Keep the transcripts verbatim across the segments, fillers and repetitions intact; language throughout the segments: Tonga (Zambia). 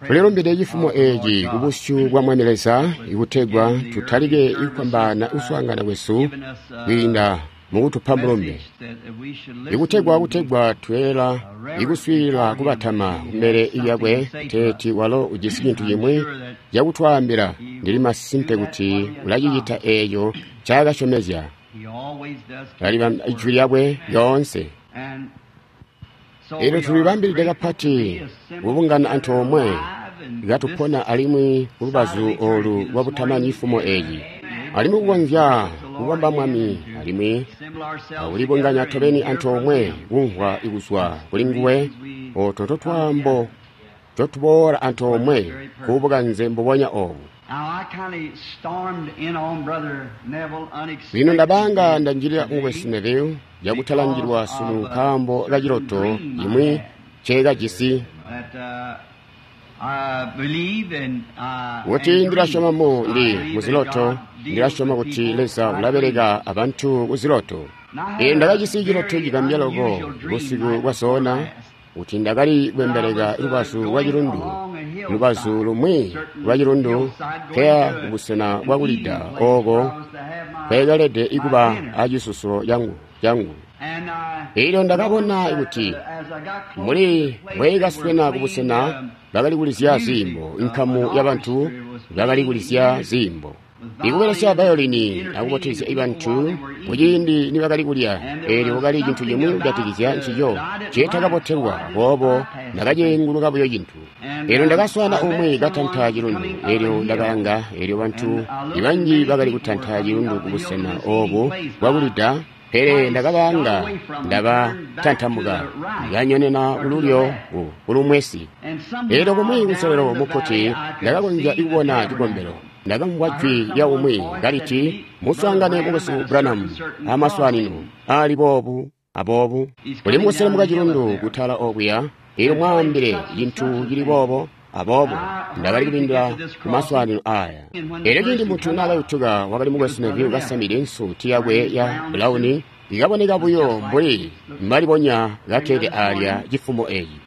Tulilumbide cifumo eeci kubusyu bwa Mwami Leza ikutegwa tutalike kufwambaana kuswaangana kwesu kwiinda mukutupa mulumbe, ikutegwa kutegwa tweela ikuswiilila kubatama kumbele lyakwe kuteeti walo ujisi cintu cimwi cakutwaambila. Ndili masimpe kuti ulacicita eeco ncaakasyomezya. Ulalibamba ijwi lyakwe lyoonse. Eelyo tulibambilide kapati kubungana antoomwe katupona alimwi kulubazu oolu lwabutamani cifumo eeci, alimwi kukonzya kukomba Mwami alimwi akulibunganya tobeni antoomwe kumvwa kuzwa kuli nguwe. Ooto ntotwaambo ntotuboola antoomwe kubukanze mbubonya oobu. Lino ndabanga ndanjilila mukwesu Neville cakutalangilwa sunu nkaambo kaciloto cimwi nceekajisi, kuti ndilasyoma mu ndi muziloto, ndilasyoma kuti Leza ulabeleka abantu kuziloto. Eelyo ndakajisi ciloto cigambya loko busiku bwasoona, kuti ndakali kwembeleka lubazu lwa cilundu, lubazu lumwi lwa cilundu nkeya kubusena bwakulida ooko nkweekalede kuba acisusulo cangu cangu. Eelyo ndakabona kuti muli mbweekaswena kubusena bakali kulizya ziimbo, inkamu yabantu bakali kulizya ziimbo ikubelesya vayolini akubotezya bantu kuciindi nibakali kulya. Eelyo kwakali cintu cimwi kujatikizya ncico nceetakabotelwa, aboobo ndakaceenguluka buyo cintu. Eelyo ndakaswaana umwi katanta cilundu. Eelyo ndakalanga, eelyo bantu banji bakali kutanta cilundu kubusena oobu bwakulida, pele ndakabaanga ndabatantamuka, ndakanyonena kululyo kulumwesi. Eelyo kumwi kunselelo mukkuti ndakakonzya kubona cikombelo. Ndakamvwa jwi lya umwi kaliti, "Muswaangane mukwesu Branham amaswaanino aali boobu aboobu. Uli mukuselemuka cilundu kutala okuya, eelyo mwaambile cintu cili boobo aboobo." Ndakali kubindila kumaswaanino aya. Eelyo ciindi muntu naakayutuka, wakali mukwesu Neville kasamide nsuuti yakwe ya bulawuni, ikaboneka buyo mbuli mbalibonya kakkede alya cifumo eeci.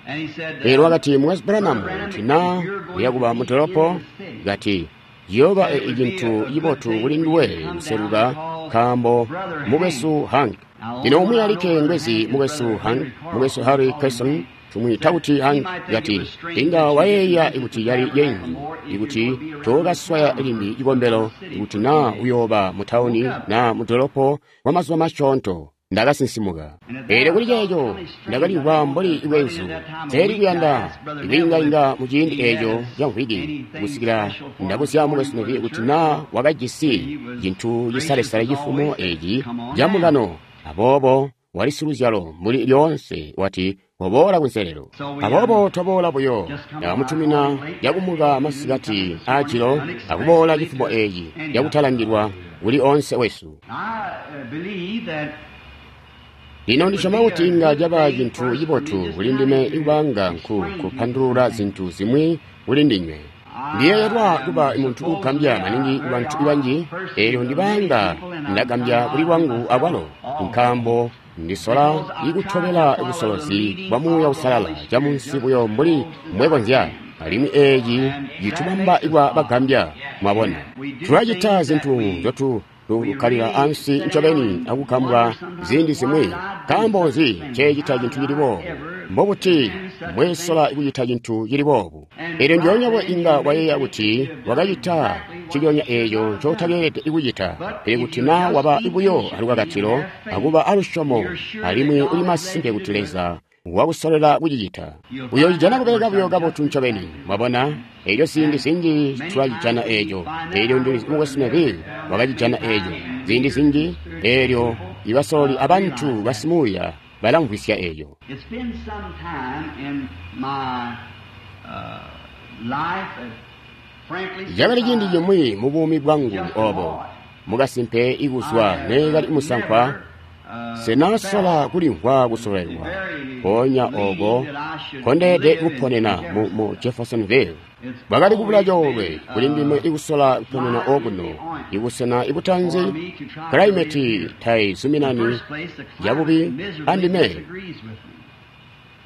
Eelyo wakati, "Mukwesu Branham, kuti naa uyakuba mudolopo, kati ciyooba cintu cibotu kuli nduwe kuseluka, nkaambo mukwesu Hank." Lino umwi alikke ngwezi mukwesu Hank, mukwesu Harry Carson, tumwiita kuti Hank, kati inga wayeeya kuti yali yenzu ikuti tookaswaya limbi cikombelo ikuti naa uyooba mutauni naa mudolopo kwa mazuba masyoonto. Ndakasinsimuka. Eelyo kuli ceeco ndakalimvwa mbuli bwenzu, nseeli kuyanda kwiingainga muciindi eeco ca mvwiki kusikila ndabuzya mukwesu Neville kuti naa wakajisi cintu cisalesale cifumo eeci camukano. Aboobo wali siluzyalo mbuli lyoonse, wati, "Waboola kunselelo." Aboobo twaboola buyo, ndakamutumina yakumuka masikati aajilo akuboola cifumo eeci cakutalangilwa kuli onse wesu. Lino ndisyoma kuti inga caba cintu cibotu kuli ndime ikubanga nku kupandulula zintu zimwi kuli ndinywe. Ndiyeeyelwa kuba muntu uugambya maningi kubantu banji, eelyo ndibanga ndagambya kuli lwangu akwalo, nkaambo ndisola ikutobela busolozi bwa Muuya Uusalala camunsi buyo mbuli mbwekonzya, alimwi eeci citubamba kuba bagambya. Mwabona, tulacita zintu nzyotu tukkalila ansi ncobeni akugambwa ziindi zimwi. Nkaambo nzi nceecita cintu cili boobu? Mbobuti mbwesola kucita cintu cili boobu? Eelyo ndyoonya bwe inga wayeeya kuti wakacita nciconya eeco ncootakeelede kucita. Pele kuti naa waba buyo alukakatilo akuba alusyomo, alimwi uli masimpe kuti Leza wakusolela kucicita, uyocijana kubeleka buyo kabotu ncobeni. Mwabona, eelyo ziindi zinji tulacijana eeco. Eelyo ndi mukwesu Neville wakacijana eeco ziindi zinji. Eelyo ibasololi abantu basimuuya balamvwisya eeco. Cakali ciindi cimwi mubuumi bwangu oobo mukasimpe ikuzwa neekali musankwa, senasola kulimvwa kusololelwa mpoonya ooko nkondeede kuponena mu, mu Jeffersonville. Bwakali kubula coolwe kuli ndime ikusola kuponena okuno, ibusena ibutanzi kalaimeti taizuminani yabubi andime.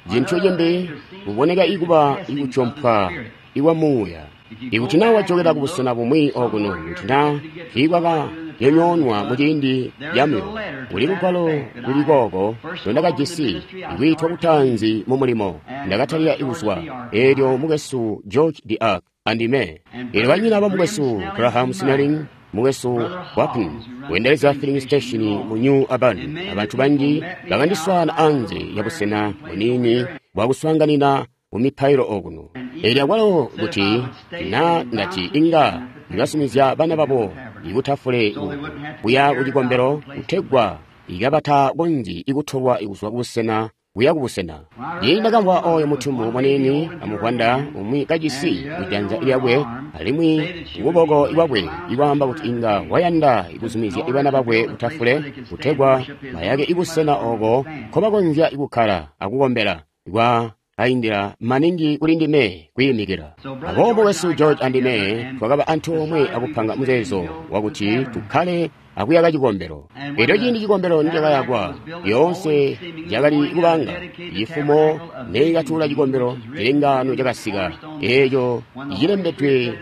Cintu cimbi kuboneka ikuba ikutyompwa ikwa muuya. Ikuti naa wajokela kubusena bumwi okuno, kuti naa tiikwakanyonyoonwa muciindi camulilo, kuli lugwalo luli kooko ndondakajisi ikwiitwa kutaanzi mu mulimo. Ndakatalika kuzwa eelyo mukwesu George DeArk andime, eelyo banyina bamukwesu Graham Snelling, mukwesu Wapn weendelezya filling station mu New Albany, abantu banji bakandiswaana anze yabusena buniini bwakuswaanganina mumipailo okuno. Eelyo akwalo kuti naa ndati inga ndibasumizya bana babo ikutafule kuya kucikombelo kutegwa ikabatakonzyi ikutolwa kuzwa kubusena kuya kubusena. Ciindi ndakamvwa oyo mutumbu muniini amuvwanda umwi kajisi kujanza lyakwe alimwi kuboko kwakwe ikwaamba kuti inga wayanda kuzumizya bana bakwe kutafule kutegwa bayake ibusena oko nkobakonzya kukkala akukombela kwa kaindila maningi kuli ndime kwiimikila. Aboobo wesu George andime twakaba antoomwe akupanga muzeezo wakuti tukkale akuyaka cikombelo. Elyo ciindi cikombelo nicakayakwa, lyoonse cakali kubanga cifumo neikatula cikombelo, cilengaano cakasika eeco cilembedwe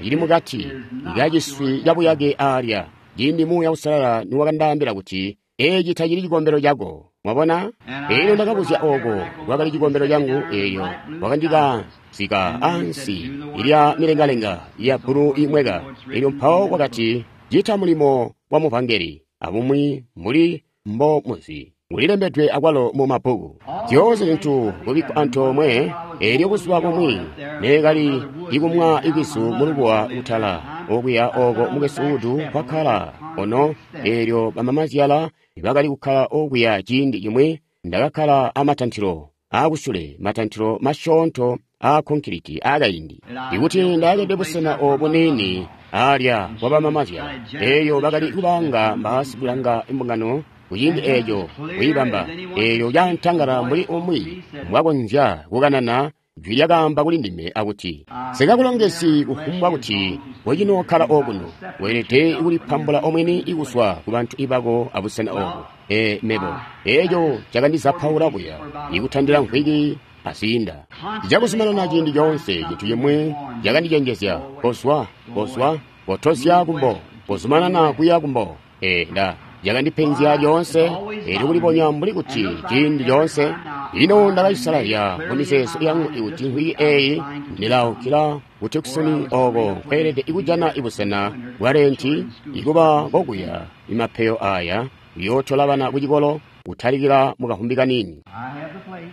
cili mukati kaciswi cabuyake aalya. Ciindi Muuya Uusalala niwakandaambila kuti eeci tacili cikombelo cako. Mwabona? Eelyo ndakabuzya ooko kwakali cikombelo cangu, eelyo wakandikazika ansi lya milengalenga ya bbulu imweka. Eelyo mpawo wakati, cita mulimo wa muvangeli abumwi mbuli mbo muzi kulilembedwe akwalo mu mabbuku. Zyoonse zintu kubikkwa antoomwe. Eelyo buzuba bumwi neekali ikumwa ikwizu mulubuwa kutala okuya oko mukwesu Wood kwakkala ono, eelyo bamamazyala bakali kukkala okuya ciindi cimwi, ndakakkala amatantilo aakusule, matantilo masyoonto aa konkiliti aakaindi. Ikuti ndaakede busena obu niini alya kwa bamamazyala, eeyo bakali kubanga mbaasikulanga mbungano kuciindi eeco kuyibamba, eeyo yantangala mbuli umwi mbwakonzya kukanana jwi lyakaamba kuli ndime akuti, sikakulongesi kufumbwa kuti wecinookkala okuno, weelede kulipambula omwini kuzwa kubantu ibako abusena obu. E mebo, eeco cakandizapaula buya ikutandila mvwiki aziinda. Cakuzumanana ciindi coonse cintu cimwi cakandicenjezya, kozwa, kozwa, kotozya kumbo, kozumanana kuya kumbo. E nda cakandipenzya lyoonse, eelyo kulibonya mbuli kuti ciindi coonse. Ino ndakacisalazya mumizeezo yangu ikuti mvwiki eeyi ndilaukila ku Tucson oko nkweelede kujana ibusena bwa renti ikuba kokuya imapeyo aya kuyootola bana kucikolo kutalikila mukahumbi kaniini.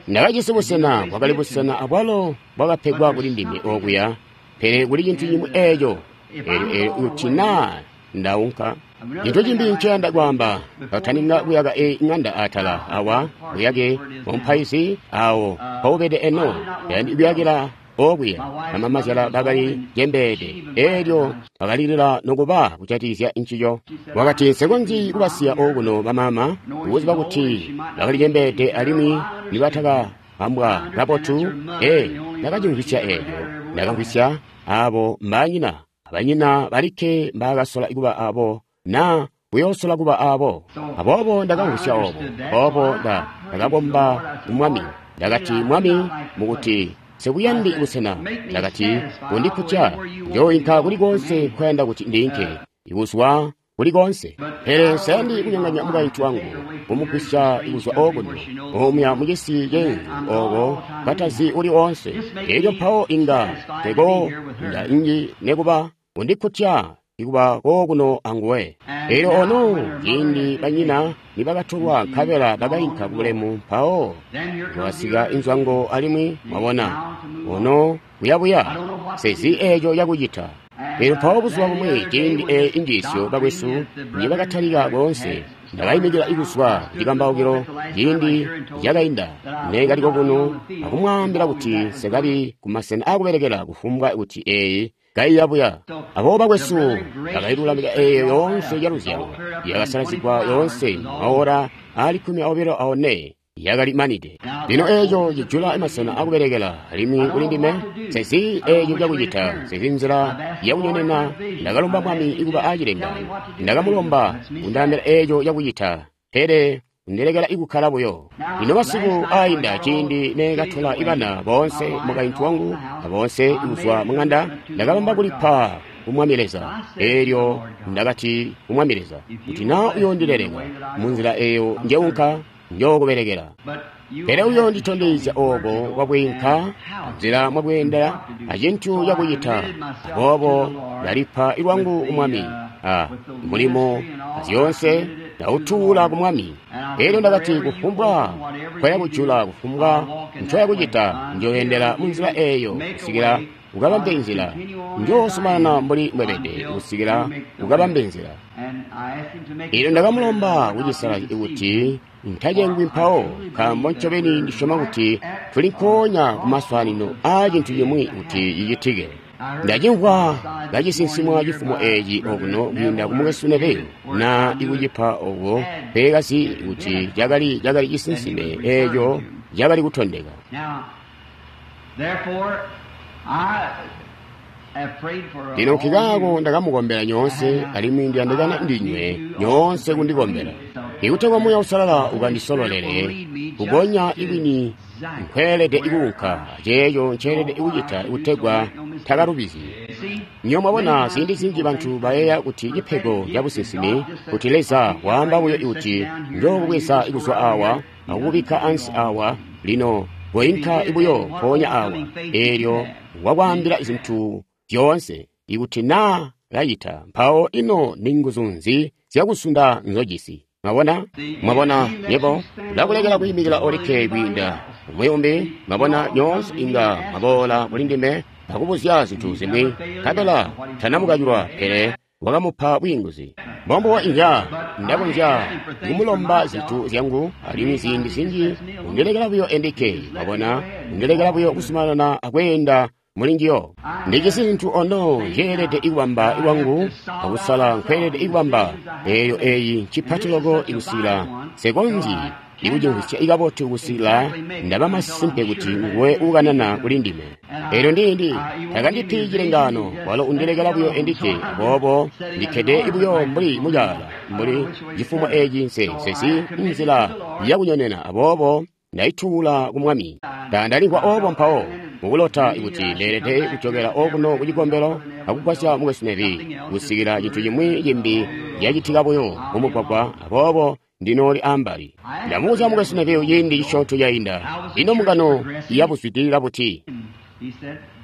Ndakajisi busena bwakali busena abwalo bwakapegwa kuli ndime okuya, pele kuli cintu cimwi eeco eelyo eelyo kuti naa ndaunka. Cintu cimbi nceyanda kwaamba, kataninga kuyaka eyi ŋanda atala awa buyake bwamupaizi awo mpaubede eno, yandi kuyakila okuya bamamazyala bakali cembeede, eelyo bakalilila nokuba kujatikizya ncico. Wakati nsikonzyi kubasiya okuno bamama, kuziba kuti bakali cembeede alimwi nibatakabambwa kabotu. E ndakacimvwisya eelyo, ndakamvwisya abo mbaanyina, abanyina balikke mbaakasola kuba abo na kuyoosola kuba abo. Aboobo ndakamvwisya obo, aboobo ndakakomba Mwami. Ndakati, Mwami, mukuti sikuyandi busena, ndakati kundikutya, njooinka kuli koonse nkoyanda kuti ndiinke, ikuzwa kuli koonse. Pele nsayandi kunyonganya mukaintu wangu, kumugwisya kuzwa okuno, omuya mucisi ceenzu oko katazi uli oonse. Elyo mpawo inga teko nda inji nekuba kundikutya ikuba kokuno anguwe. Elyo ono ciindi banyina nibakatolwa nkabela bakainka kubulemu, mpawo kwakasika inzwango alimwi mwabona ono kuyabuya sezi eeco cakucita. Elyo mpawo buzuba bumwi ciindi eeyi injiisyo bakwesu nibakatalika koonse, ndakaimikila kuzwa kucikambaukilo ciindi cakainda neekali kokuno akumwaambila kuti nsekabi kumasena aakubelekela kufumbwa kuti eeyi kaiyabuya. Aboobo bakwesu bakailulamika eeyo yoonse yaluzyalo yakasalazigwa yoonse maora aali kkumi aobilo aone yakali manide. Lino eeco cijula masena akubelekela alimwi kuli ndime sezi eeco cakucita, sezi nzila yakunyonena. Ndakalomba Mwami kuba acilengaano, ndakamulomba kundaambila eeco cakucita, pele undilekela ikukkala buyo. Lino masiku ainda ciindi neekatola ibana boonse mukaintu wangu aboonse kuzwa mung'anda, ndakabamba kulipa ku Mwami Leza. Eelyo ndakati ku Mwami Leza, kuti naa uyoondileleka munzila eeyo njeunka, njookubelekela. Pele uyoonditondezya ooko kwakwiinka, nzila mwakweendela, acintu cakucita. Aboobo ndalipa lwangu ku Mwami, a mulimo azyoonse ndautuula ku Mwami. Eelyo ndakati kufumbwa nkoyakujula, kufumbwa ncoyakucita, njoyendela munzila eeyo kusikila ukabambe nzila. Njoosumanana mbuli mbwebede kusikila ukabambe nzila. Eelyo ndakamulomba kucisala kuti ntacengwi mpawo, nkaambo ncobeni ndisyoma kuti tuli nkoonya kumaswaanino aa cintu cimwi kuti cicitike. Ndacimvwa kacisinsimwa cifumo eeci okuno kwiinda ku mukwesu Neville, na ikucipa oko peekazi kuti cakali cakali cisinsime eeco cakali kutondeka. Lino nkikaako ndakamukombela nyoonse, alimwi ndiyandikana ndinywe nyoonse kundikombela, ikutegwa Muuya Uusalala ukandisololele kugonya ikwini nkweelede ikuunka, aceeco nceelede kucita kutegwa takalubizyi. Nyo mwabona ziindi zinji bantu bayeeya kuti cipego ca businsimi, kuti Leza waamba buyo kuti njookubweza kuzwa awa akukubikka ansi awa, lino koinka buyo mpoonya awa, eelyo wakwaambila zintu zyoonse. Ikuti naa kacita, mpawo ino ni nguzu nzi zyakusunda nzojisi? Mwabona? Mwabona, yebo ulakulekela kwiimikila olikke kwiinda umwi umbi. Mwabona, nyoonse inga mwaboola kuli ndime akubuzya zintu zimwi, nkabela tanamukacilwa, pele wakamupa bwiinguzi. Mbombubo inga ndakonzya kumulomba zintu zyangu, alimwi ziindi zinji undilekela buyo endikke. Mwabona, undilekela buyo kusumanana akweenda mulinjiyo. Ndijisi zintu ono njeelede ikubamba lwangu akusala nkweelede ikubamba. Eeyo eeyi ncipati loko ikusikila nsekonzyi ikucimvwisya ikabotu kusikila ndaba masimpe kuti nguwe uukanana kuli ndime. Eelyo ndindi takandipi cilengaano, walo undilekela buyo endikke. Aboobo ndikkede buyo mbuli mucaala, mbuli cifumo eeci nse nsesi nzila yakunyonena. Aboobo ndaituula ku Mwami. Ndandalimvwa oobo mpawo mukulota kuti ndeelede kujokela okuno ku cikombelo akugwasya mukwesu Neville kusikila cintu cimwi cimbi cacitika buyo mumugwagwa. Aboobo ndinooli ambali. Ndamubuzya mukwesu Neville ciindi cisyoonto cainda, ino mbungano yabuzwidilila buti?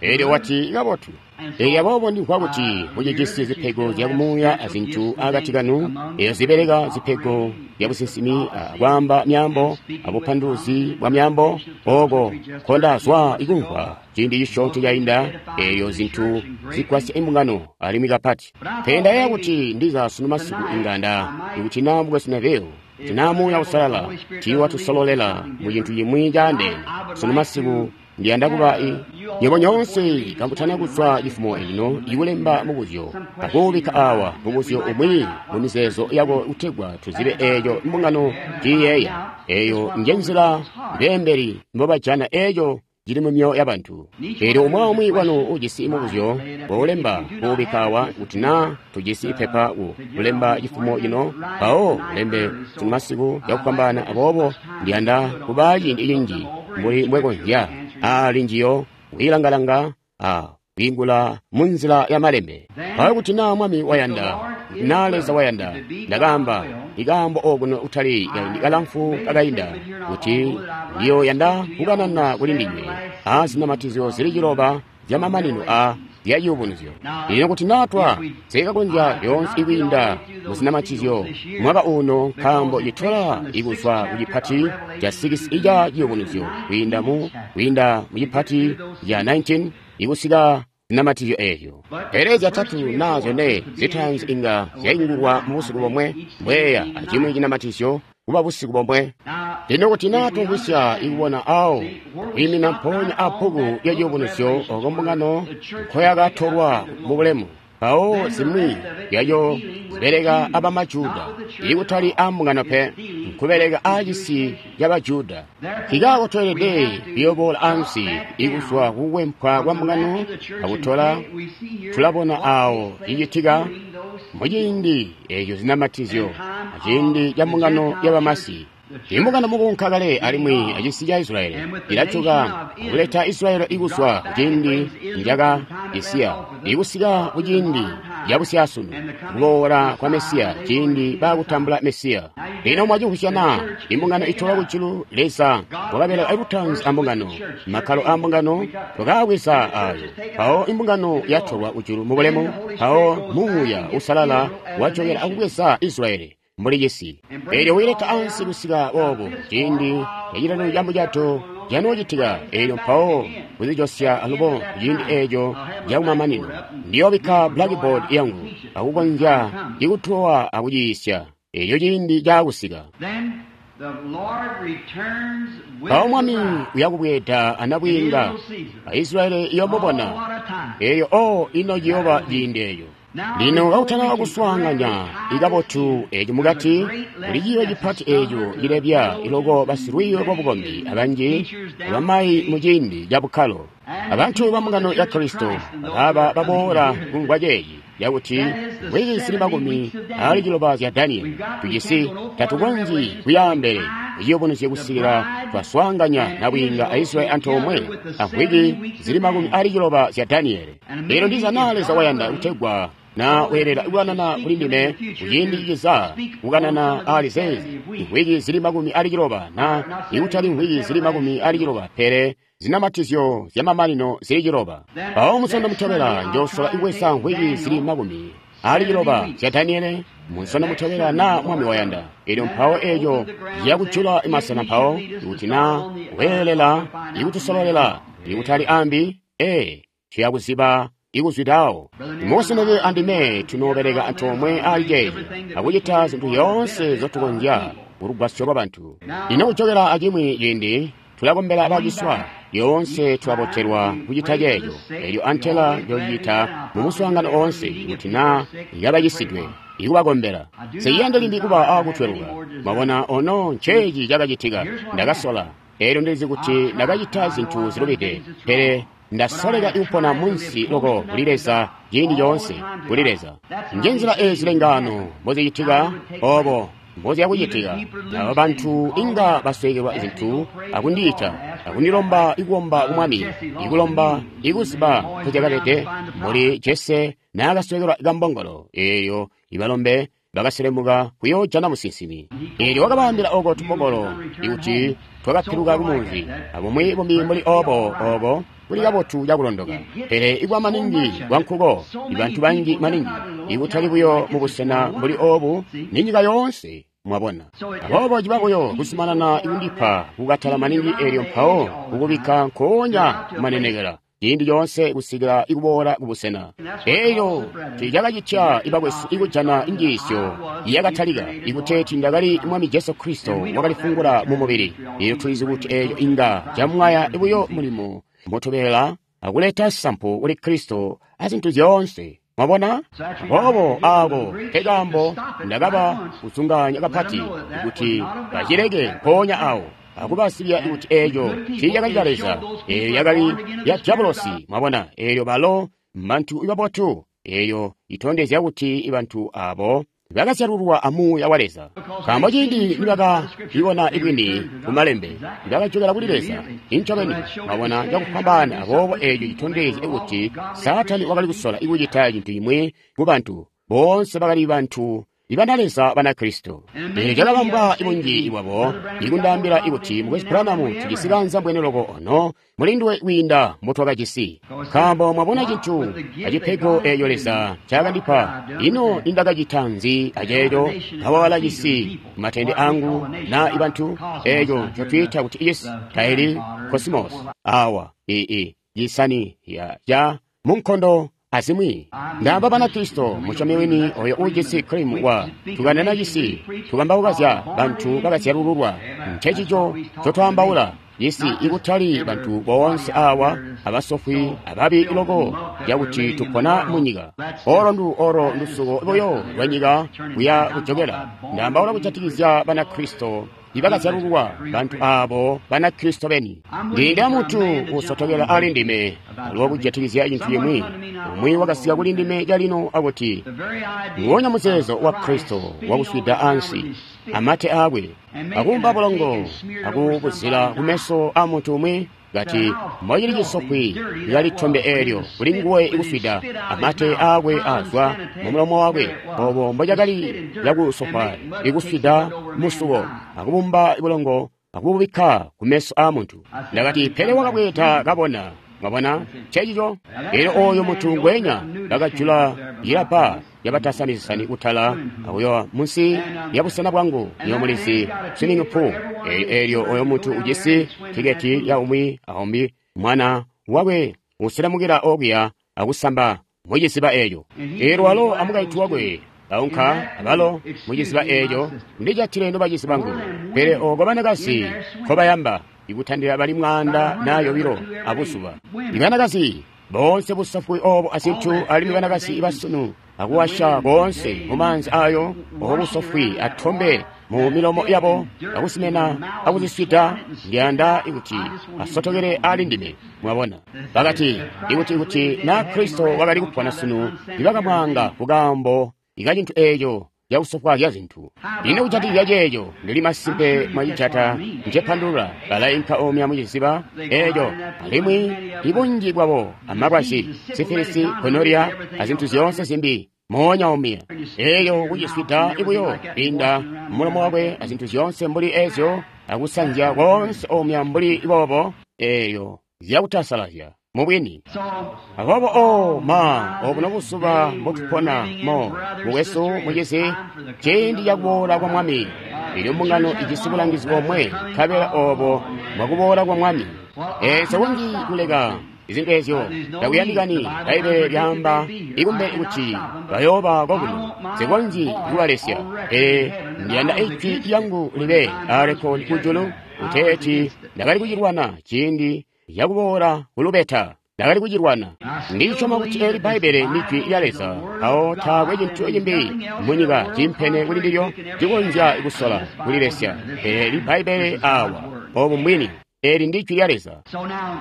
Eelyo wati kabotu. Eelyo aboobo ndimvwa kuti mucijisi zipego zyakumuuya azintu akati kanu, eeyo zibeleka zipego zyabusinsimi, akwaamba myaambo, abupanduluzi bwa myaambo, ooko nkondazwa ikumvwa ciindi cisyoonto cainda. Eelyo zintu zigwasya imbungano alimwi kapati. Pele ndayeeya kuti ndiza sunu masiku inga nda, ikuti naa mukwesu Neville, kuti naa Muuya Uusalala tiiwatusololela mucintu cimwi caandeene sunu masiku, ndiyanda kuba i nywebo nyoonse kamutana kuzwa cifumo eno ikulemba mubuzyo akuubikka awa mubuzyo umwi mu mizeezo yako kutegwa tuzibe eeco mbungano ciiyeeya. Eeyo njenzila beembeli mbobajana eeco cili mu myoyo yabantu. Eelyo umwi aumwi wanu ujisi mubuzyo woulemba kuubikka awa, kuti naa tujisi ipepa ku kulemba cifumo cino, mpawo ulembe sunu masiku cakufwambaana. Aboobo ndiyanda kubaa ciindi cinji mbuli mbwekonzya aali njiyo kwiilangalanga a kwiingula munzila ya malembe. Mpawo kuti naa Mwami wayanda, kuti naa Leza wayanda, ndakaamba ikaambo okuno kutali kaindi kalamfu kakainda, kuti ndiyoyanda kukanana kuli ndinywe a zinamatizyo zili ciloba zyamamanino a zyaciyubunuzyo. Lino kuti naa twa sikakonzya lyoonse ikwiinda muzinamatizyo mwaka uno, nkaambo citola ikuzwa ku cipati ca sikisi ica ciyubunuzyo kwiinda mu kwiinda mu cipati ca nineteen ikusika zinamatizyo eezyo. Pele zyatatu naa zyone zitaanzi inga zyaingulwa mubusiku bomwe, mbweeya acimwi cinamatizyo kuba busiku bomwe. Lino kuti naa tumvwisya ikubona awo kwiimina mpoonya abbuku lya ciyubunuzyo oko mbungano nkoyakatolwa mubulemu, mpawo zimwi zyaco zibeleka abamajuda, ikutali ambungano pe, nkubeleka aacisi cabajuda. Nkikaako tweelede kuyoboola ansi ikuzwa kukwempwa kwa mbungano akutola, tulabona awo cicitika muciindi eeco zinamatizyo aciindi ca mbungano yabamasi. Imbungano mukuunka kale alimwi acisi ca Israyeli ilajoka akuleta Israyeli ikuzwa kuciindi njaka isiya ikusika kuciindi cabusyaasunu kuboola kwa Mesiya ciindi baakutambula Mesiya. Lino mwacimvwisya na? Imbungano itolwa kujulu. Leza wakabeleka lutaanzi ambungano, makkalo a mbungano twakaabweza ayo. Mpawo imbungano yatolwa kujulu mubulemu, mpawo Muuya Uusalala wajokela akubweza Israyeli mbuli cisi. Eelyo wiileta ansi kusika boobo ciindi cacitatu ca mucato canoocitika. Eelyo mpawo kuzijosya alubo ciindi eeco cakumamanino. Ndiyoobikka blackboard yangu akukonzya ikutowa akuciisya eelyo ciindi caakusika. Mpawo Mwami uyakubweeda anabwiinga Aisraeli iyomubona. Eelyo o ino ciyooba ciindi eeco. Lino kakutana kuswaanganya ikabotu eeco mukati, kuli ciiyo cipati eeco cilebya iloko basilwiiyo lwabukombi abanji abamayi mu ciindi ca bukkalo. Abantu ba mbungano ya Kristo bakaaba baboola kumvwa ceeci yakuti mvwiki zili makumi aali ciloba zya Danieli tujisi tatukonzyi kuyaambele iciyubunuzye kusikila twaswaanganya nabwiinga a Israyeli antoomwe amvwiki zili makumi aali ciloba zya Danieli. Lino ndiza naa Leza wayanda kutegwa na weelela kukanana kuli ndime kuciindi ciciza kukanana ali zeezi imvwiki zili makumi aali ciloba na ikutali mvwiki zili makumi aali ciloba pele zinamatizyo zyamamanino zili ciloba. Mpawo musondo mutobela njoosola ibweza mvwiki zili makumi aali ciloba zya Daniele munsondo mutobela na Mwami wayanda. Eelyo mpawo eeco ciyakujula imasena mpawo ikuti na weelela ikutusololela ikutali ambi ee tuyakuziba ikuzwidawo. Museneke andime tunoobeleka antoomwe ali ceeci akucita zinthu zyoonse zotukonzya kulugwasyo lwa bantu. Lino kujokela acimwi ciindi tulakombela baciswa. Lyoonse tulabotelwa kucita ceeco. Eelyo antela njoocita mumuswaangano oonse kuti naa yabacisidwe ikubakombela. Siyanda limbi kuba aakutweluka. Mwabona ono nceeci cakacitika. Ndakasola. Eelyo ndilizi kuti ndakacita zinthu zilubide, pele ndasoleka ikupona munsi loko kuli Leza ciindi coonse kuli Leza. Njenzila eezi lengano mbozicitika obo mboziyakucitika. Aba bantu inga basweekelwa zinthu akundiita akundilomba ikuomba ku Mwami, ikulomba ikuziba nkozyakabede mbuli Jese naakasweekelwa kambongolo. Eeyo ibalombe bakaselemuka kuyoojana musinsimi. Eelyo wakabaambila oko tumbongolo ikuti twakapiluka kumunzi abumwi bumbi mbuli obo obo kuli kabotu cakulondoka. Pele ikwa maningi kwankuko ibantu banji maningi ikutali buyo mubusena mbuli obu ni nyika yoonse mwabona. Aboobo ciba buyo kuzumanana ikundipa kukatala maningi eelyo mpawo kukubikka nkoonya kumanenekela ciindi coonse kusikila ikuboola kubusena. Eeyo cakacitya ibakwesu ikujana injiisyo yakatalika ikuteeti ndakali Mwami Jesu Kristo wakalifungula mu mubili. Eeyo tulizi kuti eeyo inga camwaya buyo mulimo mutobela akuleta sampu kuli Kristo azintu zyoonse. Mwabona? Aboobo aako kekaambo ndakaba kuzunganya kapati kuti bacileke mpoonya awo akubasibya kuti eeco tiicakali ca Leza, eeyo yakali ya Diabolosi. Mwabona? Eelyo balo mbantu ibabotu. Eeyo itondezya kuti bantu abo bakazyalulwa amuuya wa Leza. Nkaambo ciindi nibakabibona ibwini kumalembe, bakajokela kuli Leza incobeni. Mwabona cakufwambaana. Aboobo eeco citondezya kuti Saatani wakali kusola ikucita cintu cimwi ku bantu boonse bakali bantu ibana Leza bana Kristo. Eelyo cakabambwa ibunji bwabo ikundaambila ikuti Mukwesu Branham tujisi kanza mbwene loko ono mulinduwe kwiinda mbotwakajisi. Nkaambo mwabona cintu acipego eeco Leza ncakandipa, ino nindakacita nzi aceeco nkawawala cisi matende angu na ibantu eeco ncotwiita kuti icisi taili kosmos awa ii cisani ya ca munkondo azimwi. Ndaamba Banakristo musyomi wini oyo uujisi krimu wa tukanana cisi tukambauka bantu bakazyalululwa. Ncencico ncotwaambaula cisi ikutali bantu boonse awa abasofwi ababi loko cakuti tupona munyika. Olo ndu olo ndusuko buyo lwanyika kuya kujokela. Ndaambaula kujatikizya Banakristo ibakazyalululwa, bantu abo Banakristo beni. Ndi muntu usotokela ali ndime alubo kujatikizya cintu cimwi. Umwi wakasika kuli ndime calino akuti nguwonya muzeezo wa Kristo wakuswida ansi amate akwe akumba bulongo akubuzila kumeso a muntu umwi, kati mbocili cisofwi lyali tombe eelyo kuli nguwe ikuswida amate aakwe azwa mumulomo wakwe, obo mbocakali yakusofwa ikuswida musuko akubumba bulongo akububikka kumeso a muntu. Ndakati, pele wakabweeda kabona. Mwabona cecico? Elyo oyo muntu ngwenya bakajula yilapa yabatasani kutala akuyowa munsi ya busena bwangu niyomulizi swimming pool. Elyo oyo muntu ujisi tiketi ya umwi aumbi mwana wakwe uselamukila okuya akusamba muciziba eeco. Elyo walo amukaintu wakwe baunka abalo muciziba eeco, ndijatile nobacizi bangu. Pele oko banakazi nkobayamba ikutandila bali mwaanda na yobilo abuzuba. Ibanakazi boonse busafwi obo azintu, alimwi banakazi basunu akuwasha boonse mumaanzi ayo obusofwi atombe mu milomo yabo akusimena akuziswida. Ndiyanda ikuti asotokele ali ndime. Mwabona, bakati ikuti ikuti na Kristo wakali kupona sunu nibakamwaanga kukaambo ikacintu eeco yakusofwaazya zintu. Ino kujatikizya ceeco, ndili masimpe mwacijata ncepandulula. Balainka omya muciziba eeco, alimwi ibunji bwabo amalwazi, sifilisi, gonoria, azintu zyoonse zimbi moonya omya. Eeyo kuciswida ibuyo kwiinda mulomo wakwe azintu zyoonse mbuli ezyo, akusanzya koonse omya mbuli boobo, eeyo zyakutasalazya mubwini. Aboobo o ma obuno buzuba mbotupona mo, mukwesu mucizi, ciindi cakuboola kwa Mwami. Elyo mbungano ijisi bulangizi bomwe, nkabela obo mbwakuboola kwa Mwami. Eezo kunji kuleka izintu ezyo takuyandikani. Bbaibbele lyaamba ikumbe kuti bayooba kokuno, sikonzyi kubalesya. Pele ndiyanda ijwi lyangu libe aarekodi kujulu, kuteeti ndakali kucilwana ciindi cakuboola kulubeta. Ndakali kucilwana. Ndisyoma kuti eli Bbaibbele ndi Jwi lya Leza, awo taakwe cintu cimbi munyika cimpene kuli ndilyo cikonzya kusola kulilesya. Pele eli Bbaibbele awa, obu mbwini, eli ndi Jwi lya Leza.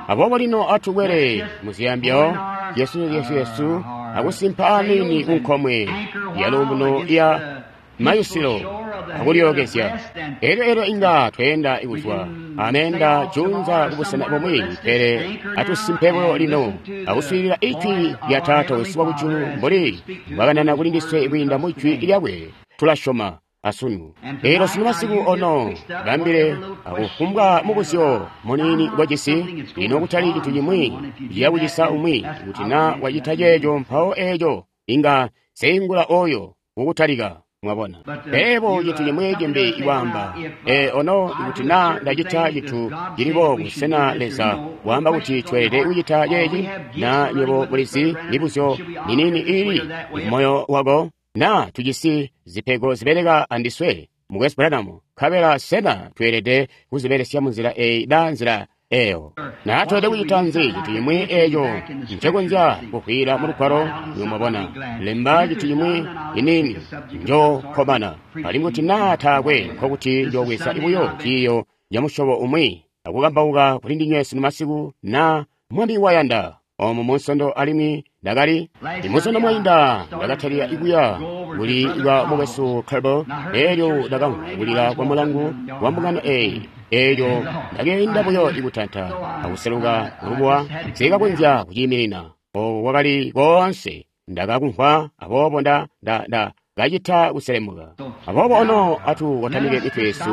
Aboobo lino atukwele muziyambyo Yesu Yesu Yesu akusimpa aniini kunkomwe ya luumuno ya mayusilo akulyookezya. Elyo elyo inga tweenda kuzwa ameenda junza kubusena bumwi, pele atusimpe buyo lino akuswiilila ijwi lya Taata wesu wakujulu mbuli mbwakanana kuli ndiswe kwiinda mu jwi lyakwe. Tulasyoma asunu. Elyo sunu masiku ono bambile akufumbwa mubuzyo muniini ngwajisi, lino kutali cintu cimwi ciyakucisa umwi. Kuti na wacita ceeco, mpawo eeco inga seingula oyo kukutalika. Mwabona, pele cintu cimwi cimbi iwaamba, e ono ikuti na ndacita cintu cili boobu, sena Leza waamba kuti tweelede kucita ceeci? Na nywebo mulizi mibuzyo minini ili mumoyo wako, na tujisi zipego zibeleka andiswe, Mukwesu Branham, nkabela sena tweelede kuzibelesya munzila eyi na nzila eyo? Na tweelede kucita nzi cintu cimwi eco ncekonzya kuvwiila mu lugwalo? Mwabona, lemba cintu cimwi iniini, njokkomana. Alimwi kuti naa taakwe, nkokuti njoobweza buyo ciiyo ca musyobo umwi akukambauka kuli ndinywe sunu masiku, na Mwami wayanda. Omu munsondo alimwi ndakali imunsondo mwainda ndakatalika ikuya kuli kwa mukwesu Kerbo. Elyo ndakamvwa kulila kwa mulangu wa mbungano eyi. Elyo ndakeenda buyo ikutanta akuseluka kulubuwa, sikakonzya kuciiminina. Oko kwakali koonse ndakakumvwa, aboobo nda nda nda kacita kuselemuka. Aboobo ono atukotamike mitwe yesu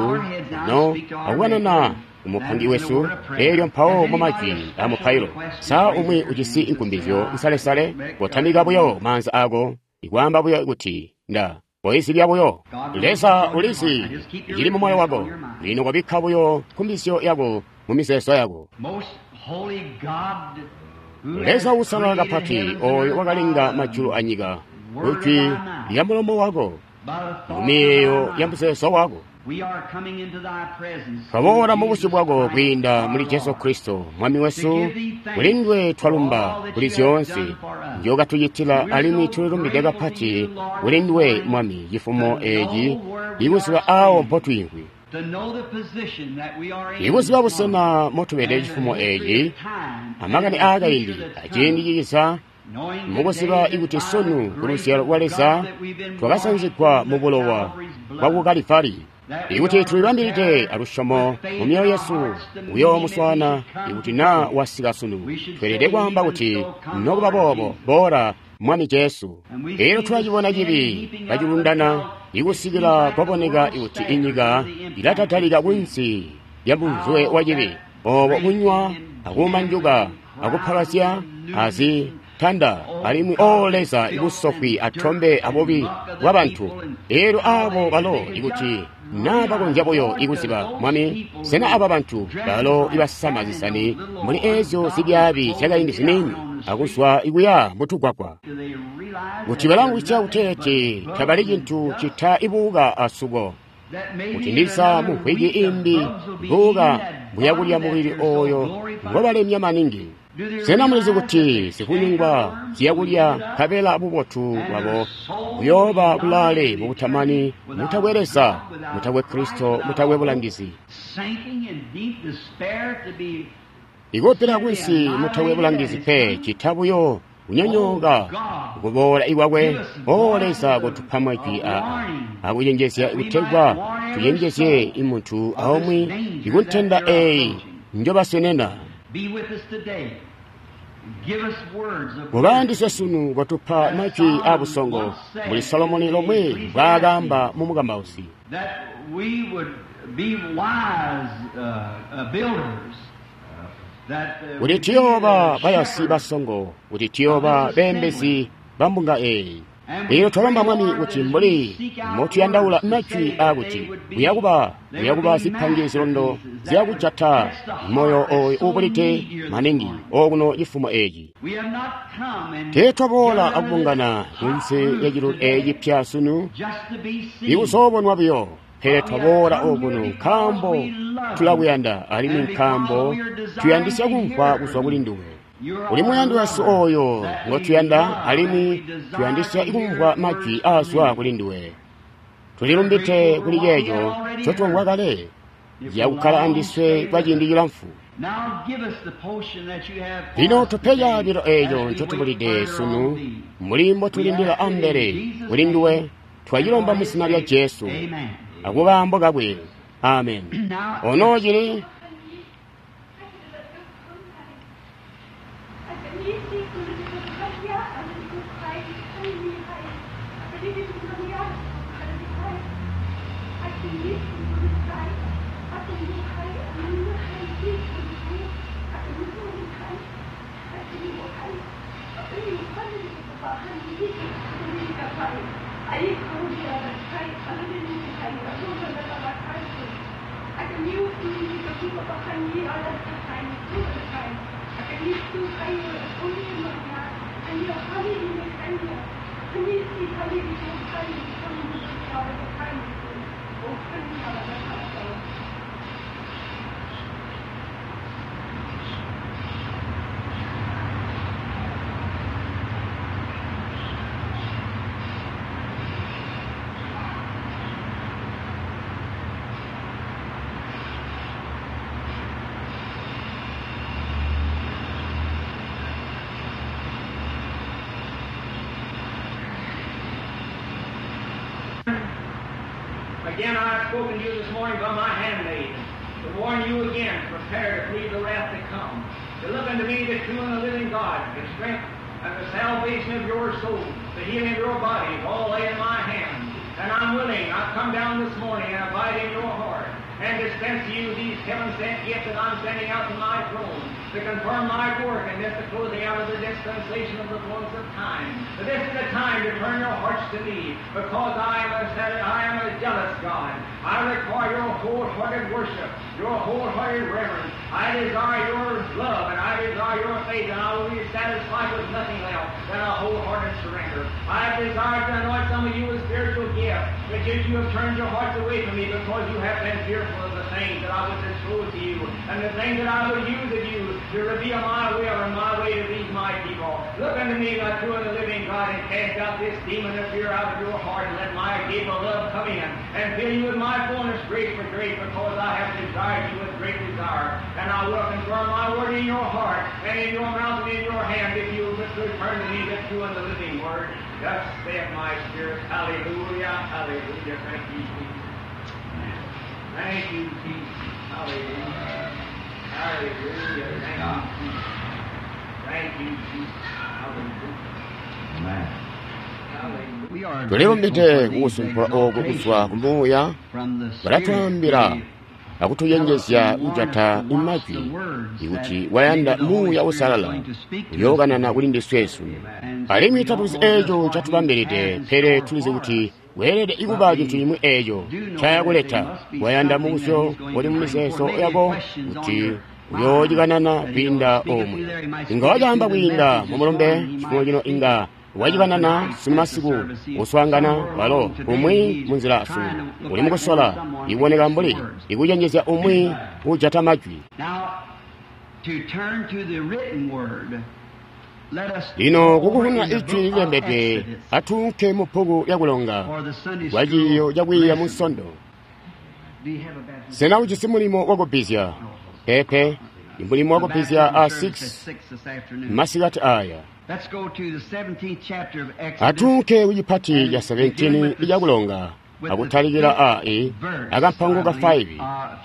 no akukanana umupangi wesu. Elyo mpawo mu majwi a mupailo, sa umwi ujisi inkumbizyo nsalesale, kotamika buyo maanza ako ikwaamba buyo kuti nda koizibya buyo. Leza ulizi cili mu moyo wako. Lino kobikka buyo nkumbizyo yako mu mizeezo yako. Leza uusalala kapati, oyo wakalenga majulu anyika, kujwi lya mulomo wako, mu miyeeyo ya muzeezo wako, twaboola mu busyu bwako kwiinda muli Jesu Kristo Mwami wesu. Kulindwe twalumba kuli zyoonse nzyokatucitila, alimwi tulilumbide kapati kulindwe Mwami cifumo eeci ikuziba awo mpotwiimvwi. Ikuziba busena motubede cifumo eeci, amakani aakaindi aciindi ciza, mukuziba ikuti sunu kuluzyalo lwa Leza twakasanzigwa mu bulowa bwaku Kalivari, ikuti tulibambilide alusyomo mu myoyo yesu kuyoomuswaana ikuti naa wasika sunu, tweelede kwaamba kuti nokuba boobo boola Mwami Jesu. Elyo tulacibona cibi kacilundana ikusikila kwaboneka kuti inyika ilatatalika kunsi lya munzwe wa cibi, oobo kunywa akumanjuka akupalazya azitanda alimwi o Leza ibusofwi atombe abubi bwabantu. Elyo aabo balo ikuti naa bakonzya buyo ikuziba Mwami, sena aba bantu balo ibasama zisani mbuli eezyo zibyaabi zyakaindi ziniini akuzwa ikuya mutugwagwa, kuti balamvwisya kuteeti tabali cintu cita ibuuka asuko, kuti ndiza mumvwiki imbi buuka buyakulya mubili ooyo ngobalemya maningi. Sena mulizi kuti zikunyungwa ziyakulya nkabela bubotu bwabo buyooba kulaale mubutamani, mutakwe Leza, mutakwe Kristo, mutakwe bulangizi. Ikupila kunsi mutakwe bulangizi pe, cita buyo kunyonyooka kuboola ikwakwe. O Leza, kotupa majwi aa akucenjezya kutegwa tucenjezye imuntu aumwi ikuntenda eeyi njobasenena. Kubandiswe sunu kotupa majwi aabusongo mbuli Solomoni lomwe mbwaakaamba mu Mukambausi, kuti tuyooba bayasi basongo, kuti tuyooba beembezi ba mbunga eeyi. Lino twalomba Mwami kuti mbuli motuyandaula majwi aakuti kuyakuba kuyakuba zipange zilondo zyakujata moyo ooyo uubulide maningi okuno cifumo eeci. Teetwaboola akubungana kunsi lya cilulu eeci pya sunu ikuzoobonwa buyo, pele twaboola okuno nkaambo tulakuyanda alimwi nkaambo tuyandisya kumvwa kuzwa kuli nduwe. Uli muyandi wesu ooyo ngotuyanda alimwi tuyandisya ikumvwa majwi aazwa kuli nduwe. Tulilumbite kuli ceeco ncotwamvwa kale yakukkala andiswe kwa ciindi cilamfu. Lino tupe caabilo eeco ncotubulide sunu mbuli mbotulindila ambele kuli nduwe. Twacilomba mu zina lya Jesu akukaambo kakwe. Amen. Ono cili Again, I have spoken to you this morning by my handmaid, to warn you again, prepare to flee the wrath to come, to look unto me, the true and the living God, the strength and the salvation of your soul, the healing of your bodies, all lay in my hand. And I'm willing, I've come down this morning and abide in your heart, and dispense to you these heaven-sent gifts that I'm sending out from my throne, to confirm my work and this the closing out of the dispensation of the fullness of time. But this is the time to turn your hearts to me, because I am a, I am a jealous God. I require your wholehearted worship, your wholehearted reverence. I desire your love, and I desire your faith, and I will be satisfied with nothing else than a wholehearted surrender. I have desired to anoint some of you with spiritual gifts, but yet you have turned your hearts away from me because you have been fearful of the things that I would disclose to you, and the things that I would use of you to reveal my will and my way to these my people. Look unto me, the true and the living God, and cast out this demon of fear out of your heart, and let my gift of love come in, and fill you with my fullness, grace for grace, because I have desired you with great desire. And I will confirm my word in your heart, and in your mouth, and in your hand, if you will but return to me the true and the living word. Thus saith my spirit. Hallelujah, hallelujah. Thank you, Jesus. Thank you, Jesus. Hallelujah. Hallelujah. Thank you, Jesus. Thank you, Jesus. Hallelujah. Amen. Hallelujah. We are tulilumbide grateful for these kukusumpula oku kuzwa exaltations kumuuya from the Spirit. balatwaambila akutuyenjezya kujata imajwi ikuti wayanda muuya usalala uyookanana kuli ndiswe sunu alimwi tatuzi eeco catubambilide pele tulizi kuti weelede ikuba cintu cimwi eeco ncayakuleta wayanda mubuzyo uli mumizeezo yako kuti uyoocikanana kwiinda omwe inga wacaamba kwiinda mumulumbe cifumo cino inga wacikanana simasiku kuswaangana walo umwi munzila sunu uli mukusola ikuboneka mbuli ikucenjezya umwi ujata majwi Now, to turn to the written word, let us lino go kukuhuna in the ijwi book of lilembedwe Exodus atuunke mu bbuku lyakulonga for the Sunday kwa ciiyo school cakwiiya mu lesson. nsondo Do you have a baptism? sena ujisi mulimo wakubbizya pepe imulimo The wakubbizya baptism a service at six six this afternoon. masikati aya Let's go to the seventeenth chapter of Exodus. atuunke kucipati ca seventeen icakulonga akutalikila a e akampango ka five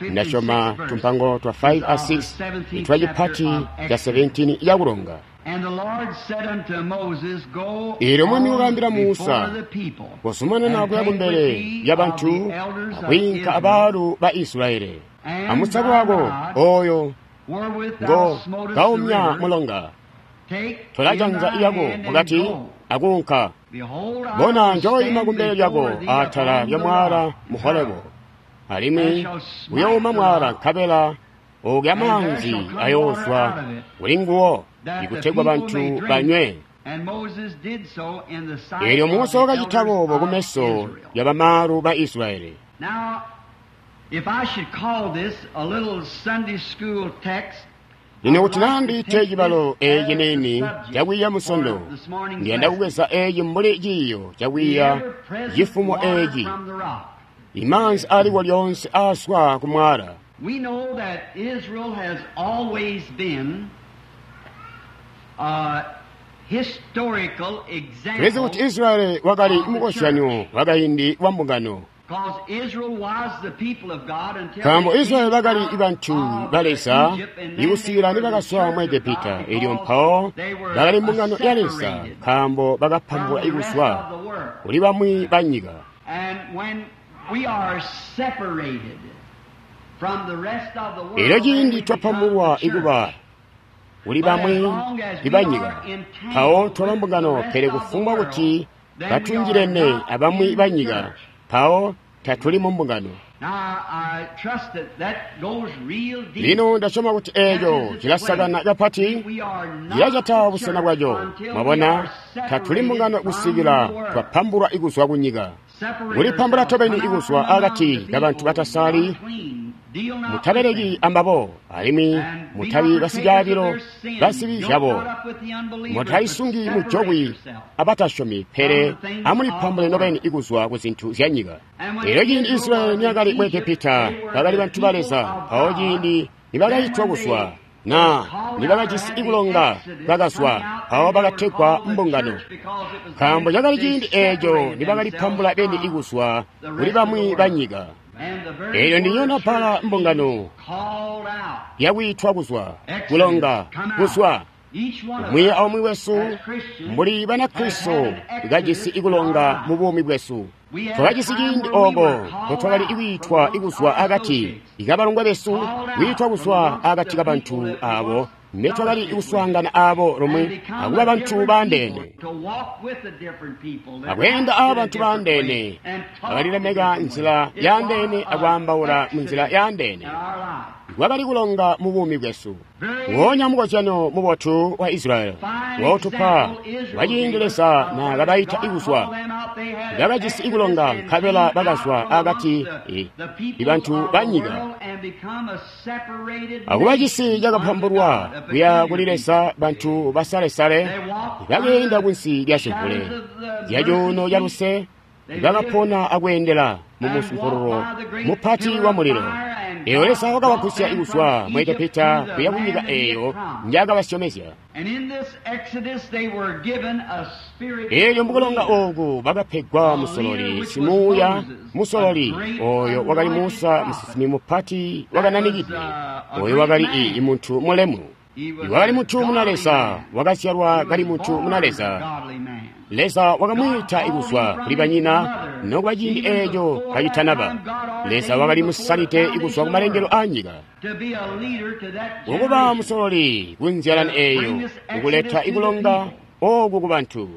ndasyoma tumpango twa five a six itwa cipati ca seventeen icakulonga And the Lord said unto Moses, Go Eelyo Mwami on wakaambila before Musa, the people, kuzumanana and kuya take kumbele with thee ya of bantu the elders of akwiinka Israel, abaalu ba Israeli and amusako thy wako rod, oyo wherewith ngo thou smotest the kaumya river, mulonga take tola in janza thy iyako hand and mukati go. akuunka Behold, I bona will njoyima stand kumbele lyako before thee atala upon lya the mwala rock. mu Horebu alimwi uyouma mwala nkabela oogya manzi ayoozwa kuli nguwo that the ikutegwa people bantu may drink. banywe And Moses did so in the sight eelyo of Musa the wakacita elders boobo of kumeso Israel. ya bamaalu ba Israeli Now, if I should call this a little Sunday school text, lino kuti nandiite cibalo eeci nini cakwiiya musondo ndiyanda kubweza eeci mbuli ciiyo the cakwiiya ever-present cifumo water eeci from the rock. imanzi aliko lyonse aaswa ku mwala We know that Israel has always been a historical tulizi kuti example Israeli wakali mukozyanyo wakayindi wa mbungano because Israel was the people of God until nkaambo they Israeli came bakali out bantu of ba Leza Egypt, and then ikusikila they were the nibakaswa mu church of Egepita God eelyo because mpawo they were bakali mbungano ya Leza separated nkaambo from bakapambwa the rest ikuswa of the world. kuli bamwi ba nyika And when we are separated from the rest of the world, eelyo then ciindi we become twapambulwa the ikuba church. kuli But as bamwi long as we ibanyika are mpawo entangled twaba with the mbungano rest pele of the kufumbwa world, kuti then we are katunjilene not abamwi in the banyika church. mpawo tatuli mu mbungano Now, I trust that that goes real deep. lino ndasyoma kuti eeco cilasakana kapati We are not cilacata the busena church bwaco until we mwabona are tatuli separated mbungano from kusikila the world. twapambulwa ikuzwa ku nyika Separate kulipambula yourselves. tobeni Come out ikuzwa from among akati the kabantu people batasali unclean. Deal not with mutabeleki them. ambabo alimwi And be mutabi not partakers of basicaabilo their sin. basibi Don't zyabo not up with the unbelievers, but mutaisungi separate mujokwi yourself. abatasyomi pele amulipambule nobeni ikuzwa ku zintu zya nyika And when eelyo ciindi Israel Israeli was in niyakali mu Egypt, Egepita they were bakali the bantu ba people Leza of mpawo God. ciindi Then nibakayitwa when kuzwa they na was called out or nibakajisi had the ikulonga Exodus bakazwa coming out, mpawo then they were bakategwa called the mbungano church because it was nkaambo then cakali they ciindi eeco separated nibakalipambula themselves beni from ikuzwa the kuli rest of the bamwi world. ba nyika And the very eelyo word ndinyona pala church mbungano means called out. yakuyitwa kuzwa Exodus, kulonga come out. kuzwa Each one of umwi us aumwi wesu as Christians mbuli has banakristo had an kajisi exodus in our ikulonga mu lives. buumi bwesu We had a twakajisi time ciindi where we oko were called ntotwakali out from ikwiitwa amongst ikuzwa our akati associates, ikabalongwe besu called out kwiitwa from kuzwa amongst akati the ka people bantu that we abo once ne twakali fellowshiped with, ikuswaangana abo and lomwe become akuba a bantu different people, baandeene to walk with a different people, that akuyenda acted a a bantu different way, baandeene and talked a akalilemeka different way. nzila It was yaandeene an akwaambaula mu nzila exodus yaandeene in our life. kwakali kulonga mu buumi bwesu. Nguonya mukozyano mubotu wa Israyeli wautupa waciindi Leza naakabaita ikuzwa, bakajisi ikulonga nkabela bakazwa akati ibantu ba nyika akuba cisi cakapambulwa kuya kuli Leza. Bantu basalesale bakeenda kunsi lya cimvule lya cuuno ca luse, bakapona akweendela mu musumpurulo mupati wa mulilo. Eyo Leza wakabagusya ikuzwa mu Egepita kuya ku nyika eyo njaakabasyomezya. Eelyo mukulonga ooku bakapegwa musololi simuuya, musololi oyo wakali Musa, musinsimi mupati wakananikidwe, oyo wakali i muntu mulemu, wakali muntu muna Leza, wakazyalwa kali muntu muna Leza. Leza wakamwiita ikuzwa kuli banyina nokuba ciindi eeco kacitanaba. Leza wakali musalide ikuzwa kumalengelo a nyika ukuba musololi kunzyalani eeyo, ukuleta ikulonga ooku kubantu.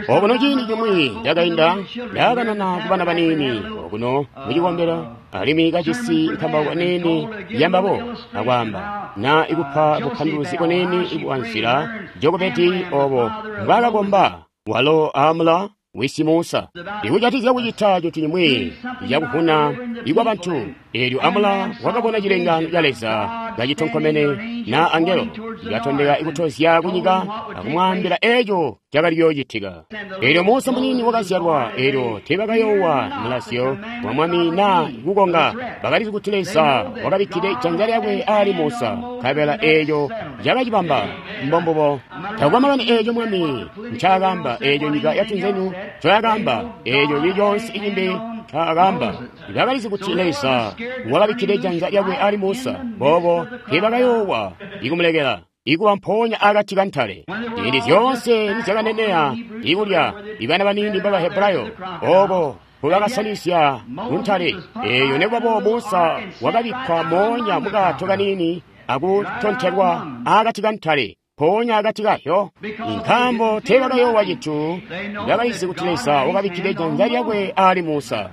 Okuno ciindi cimwi cakainda ndaakanana kubana baniini okuno mucikombelo, alimwi kajisi nkambauko niini yambabo, akwaamba na ikupa bupanduluzi buniini bwa nzila Jokobedi obo mbwaakakomba walo amula wisi Musa ikucatizya kucita cintu cimwi cakuvuna ikwa bantu. Eelyo amula wakabona cilengaano ca Leza kacitonkomene na angelo ikatondeka ikutozya kunyika akumwaambila eeco cakali kuyoocitika. Eelyo Musa muniini wakazyalwa, eelyo teebakayoowa mulazyo wa mwami na kukonga. Bakalizi kuti Leza wakabikkide janza lyakwe ali Musa, nkabela eeco cakacibamba. Mbombubo. Takukwa makani eeco mwami ncaakaamba, eeco nyika yatunzenyu ncoyakaamba, eeco cili coonse icimbi ncaakaamba, bakalizi kuti Leza wakabikkide janza lyakwe ali Musa. Boobo teebakayoowa ikumulekela ikuba mpoonya akati kantale. Ciindi zyoonse nizyakaneneya ikulya ibana baniini ba Bahebrayo ooko mbubakasanisya kuntale eeyo, nekubaboobo Musa wakabikkwa moonya mukaato kaniini akutontelwa akati kantale mpoonya akati kayo, nkaambo teebakayoowa cintu. Bakalizi kuti Leza wakabikkide janza lyakwe ali Musa.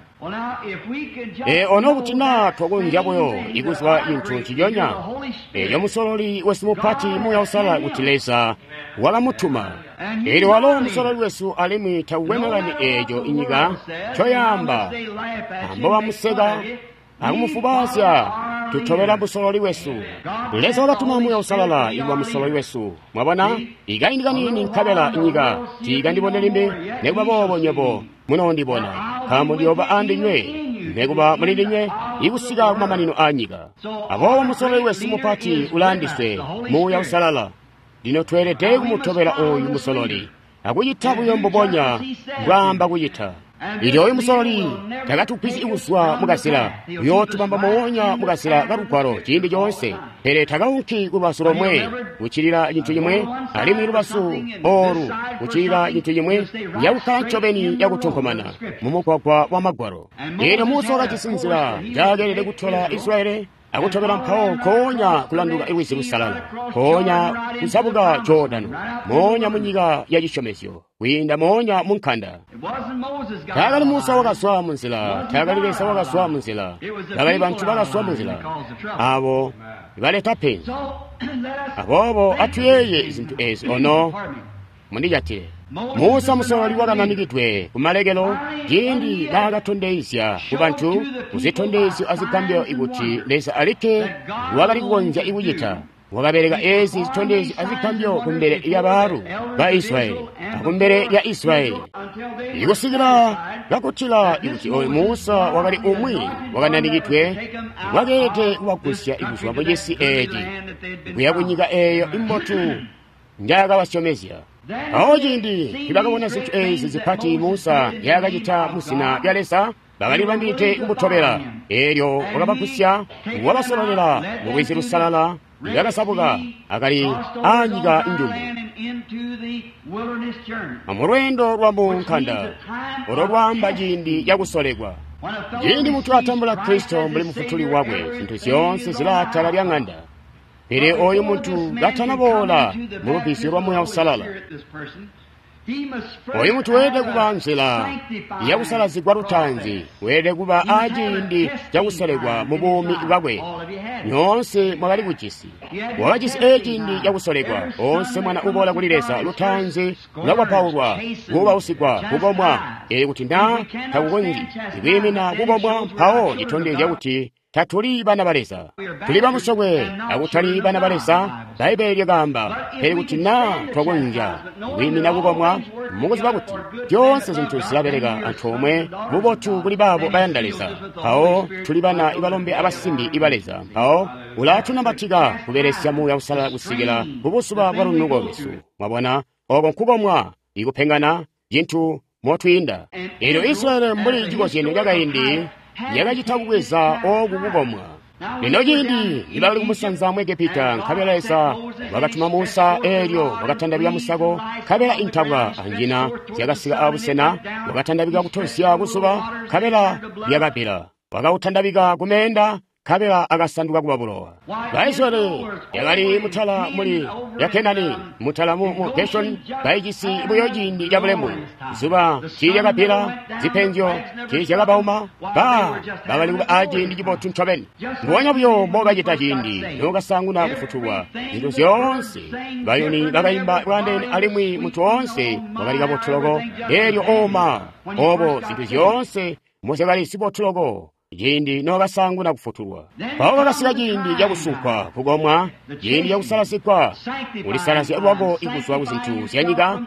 E ono kuti naa twakonzya buyo ikuzwa cintu nciconya eeco musololi wesu mupati Muuya Uusalala kuti Leza wakamutuma. Eelyo walo musololi wesu, alimwi takukwe makani eeco inyika ncoyaamba ambobamuseka akumufubaazya, tutobela musololi wesu. Leza wakatuma Muuya Uusalala ikuba musololi wesu. Mwabona, ikaindi kaniini nkabela inyika tiikandibone limbi, nekuba boobo nywebo munoondibona, nkaambo ndiyooba andinywe nekuba muli ndinywe ikusika kumamanino a nyika. Aboobo musololi wesu mupati ulaandiswe, Muuya Uusalala. Lino tweelede kumutobela ooyu musololi akucita buyo mbubonya mbwaamba kucita. Ilyo oyu musololi takatugwisyi kuzwa mukazila, uyootubamba moonya mukazila kalugwalo ciindi coonse, pele takaunki kulubazu lomwe kuccilila cintu cimwe, alimwi lubazu oolu kuccilila cintu cimwe, yakukkala ncobeni yakutonkomana mumugwagwa wa Magwalo. Eelyo Musa wakajisi nzila njaakeelede kutola Israyeli akutobela mpawo nkoonya kulanduka Lwizi Lusalala, nkoonya kuzabuka Jordano, moonya munyika ya cisyomezyo, kwiinda moonya mu nkanda. Taakali Musa wakazwa munzila, taakali Leza wakazwa munzila, bakali bantu bakazwa munzila, abo baleta penzi. Aboobo atuyeeye zintu ezi ono mundijatile. Musa musololi wakananikidwe kumalekelo ciindi naakatondezya kubantu kuzitondezyo azigambyo ikuti Leza alikke wakali kukonzya ikucita. Wakabeleka ezi zitondezyo azigambyo kumbele lya baalu ba Israyeli akumbele lya Israyeli, ikusikila kakutila ikuti oyu Musa wakali umwi wakananikidwe wakeelede kubagusya ikuzwa mucisi eeci kuya kunyika eeyo imbotu njaakabasyomezya. Awo ciindi nibakabona zintu ezi zipati Musa nzyaakacita muzina lya Leza, bakalibambilide kumutobela. Eelyo wakabagusya wabasololela mu Lwizi Lusalala, bakazabuka akali aanyika njumu mulweendo lwa mu nkanda olo lwaamba ciindi cakusolekwa. Ciindi muntu atambula Kristo mbuli mufutuli wakwe, zintu zyoonse zilaatala lya ng'anda. Pele oyu muntu katanaboola mu lubbizyo lwa Muuya Uusalala, Oyu muntu weelede kuba nzila yakusalazigwa lutaanzi, weelede kuba aciindi cakusolekwa mu buumi bwakwe. Nyoonse mwakali kujisi. Wakajisi eciindi cakusolekwa. Onse mwana uboola kuli Leza lutaanzi ulakwapaulwa, kuubausigwa, kukomwa. Ee kuti naa takukonzyi kwiimina kukomwa, mpawo citondezya kuti tatuli bana ba Leza. Tuli bamusokwe akutali bana ba Leza, Bbaibbele lyakaamba. Pele kuti naa twakonzya kwiimina kukomwa, mukuziba kuti zyoonse zintu zilabeleka antoomwe bubotu kuli baabo bayanda Leza. Mpawo tuli bana ibalombe abasimbi iba Leza. Mpawo ulatunambatika kubelesya Muuya Uusalala kusikila kubuzuba bwa lunuko lwesu. Mwabona, oko nkukomwa, ikupengana, cintu motwiinda. Eelyo Israyeli mbuli cikozyanyo cakaindi yakacita kubweza oku kukomwa. Lino ciindi nibakali kumusanza mu Egepita, nkabela Leza wakatuma Musa, eelyo wakatandabika musako, nkabela intabwa anjina zyakasika abusena, wakatandabika kutozya kuzuba, nkabela lyakabbila. Wakautandabika kumeenda, nkabela akasanduka kuba bulowa. Baisraeli yakali mutala muli ya Kenani, mutala mu, mu Geshoni, baijisi buyo ciindi ca bulemu. Zuba tiilyakabbila, zipenzyo tiizyakabauma, ba bakali kuba aciindi cibotu ncobeni. Mbubonya buyo mbokacita ciindi nokasaanguna kufutulwa, zintu zyoonse bayuni bakaimba bwandeene alimwi muntu woonse wakali kabotu loko. Eelyo oma obo zintu zyoonse mozyakali zibotu loko ciindi nokasaanguna kufutulwa. Mpawo kakasika ciindi cakusunkwa kukomwa, ciindi cakusalazigwa, kulisalazya lwako ikuzwa ku zintu zya nyika,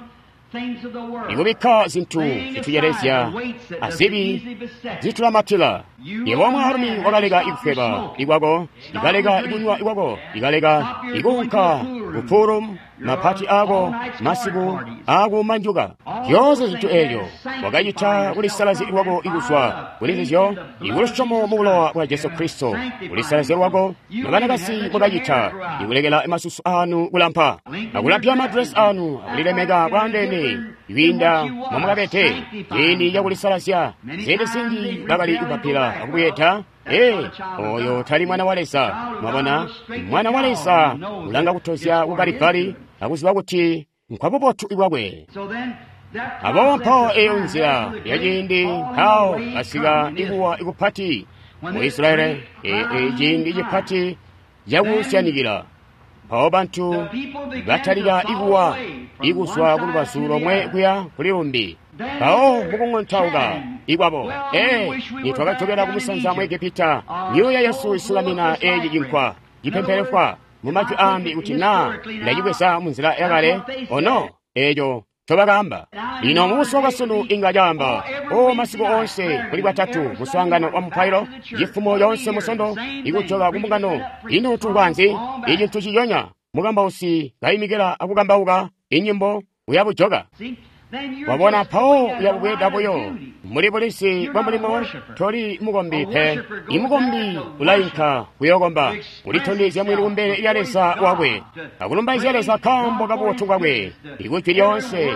ikubikka zintu zitucelezya azibi zitulamatila. Yebo mwaalumi wakaleka ikufweba ikwako, ikaleka ikunywa ikwako, ikaleka ikuunka kupurum mapati ako masiku akumanjuka. Zyoonse zintu eelyo wakacita kulisalazya lwako ikuzwa kuli nzizyo, ikulusyomo mu bulowa bwa Jesu Kristo. Kulisalazya lwako nobanakasi mwakacita ikulekela masusu anu kulampa, akulampya madresi anu, akulilemeka bwandeene kwiinda momwakabede. Ciindi cakulisalazya ziindi zinji bakali kupapila akubweeda. Ee, oyo tali mwana wa Leza. Mwabona, mwana wa Leza ulanga kutozya ku Kalibali akuziba kuti nkwabubotu bwakwe. Aboobo mpawo eyo nzila yaciindi mpawo kasika ikuwa ikupati mu Israeli, e, ciindi cipati cakusyanikila. Mpawo bantu batalika ikuwa ikuzwa ku lubazu lomwe kuya kuli lumbi. Mpawo mukung'ontauka ikwabo, ee, nitwakajokela kumusanza mu Egepita, myuuya yesu isulamina eci cinkwa cipempelefwa. Mu majwi ambi kuti naa ndacibweza munzila yakale, ono eco ncobakaamba. Lino mubuzuba bwasunu inga caamba, o masiku oonse kuli bwatatu muswaangano wa mupailo, cifumo yoonse musondo ikujoka kumbungano. Ino tungwa nzi? Icintu ciyonya mukambausi kaimikila akukambauka inyimbo uyabujoka. Wabona mpawo uyabubweeda buyo muli bulisi bwa mulimo. Toli mukombi pe. Imukombi ulainka kuyokomba, ulitondezya mwini kumbele lya Leza wakwe, akulumbaizya Leza nkaambo kabubotu bwakwe. Ikujwi lyoonse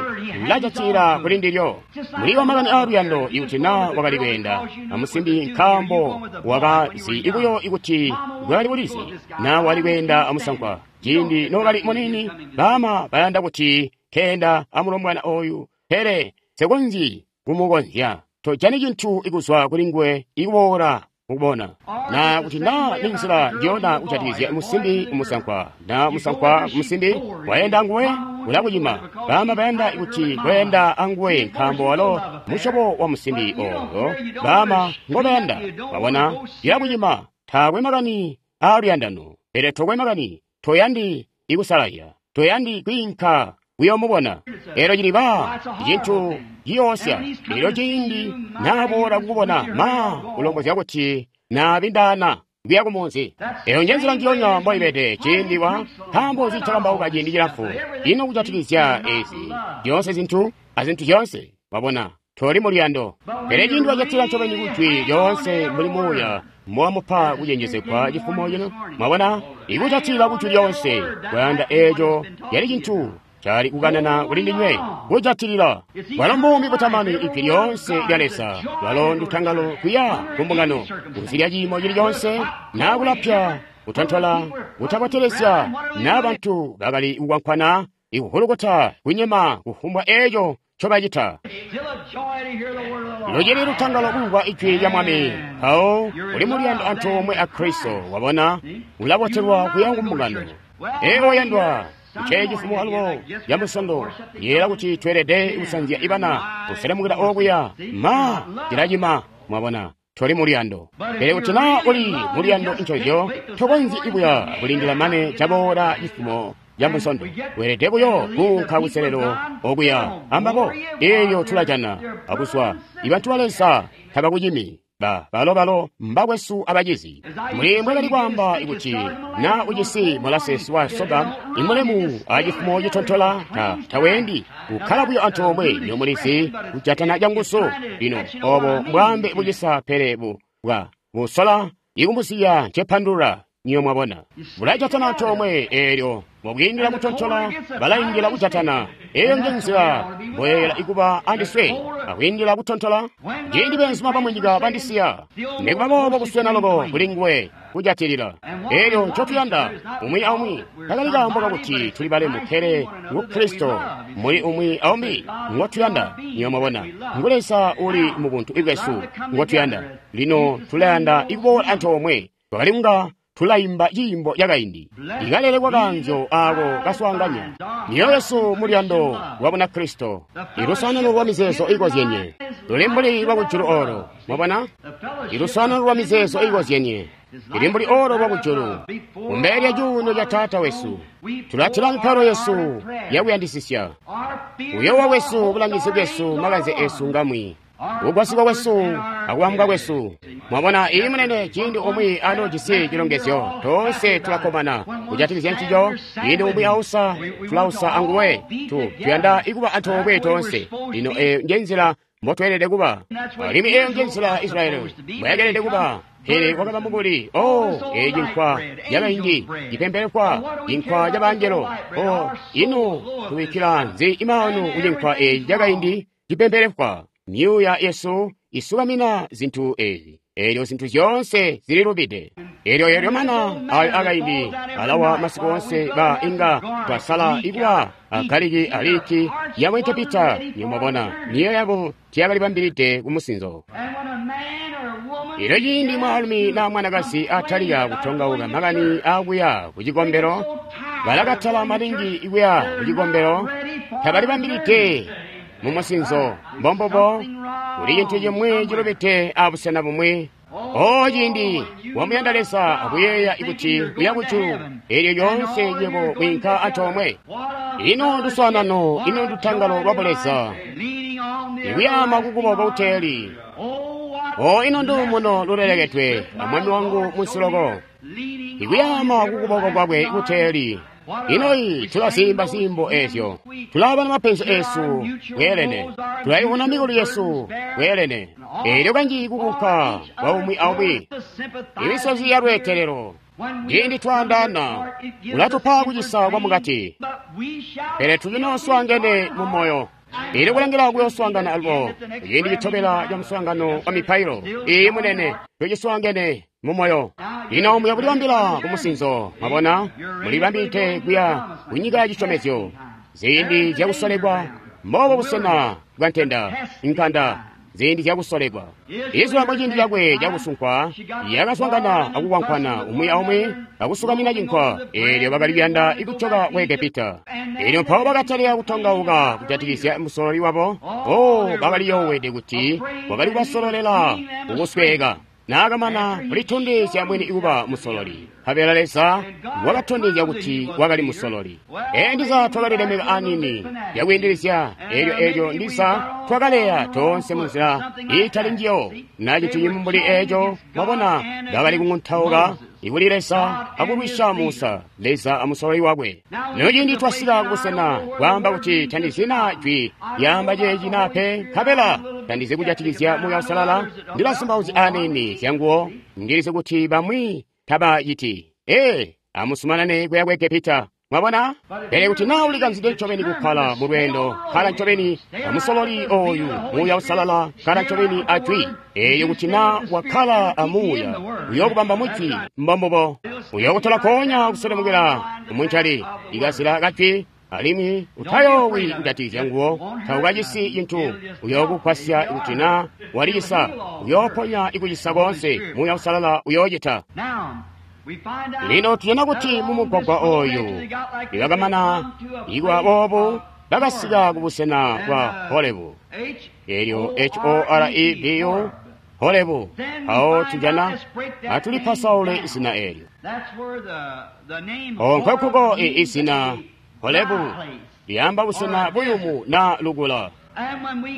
lacatila kuli ndilyo. Muli wa makani aaluyando ikuti naa wakali kweenda amusimbi nkaambo wakazi ikuyo ikuti bwakali bulizi, naa wali kweenda amusankwa ciindi nokali munini. Baama bayanda kuti keenda amulombwana oyu, pele sekonzyi kumukonzya. Tojani cintu ikuzwa kuli nguwe ikuboola mukubona. Na kuti naa ni nzila njiyona kujatikizya musimbi umusankwa, na musankwa musimbi waenda nguwe ulakucima. Baama bayanda kuti kweenda anguwe nkaambo walo musyobo wa musimbi oyo baama ngobayanda. Wabona, ilakucima. Taakwe makani aaluyandano, pele tokwe makani. Toyandi ikusalazya, toyandi kwiinka kuyomubona. Elo ciliba cintu ciyoosya. Elyo ciindi naboola kukubona, ma ulombozya kuti naabindaana kuya kumunzi. Eyo njenzila njiyonya mboibede ciindi wa nkaambo zicakambauka ciindi cilamfu. Ino kujatikizya ezi zyoonse zintu azintu zyoonse, wabona toli muluyando. Pele ciindi wacatila ncobeni kujwi lyoonse mbuli muuya mwamupa kucenjezegwa cifumo cino, mwabona ikujatilila kujwi lyoonse kwayanda eeco yali cintu cali kukanana kuli ndinywe kujatilila. Bwalo mbuumi butamani ijwi lyoonse lya Leza lwalo ndutangalo kuya kumbungano kuzilya ciimo cili coonse naa kulapya kutontola kutabotelesya naa bantu bakali kukwankwana ikuhulukuta kunyema kufumbwa eco ncobacita. Still a joy to hear the word of the Lord. Lucili lutangalo kumvwa ijwi lya Mwami. Mpawo uli muluyando antoomwe a Kristo, wabona, ulabotelwa kuya ku mbungano. Ee oyandwa, nce cifumo alubo ya Musondo, yeela kuti tweelede kusanzya ibana kuselemukila okuya ma cilacima, mwabona. Toli muluyando. Pele kuti naa uli muluyando ncozyo, tokonzyi kuya kulindila mane caboola cifumo ca Musondo. Weelede buyo kuunka kuselelo okuya ambabo. Eeyo tulajana akuzwa. Ibantu ba Leza tabakucimi. Ba balo balo mbakwesu abacizi. Muli mbwakali kwaamba kuti na ujisi molasesi wa soga imulemu acifumo citontola ta taweendi kukkala buyo antoomwe nyomulizi kujatana canguzu. Lino obo mbwaambe bucisa pele bu bwa busola ikumbusiya ncepandulula niyo mwabona. Bulajatana antoomwe eelyo mubwiindila kutontola balaindila kujatana. Eeyo nje nzila mboyeyela ikuba andiswe akwiindila kutontola. Ciindi beenzuma bamunyika bandisiya, nikuba boobo kuswena loko kuli nguwe kujatilila. Eelyo ncotuyanda umwi aumwi takali kaambo kakuti tuli balemu, pele ngu Kristo muli umwi aumbi ngotuyanda. Niyo mwabona, ngu Leza uli mu buntu bwesu ngotuyanda. Lino tulayanda ikuboola antoomwe. Twakali kunga tulaimba ciimbo cakaindi ikalele kwa kaanzyo aako kaswaanganya myoyo yesu muluyando lwa Bunakristo, ilusanano lwa mizeezo ikozyenye luli mbuli lwa kujulu olo. Mwabona, ilusanano lwa mizeezo ikozyenye ili mbuli olo lwa kujulu. Kumbele lya cuuno ca Taata wesu tulatila mipailo yesu yakuyandisisya. Kuyowa kwesu, bulangizi bwesu, makanze esu ngamwi, kugwasigwa kwesu akubambwa kwesu. Mwabona, iyi munene, ciindi umwi anoojisi cilongezyo, toonse tulakkomana kujatikizya ncico. Ciindi umwi ausa, tulausa anguwe. Tu tuyanda ikuba antoomwe toonse. Lino eyo nje nzila mbotweelede kuba, alimwi eyo nje nzila Israeli mbwayakelede kuba. Pele kwakaba mukuli, oh, eyi cinkwa cakaindi cipembelekwa, cinkwa ca bangelo. Oh, ino tubikkila nzi imaanu ku cinkwa eeci cakaindi cipembelekwa? Myuuya yesu isukamina zintu ezi, eelyo zintu zyoonse zililubide. Eelyo eelyo mana ayo akaindi alawa masiku onse ba inga twasala ikuba agaliki aliki ya Egepita. Nimwabona, myoyo yabo tiyakalibambilide ku musinzo. And when a man or a woman Elyo ciindi mwaalumi na mwanakazi atalika kutongauka makani akuya ku cikombelo, balakatala maningi ikuya ku cikombelo, tabalibambilide mu musinzo. Mbombobo, kuli cintu cimwi cilubide abusena bumwi. O ciindi wamuyanda Leza akuyeeya kuti uya kujulu, eelyo lyoonse nywebo mwiinka antoomwe. Ino nduswaanano, ino ndutangalo lwa Buleza, leaning on the ikuyama kukuboko kuteeli. Oh, what O ino ndumuno lulelekedwe amwami wangu munsiloko, leaning ikuyama kukuboko kwakwe kuteeli. Inoyi tulazimba zimbo ezyo, tulabana mapenzi esu bweelene, tulayibona mikuli yesu bweelene. Eelyo kanji kukunka kwa umwi aumwi, imisozi ya lweetelelo. Ciindi twaandaana, ulatupa kucisa kwa mukati, pele tucinooswaangene mu moyo. Ili kulangila kuyooswaangana alubo ciindi citobela ca muswaangano wa mipailo. Iyi munene, tuciswaangene mu moyo. Lino muya kulibambila ku musinzo, mwabona, mulibambilide kuya ku nyika ya cisyomezyo. Ziindi zyakusolekwa, mbobo busena bwa ntenda, nkanda, ziindi zyakusolekwa. Israeli mu ciindi cakwe cakusunkwa yakaswaangana akukwankwana umwi aumwi akusukamina cinkwa, eelyo bakali kuyanda ikujoka ku Egepita. Eelyo mpawo bakatalika kutongauka kujatikizya musololi wabo. Oh, bakali yoowede kuti wakali kubasololela kukusweeka. Naakamana kulitondezya mwini kuba musololi, nkabela Leza wakatondezya kuti wakali musololi. Ee, ndiza twakalilemeka anini yakwiindilizya, eelyo eelyo ndiza twakaleya toonse munzila iitali njiyo. Na cintu cimwi mbuli eeco, mwabona, bakali kung'untauka ikuli Leza akulwisha Musa, Leza amusololi wakwe. Lino ciindi twasika kubusena kwaamba kuti tandizyi naa jwi lyaamba ceeci naa pe, nkabela tandizi kujatikizya Muuya Uusalala, ndilazumbauzya anini zyanguwo, ndilizi kuti bamwi tabaciti. Ee, amusumanane kuya ku Egepita. Mwabona? Pele kuti naa ulikanzide ncobeni kukkala mu lweendo, kkala ncobeni amusololi oyu, Muuya Uusalala, kkala ncobeni a jwi. Eeyo kuti naa wakkala a Muuya, uyookubamba mu jwi, mbombubo. Uyookutola koonya kuselemukila kumuncali, ikazila ka jwi Alimwi utayoowi kujatikizya nguwo, taukacisi cintu. Uyookugwasya kuti naa walicisa, uyooponya ikucisa koonse. Muuya Uusalala uyoocita. Lino tujana kuti mumugwagwa oyu nibakamana ikuba boobu, bakasika kubusena bwa Horebu. Elyo H O R E B U, Horebu. Awo tujana atulipasaule izina eelyo. Nkokuko izina Horebu lyaamba busena buyumu na lukula.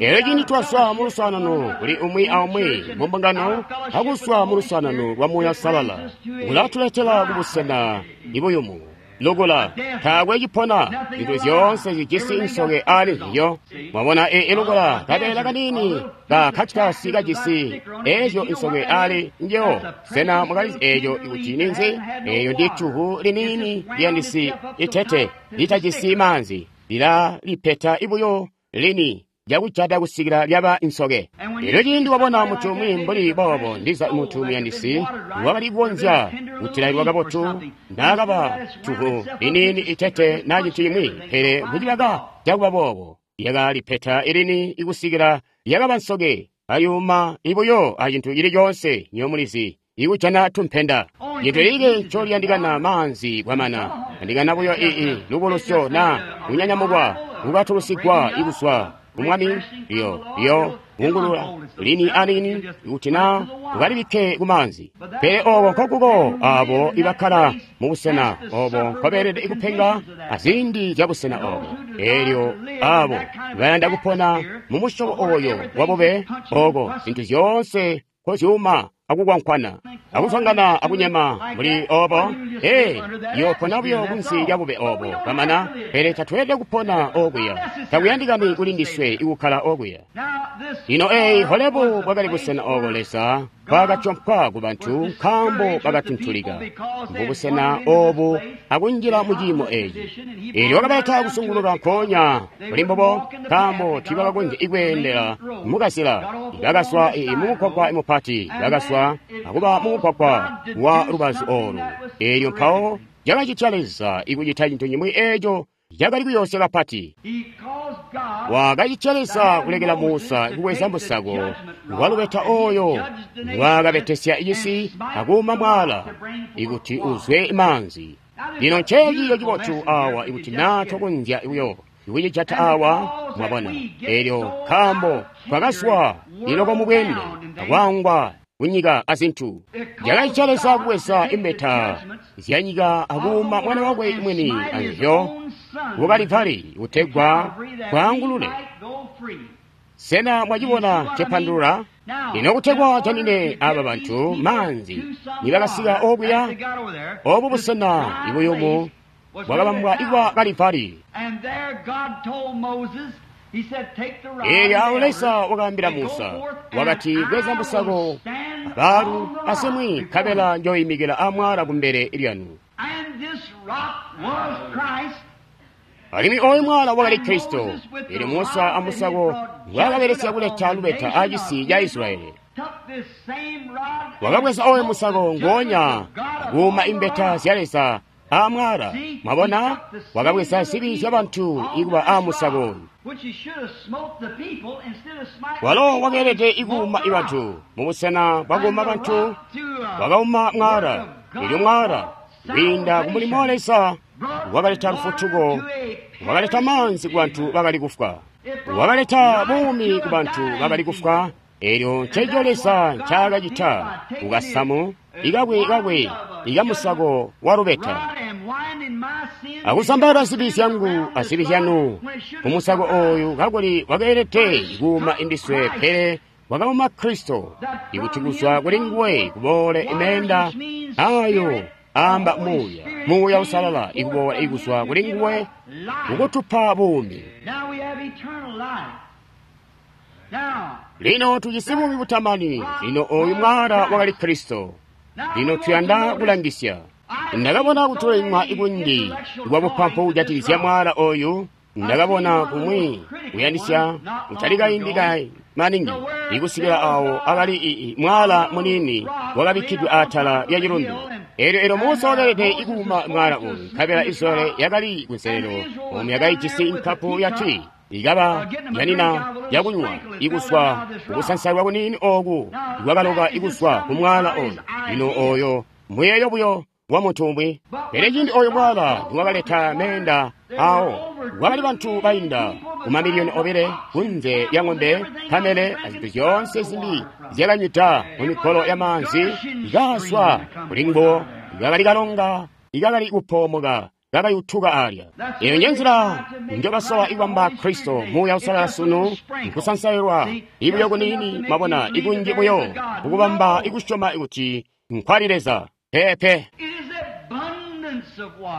Elyo cindi twaswa mu luswaanano kuli umwi aumwi mu mbungano, akuswa mu luswaanano lwa Muuya Uusalala, kulatuletela kubusena ibuyumu lukula. Taakwe cipona, zintu zyoonse zijisi nsoke ali nzizyo. Mwabona e ilukula kabeela kaniini ka kakitasi kajisi ezyo nsoke ali njewo. Sena mwakalizi eeco kuti ninzi? Eeyo ndi cuhu liniini liyandisi itete litajisi maanzi, lilalipeta ibuyo lini lyakujata kusikila lyaba nsoke. Elyo ciindi wabona muntu umwi mbuli boobo, ndiza muntu muyandisi wakali kukonzya kutilailwa kabotu naakaba cuhu liniini itete na cintu cimwi, pele mucibaka cakuba boobo lyakalipeta ilini ikusikila lyakaba nsoke, ayuma ibuyo acintu cili coonse nyomulizi ikujana tumpenda. Cintu lilike ncoliyandikana maanzi kwamana, yandikana buyo ii lubulusyo na kunyanyamukwa kukatulusigwa ikuswa kumwami lyo lyo kungulula lini anini kuti na ukalibikke kumaanzi. Pele obo nkokuko abo ibakkala mubusena obo nkobeelede ikupenga aziindi zya busena obo. Elyo abo bayanda kupona mu musyobo oyo wabube oko zintu zyoonse nkozyuma akukwankwana akuzwangana akunyema muli obo, ee, yoopona buyo kunsi lya bube obo kwamana. Pele tatweelede kupona okuya, takuyandikani kuli ndiswe ikukkala okuya. Lino eyi Horebu bwakali busena obo Leza bwakatyompwa ku bantu nkaambo bakatuntulika mubusena obu akunjila mu ciimo eeci. Eelyo wakabaleta kusunguluka nkoonya kuli mbubo, nkaambo tiibakakonzya ikweendela mukazila. Bakaswa mumugwagwa mupati, bakaswa akuba mumugwagwa wa lubazu olu. Eelyo mpawo cakacitya Leza ikucita cintu cimwi eeco cakali kuyoosya kapati. Wakacitya Leza kulekela Musa kubweza musako walubeta oyo ngwaakabetesya cisi akuuma mwala ikuti uzwe maanzi. Lino nceeciyo cibotu awa ikuti naa twakonzya buyo ikucijata awa, mwabona. Eelyo nkaambo twakaswa iloko mubweende akwangwa kunyika azintu, cakacitya Leza kubweza imbeta zyanyika akuuma mwana wakwe mwini anzyo ku Kalivali kutegwa twaangulule. Sena mwacibona cepandulula? Lino kutegwa janine aba bantu maanzi nibakasika okuya, obu busena ibuyumu bwakabambwa ibwa Kalivali. Eelyo awo Leza wakaambila Musa, wakati, bweza musako abaalu asimwi nkabela njoyimikila amwala kumbele lyanu. Alimwi oyu mwala wakali Kristo. Eelyo Musa amusako ngwaakabelesya kuleta lubeta acisi ca Israyeli. Wakabweza oyu musako ngoonya akuuma imbeta zya Leza amwala. Mwabona, wakabweza zibi zya bantu ikuba amusako oyu. Walo wakeelede ikuuma ibantu mubusena bwakuuma bantu, wakauma mwala. Eelyo mwala kwiinda kumulimo wa Leza wakaleta lufutuko, wakaleta maanzi ku bantu bakali kufwa, wakaleta buumi ku bantu bakali kufwa. Eelyo nceeco Leza ncaakacita kukasamu ikakwe kakwe ikamusako wa lubeta, akusambala zibi zyangu azibi zyanu kumusako oyu, kakuli wakeelede kuuma indiswe, pele wakauma Kristo, ikuti kuzwa kuli nguwe kuboole imeenda ayo amba Muuya, Muuya Uusalala ikuboola ikuzwa kuli nguwe kukutupa buumi. Lino tujisi buumi butamani. Lino oyu mwala wakali Kristo. Lino tuyanda kulangisya. Ndakabona kutolemwa ikunji kwa bupampu kujatikizya mwala oyu. Ndakabona kumwi kuyandisya kutali kaindi ka maningi ikusikila awo akali mwala munini wakabikkidwe atala lya cilundu. Elyo elyo Musa wakalede ikuuma mwaala oyu, nkabela Israyeli yakali kunselelo omu yakaijisi nkapu ya tii ikaba yanina yakunywa ikuzwa kukusansailwa kuniini oku ikwakaloka ikuzwa ku mwaala oyu. Lino oyo muyeeyo buyo wa muntu umwi. Pele cindi oyo mwaala niwakaleta meenda awo, kwakali bantu bainda ku mamiliyoni obile kunze lya ng'ombe, kamele azintu zyoonse zimbi zyakanywida mu mikolo ya maanzi ikazwa kuli nguwo. Ikakali kalonga ikakali kupoomoka kakayutuka alya. Eyo nje nzila njobasola ikubamba Kristo Muuya Uusalala sunu, nkusansailwa ibuyo kuniini, mwabona, ikunji buyo kukubamba ikusyoma kuti nkwali Leza. Peepe.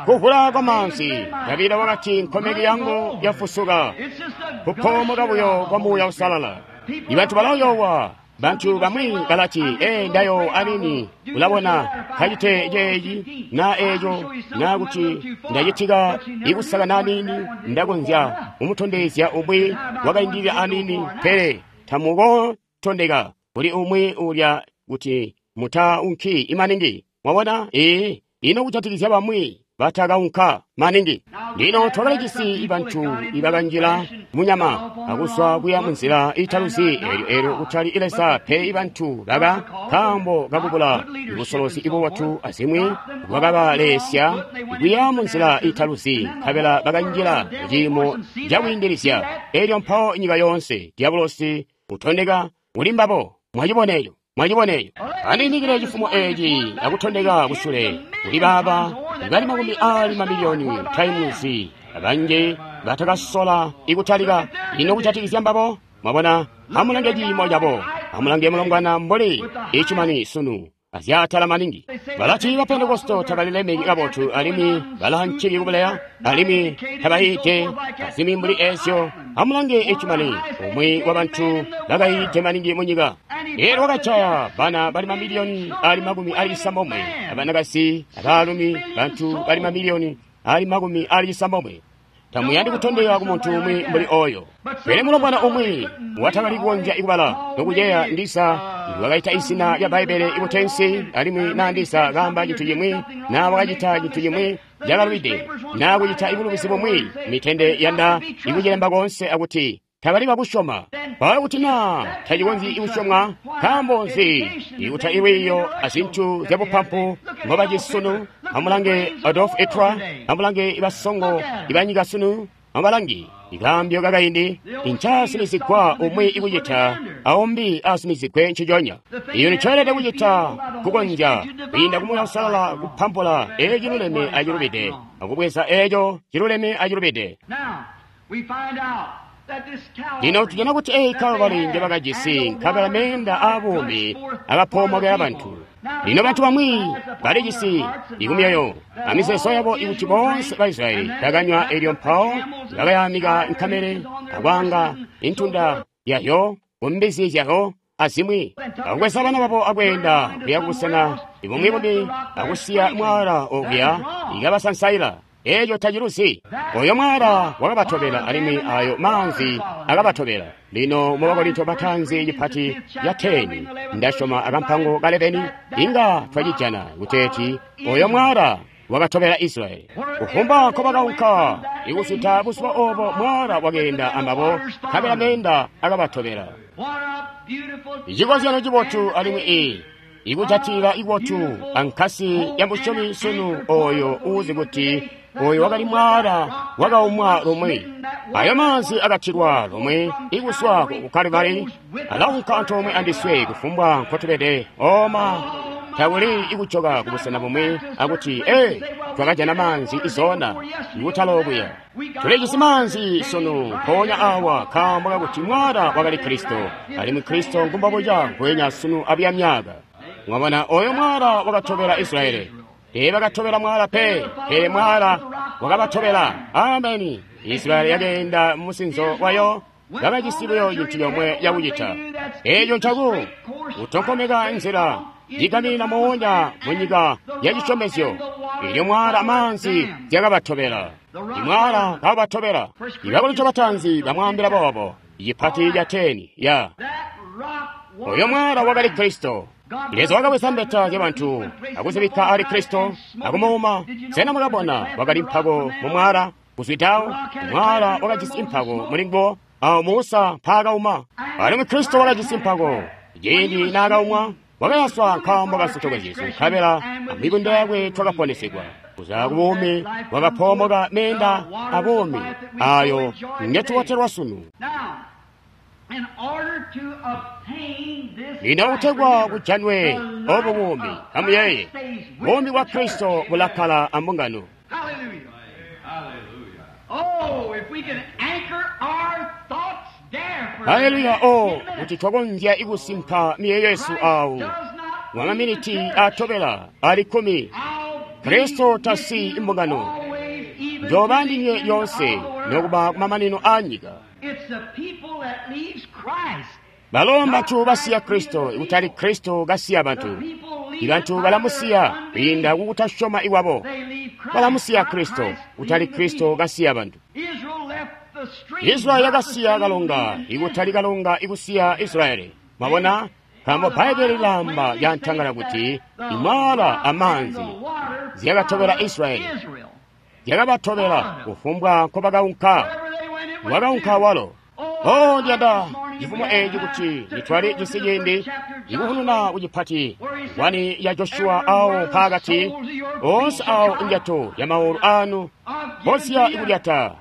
Kuvula kwa maanzi. Davida wakati nkomeki yangu yafusuka. Kupoomoka buyo kwa Muuya Uusalala. Ibantu balayowa. Bantu bamwi balati, ee, ndayo anini, ulabona, kacite ceeci, na eco, na kuti ndacitika ikusaka nanini, ndakonzya kumutondezya umwi wakaindilila anini, pele tamukotondeka kuli umwi ulya kuti mutaunki imaningi. Mwabona? Ee, ino kujatikizya bamwi batakaunka maningi. Lino twakalijisi bantu ibakanjila munyama akuswa kuya munzila italuzi, elyo elyo kutali Leza pe. Ibantu baka nkaambo kakubula busolozi ibubotu azimwi bwakabalesya kuya munzila italuzi, nkabela bakanjila muciimo cakwiindilizya. Elyo mpawo nyika yoonse diabolosi utondeka kuli mbabo. Mwaciboneyo, mwaciboneyo. Andiyimikile cifumo eci akutondeka kusule kuli baaba bali makumi ali mamiliyoni taimuzi abanji batakasola ikutalika. Ino kujatikizya mbabo? Mwabona, amulange ciimo cabo, amulange mulongwana mbuli icimani sunu azyatala maningi. Balati ba Pentekosto tabalilemeki kabotu, alimwi balanciki kubuleya, alimwi tabayiide azimwi mbuli ezyo. Amulange icimani, umwi wa bantu bakayiide maningi munyika. Elyo wakajaya bana bali mamiliyoni ali makumi ali cisambomwe, abanakazi, abaalumi, bantu bali mamiliyoni ali makumi ali cisambomwe. Tamuyandi kutondeka ku muntu umwi mbuli oyo. Pele mulombwana umwi watakali kukonzya ikubala nokuceya ndisa wakaita izina lya Bbaibbele ikutensi, alimwi na ndisa kaamba cintu cimwi, na wakacita cintu cimwi cakalubide, na kucita ibulubizi bumwi, mitende yanda ikucilemba konse akuti tabali bakusyoma. Mpawo kuti na tacikonzyi ikusyomwa, nkaambo nzi ikuta ilwiiyo azintu zyabupampu ngobacisunu? Amulange Adolf Hitler, amulange ibasongo ibanyika sunu, amubalange ikaambyo kakaindi, incaasumizigwa umwi ikucita aumbi asumizigwe nciconya. Iyo nicoelede kucita kukonzya kwiinda ku Muuya Uusalala kupampula eco ciluleme acilubide, akubweza eco ciluleme acilubide. Lino tujana kuti eyi Kalvari njebakajisi, nkabela meenda aabuumi akapoomokela bantu. Lino bantu bamwi balijisi ikumyoyo amizeezo yabo ikuti boonse ba Israyeli bakanywa, elyo mpawo bakayamika nkamele akwaanga intunda yayo kumbizi zyayo azimwi, akubweza bana babo akweenda kuya kubusena bumwi bumbi akusiya mwaala okuya ikabasansaila. Eco taciluzi. Oyo mwaala wakabatobela, alimwi ayo maanzi akabatobela. Lino mu Bakorinto batanzi cipati ya teni, ndasyoma akampango ka lebeni, inga twacijana kuteeti oyo mwaala wakatobela Israyeli. Kufumbwa nkobakaunka ikusuta buzuba obo, mwaala wakeenda ambabo, nkabela meenda akabatobela. Icikozyanyo cibotu alimwi i ikujatila ibotu ankasi ya musyomi sunu oyo uuzi kuti oyo wakali mwaala wakaumwa lumwi, ayo maanzi akatilwa lumwi ikuswa ku Kalvari, alaunka antoomwe andiswe kufumbwa nkotubede. Oma takuli ikujoka kubusena bumwi akuti ee, twakajana maanzi izona ikutalokuya. Tulijisi maanzi sunu mpoonya awa nkaambo kakuti mwaala wakali Kristo, alimwi Kristo ngumbobuca ngwenya sunu abuya myaka. Mwabona, oyo mwaala wakatobela Israyeli. Teebakatobela mwaala pe, pele mwaala wakabatobela. Ameni. Israyeli yakeenda mumusinzo wayo, bakajisi buyo cintu comwe cakucita. Eeco ncaku kutonkomeka nzila yigaminina moonya munyika ya cisyomezyo. Elyo mwaala amaanzi zyakabatobela. Imwaala kabatobela. Ibakorinto batanzi bamwaambila boobo. Icipati ca teni ya oyo mwaala wakali Kristo. Leza wakabweza mbeta zyabantu akuzibikka ali Kristo akumuuma. Sena mwakabona wakali mpako mu mwaala kuzwidawo? Mwaala wakajisi mpako muli nguwo awo Musa mpaakauma. Alimwi Kristo wakajisi mpako ciindi naakaumwa, wakayaswa nkaambo ka zyesu, nkabela amibunda yakwe twakaponesegwa. Kuzwa ku buumi wakapoomoka meenda abuumi ayo ngetubotelwa sunu. Lino kutegwa kujanwe obu buumi, amuyeeye, buumi bwa Kristo bulakkala ambungano. Haleluya! O kuti twakonzya ikusimpa miyeeyo yesu awo mwamaminiti atobela ali kkumi. Kristo tasiyi imbungano, njoba ndinywe lyonse nokuba kumamanino a nyika. Balo mbantu basiya Kristo, ikutali Kristo kasiya bantu. Ibantu balamusiya kwiinda kukutasyoma iwabo. Balamusiya Kristo, kutali Kristo kasiya bantu. Israeli yakasiya kalonga, ikutali kalonga ikusiya Israeli. Mwabona? Nkaambo Bbaibele lilamba lyantangala kuti imwaala amaanzi zyakatobela Israeli, zyakabatobela kufumbwa nkobakaunka. Wakaunka walo. Oh, ndiyanda cifumo eeci kuti nditwale cisi ciindi ikuhununa kucipati wani ya Joshua awo mpaakati onse awo indyato ya maulu anu mposiya ikulyata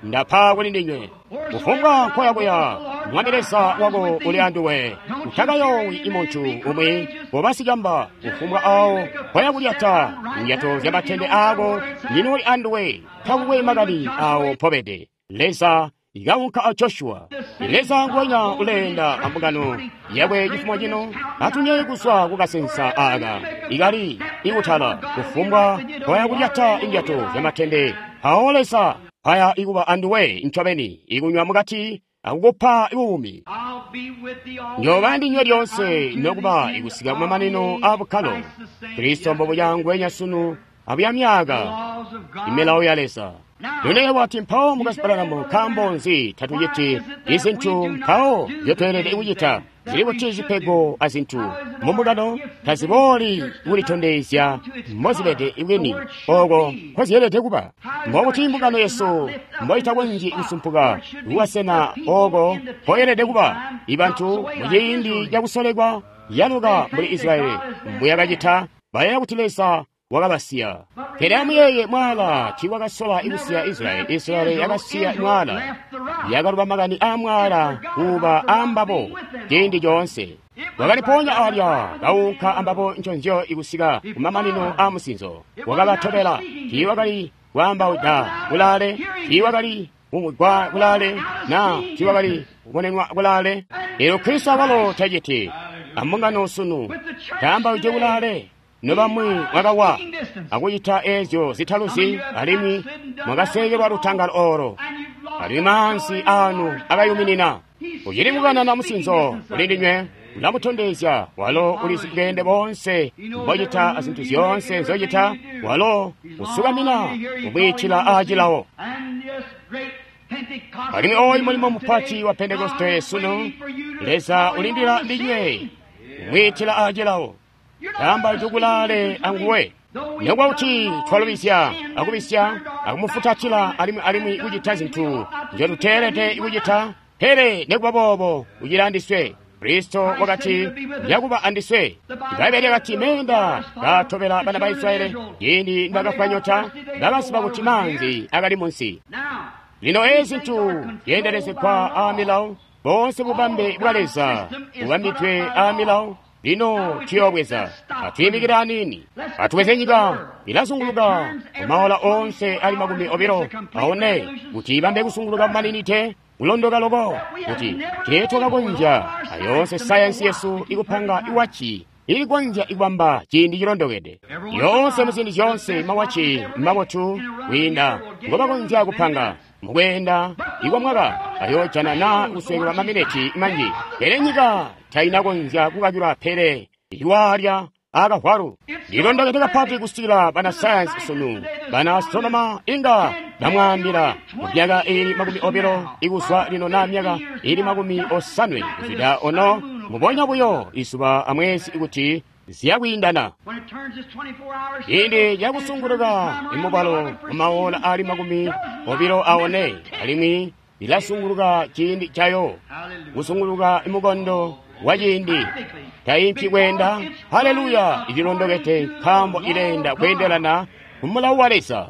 ndapa kuli ndinywe. Kufumbwa nkoyakuya Mwami Leza wako uli anduwe, utakayoowi imuntu umwi bobasicamba. Kufumbwa awo nkoyakulyata indyato zya matende aako ndinooli anduwe, takukwe makani awo mpobede. Leza ikaunka a Joshua. Leza nguwenya uleenda ambungano yakwe cifumo cino atunye kuzwa kukasensa aka ikali ikutala kufumbwa nkoyakulyata indyato zya matende. Awo Leza paya ikuba anduwe ncobeni ikunywa mukati akukupa buumi. Njoba ndinywe lyonse nokuba ikusika kumamanino a bukkalo. Kristo mbobuya nguwenya sunu abuya myaka imilawo ya Leza. Lino wati mpawo mukasibalanamu nkaambo nzi tatuciti izintu mpawo nzyotweelede kucita zili kuti zipego azintu mumbungano tazibooli kulitondezya mbozibede bwini oko nkozyeelede kuba. Mbokuti imbungano yesu mboitakonzyi kusumpuka kuwasena oko mpoyelede kuba. Ibantu muciindi cakusolekwa yaluka mbuli Israeli mbuyakacita, bayeeya kuti Leza wakabasiya. Pele amuyeeye mwaala tiiwakasola ikusiya Israeli. Israeli yakasiya mwaala, yakaluba makani a mwaala kuba ambabo ciindi coonse. Wakaliponya alya kaunka ambabo nconzyo ikusika kumamanino a musinzo. Wakabatobela, tiiwakali kwaambauda kulaale, tiiwakali kumvwigwa kulaale, na tiiwakali kubonenwa kulaale. Lero Kristo awalo taciti ambungano sunu taambauje kulaale. Nobamwi mwakawa akucita eezyo zitaluzi, alimwi mwakasekelwa lutangalo olo, alimwi maanzi anu akayuminina. Ucili kukanana musinzo kuli ndinywe, ulamutondezya walo ulizi bweende bonse mbocita azintu zyoonse nzocita. Walo usukamina kumwiitila aacilawo. Alimwi oyu mulimo mupati wa Pentekoste sunu, Leza ulindila ndinywe kumwiitila aacilawo. Tamba tukulale anguwe. Nokuba kuti twalubizya akubisya akumufutatila alimwi alimwi kucita zintu nzyotuteelede kucita, pele nekuba boobo ucili andiswe. Kristo wakati njakuba andiswe. Ibaibbele lyakati meenda kaatobela bana ba Israeli ciindi nibakafwa nyota, bakaziba kuti maanzi akali munsi. Lino eezi zintu zyeendelezegwa aamilawo, boonse bubambe bwa Leza bubambidwe aamilawo. Lino tuyoobweza atwiimikile aniini, atubweze nyika ilazunguluka kumaola onse ali makumi obilo aone kuti ibambe kusunguluka kumaninite kulondoka loko kuti teetwakakonzya ayonse sayansi yesu ikupanga iwachi ilikonzya ikubamba ciindi cilondokede. Yonse muziindi zyonse mawachi mabotu kwiinda ngobakonzya kupanga mukweenda ikwa mwaka ayoojana na kuswekelwa mamineti manji, pele nyika tainakonzya kukakilwa pele iwalya akavwalu. Lilondokede kapati kusikila bana sayansi sunu, bana astronoma inga bamwaambila myaka ili makumi obilo ikuzwa lino na myaka ili makumi osanwe kuzwida ono Mbubonya buyo izuba amwezi kuti ziyakwiindana. When it turns its twenty-four hours Ciindi cakusunguluka imubalo mumaola ali makumi obilo aone, alimwi lilasunguluka ciindi cayo kusunguluka imukondo wa ciindi taimpyi kweenda. Haleluya! Ililondokede nkaambo ileenda kweendelana kumulawo wa Leza.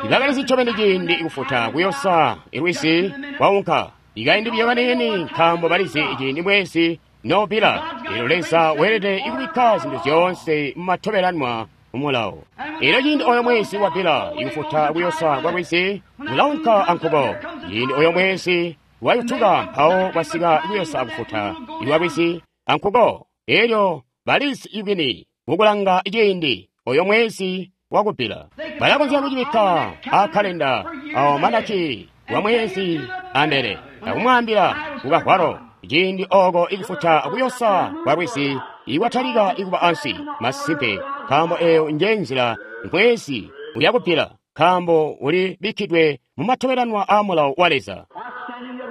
Ibakalizi ncobeni ciindi ikufuta kuyosa ilwisi kwaunka ikaindi biyo kaniini, nkaambo balizi ciindi mwezi nobila. Elyo Leza weelede ikubikka zintu zyoonse mumatobelanwa mumulawo. Elyo ciindi oyo mwezi wabila ikufuta kuyosa kwa lwisi kulaunka ankuko. Ciindi oyo mwezi wayutuka mpawo kwasika kuyosa akufuta iwa lwisi ankuko. Elyo balizi ibwini mukulanga ciindi oyo mwezi wakubila. Balakonzya kucibikka akalenda awo manaki wa mwezi ambele akumwaambila kukahwalo ciindi oko ikufuta kuyosa kwa lwisi ikwatalika ikuba ansi. Masimpe, nkaambo eyo nje nzila mwezi uyakubila, nkaambo uli bikkidwe mumatobelanwa a mulawo wa Leza.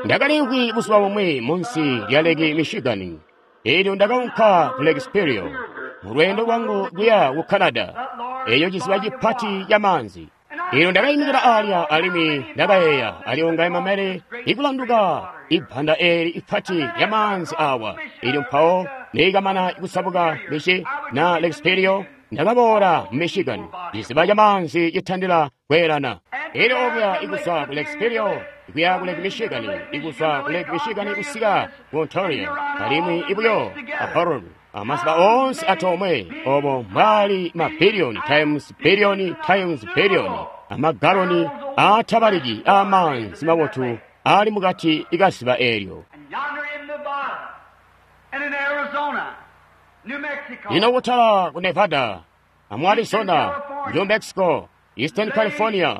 Ndakalimvwi buzuba bumwi munsi lya Lake Michigan. Elyo ndakaunka ku Lake Superior mu lweendo lwangu kuya ku Canada, eyo ciziba cipati ca maanzi. Elyo ndakayimikila alya alimwi ndakayeeya, aliwo ngaye mamele ikulanduka ibbanda eli ipati lya maanzi awa. Elyo mpawo neekamana kusabuka michi na Lake Superior, ndakaboola mu Michigan, ciziba ca maanzi citandila kweelana. Elyo okuya ikuzwa ku Lake Superior ikuya ku Lake Michigan, ikuzwa ku Lake Michigan kusika ku Ontario, alimwi ibuyo a Huron, amaziba onse atomwe obo mbali mabiliyoni times biliyoni times biliyoni amagaloni atabaliki amaanzi mabotu ali mukati ikaziba elyo. And yonder in Nevada and in Arizona, New Mexico, Lino kutala ku Nevada, amu Arizona, New Mexico, Eastern California,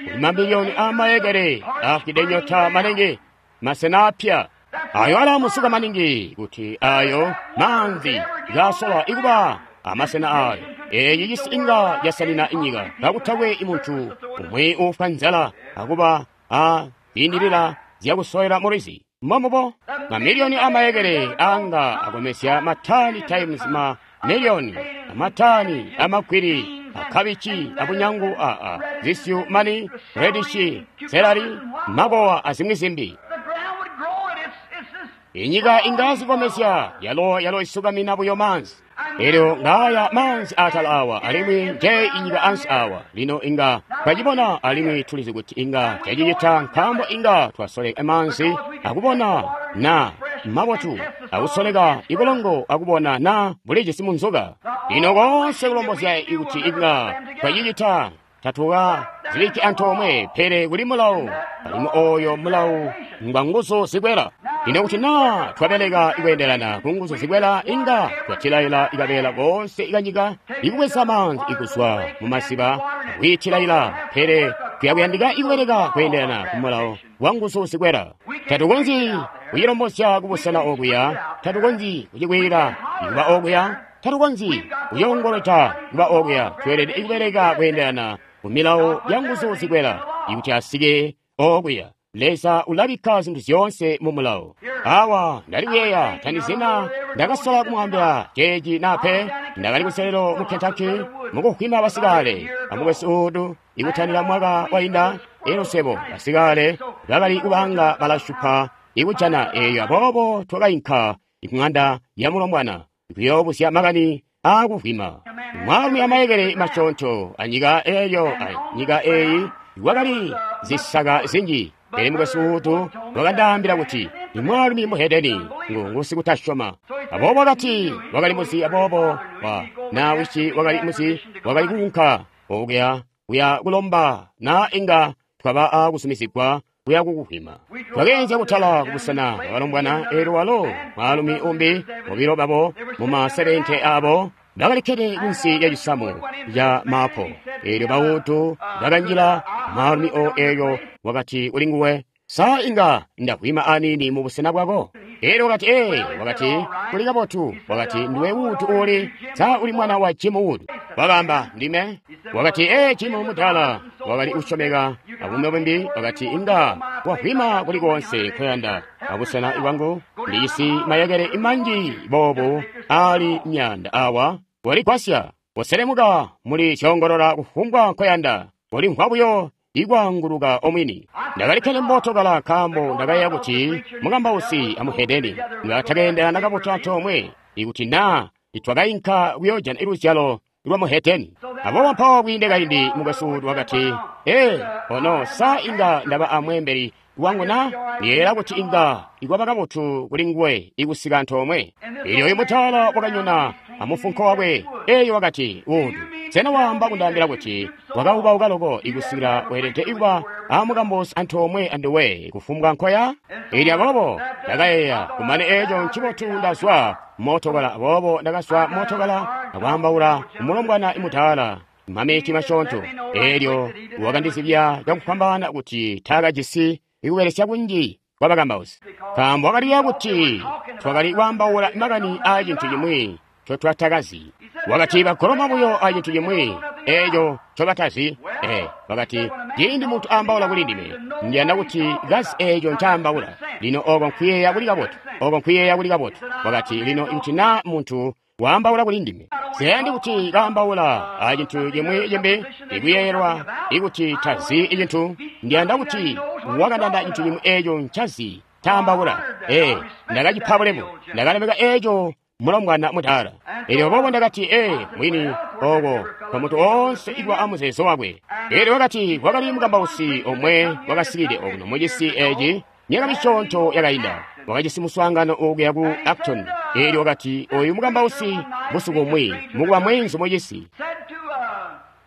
kuli mamiliyoni amayekere afide nyota maningi masena apya ayo alamusuka maningi kuti ayo manzi gasola ikuba amasena ayo. Eyi cisi inga yasanina inyika kakutakwe imuntu umwe ufwa nzala akuba a ziyindilira zyakusowera mulwizi. Momubo mamiliyoni amayekere anga akomesya matani times ma miliyoni amatani amagwiri akabichi abunyangu aa zisyu mani redishi selari mabowa azimwi zimbi. the ground would grow and it's, it's this Inyika ingazikomesya yalo yalo isukamina buyo manzi. Elyo ngaya manzi atala awa alimwi nje inyika ansi awa. Lino inga twacibona alimwi tulizi kuti inga twacicita nkaambo inga twasoleka manzi akubona na mabotu akusoleka ibulongo akubona na bulijisi munzoka. Lino konse kulombozya ikuti inga twacicita tatuka ziliki antoomwe, pele kuli mulawo alimwi oyo mulawo ngwa nguzu zikwela. Lino kuti na twabeleka ikweendelana ku nguzu zikwela, inga twatilaila ikabela konse ikanyika ikubweza manzi ikuzwa mu masiba akwiitilaila, pele tuyakuyandika ikubeleka kweendelana ku mulawo wa nguzu zikwela. Tatukonzyi kuyilombozya kubusena okuya, tatukonzyi kucikwila ikuba okuya, tatukonzyi kuyongolota kuba okuya. Tweelede ikubeleka kweendelana ku milawo ya nguzu zikwela ikuti asike okuya. Leza ulabikka zinthu zyoonse mu mulawo. Awa ndali kuyeeya tandizina ndakasola kumwambira ceeci nape. Ndakali kuselelo mu Kentucky mukukhwima basikale amukwesu udu ikutandila mwaka wainda. Elo sebo basikale bakali kubanga balashupa ikujana eyo, aboobo twakainka ikung'anda ya mulombwana ikuyoobuzya makani akuvwima. Mwaalumi amayekele masyoonto anyika eyo, anyika eyi kwakali zisaka zinji. Pele mukwesu utu wakandaambila kuti imwaalumi muhedeni ngu sikutasyoma. Aboobo wakati wakali muzi, aboobo wa na wisi wakali muzi, wakali kuunka okuya kuya kulomba na inga twaba akusumizigwa kuya kukuhwima. Twakeenzya kutala kubusena bwabalombwana, elyo walo mwaalumi umbi bobilo babo muma sebente abo bakalikkede kunsi lya cisamu ca maapo. Elyo bautu bakanjila mwaalumi o elyo wakati kuli nguwe, sa inga ndahwima anini mu busena bwako? Elyo wakati, ee, wakati kuli kabotu. Wakati, ndiwe Wood uli, sa uli mwana wa Jim Wood? Wakamba, ndime. Wakati, ee, Jim mudala wakali usyomeka abumwi bumbi. Wakati, inga wahwima kuli konse koyanda, Abusena bwangu ndijisi mayekele manji boobu ali myaanda awa. Koligwasya, koselemuka muli zyongolola kufumbwa nkoyanda, kolimvwa buyo ikwaanguluka omwini. Ndakalikkede mootokala nkaambo ndakayeeya kuti mukambausi amuhedeni nga takeendelana kabotu antoomwe ikuti naa nitwakainka kuyoojana luzyalo lwa muhedeni. Aboobo mpawo kwiinde kaindi mukwesu wakati, ee, ono sa inga ndaba amweembeli wangu na? Ndiyeeyela kuti inga ikwaba kabotu kuli nguwe ikusika antoomwe. Elyo oyu mutaala wakanyona amufunko wakwe, eyo wakati, Wood, sena waamba kundaambila kuti wakaubauka loko ikusikila weelede kuba amukambausi antoomwe anduwe kufumbwa nkoya? Elyo aboobo ndakayeeya, kumane eeco ncibotu ndazwa mootokala. Aboobo ndakazwa mootokala akwaambaula kumulombwana imutaala mameti masyoonto. Elyo wakandizibya cakufwambaana kuti taakajisi ikubelesya kunji kwa bakambausi, nkaambo wakaliyeeya kuti twakali kwaambaula makani aa cintu cimwi ncotwatakazi. Wakati bagoloma buyo a cintu cimwi eeco ncobatazi. Ee, wakati ciindi muntu aambaula kuli ndime, ndiyanda kuti kazi eeco ncaambaula. Lino oko nkuyeeya kuli kabotu, oko nkuyeeya kuli kabotu. Wakati lino ikuti naa muntu waambaula kuli ndime, siyandi kuti kaambaula a cintu cimwi cimbi ikuyeeyelwa ikuti tazi icintu. Ndiyanda kuti wakandanda cintu cimwi eeco ncazi taambaula. Ee, ndakacipa bulemu, ndakalemeka eeco mulombwana mutaala. Elyo boobo ndakati, ee, mwini oko kwa muntu oonse ikuba amuzeezo wakwe. Elyo wakati kwakali mukambausi omwe wakasikide okuno mucisi eci myaka misyoonto yakainda, wakajisi muswaangano okuya ku Acton. Elyo wakati oyu mukambausi busiku bumwi mukuba mweenzu mucisi,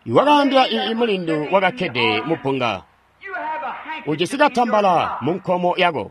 wakaambila ii mulindu wakakkede mubbunga, ujisi katambala mu nkomo yako,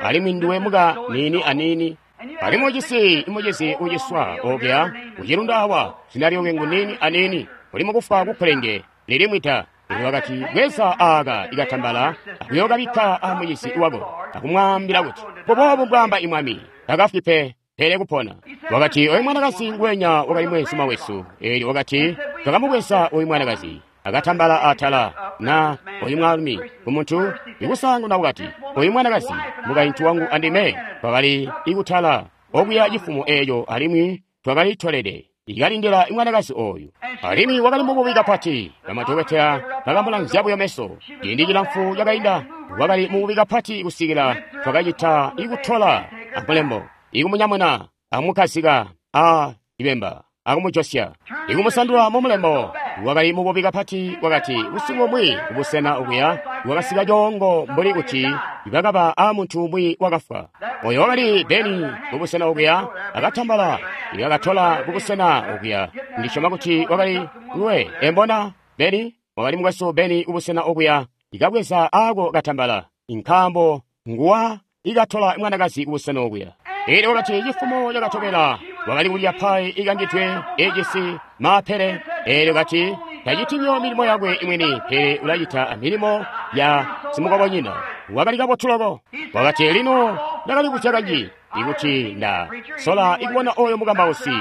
alimwi nduwe muka niini aniini, alimwi ujisi imucizi uciswa okuya kucilundu awa, zina lyakwe ngu niini aniini, uli mukufa kupulenge lilimwi ta. Elyo wakati bweza aaka ikatambala akuyookabikka amucizi wako akumwaambila kuti mbuboobu mbwaamba imwami, takafwi pe pele kupona. Wakati oyu mwanakazi nguwenya wakali mweenzuma wesu. Elyo wakati twakamubweza oyu mwanakazi akatambala atala na oyu mwaalumi kumuntu ikusaanguna. Wakati oyu mwanakazi mukaintu wangu andime twakali ikutala okuya cifumo eeco, alimwi twakali tolede ikalindila mwanakazi oyu, alimwi wakali mububi kapati. Bamadokotela bakamulanzya buyo meso ciindi cilamfu cakainda. Wakali mububi kapati kusikila twakacita ikutola amulembo ikumunyamuna akumukazika a ibemba akumujosya ikumusandula mumulembo. Wakali mububi kapati. Wakati busiku bumwi kubusena okuya wakasika coongo mbuli kuti bakaba a muntu umwi wakafwa. Oyo wakali Beni kubusena okuya akatambala ikakatola kubusena okuya. Ndisyoma kuti wakali nguwe embona Beni, wakali mukwesu Beni kubusena okuya ikabweza ako katambala, nkaambo nguwa ikatola mwanakazi kubusena okuya. Elyo wakati cifumo cakatobela wakali kulya pai ikangidwe ejisi maapele. Elyo kati taciti buyo milimo yakwe imwini, pele ulacita milimo ya simukobonyina. Wakali kabotu loko. Wakati lino ndakali kuzya kanji ikuti nda sola ikubona oyo mukambausi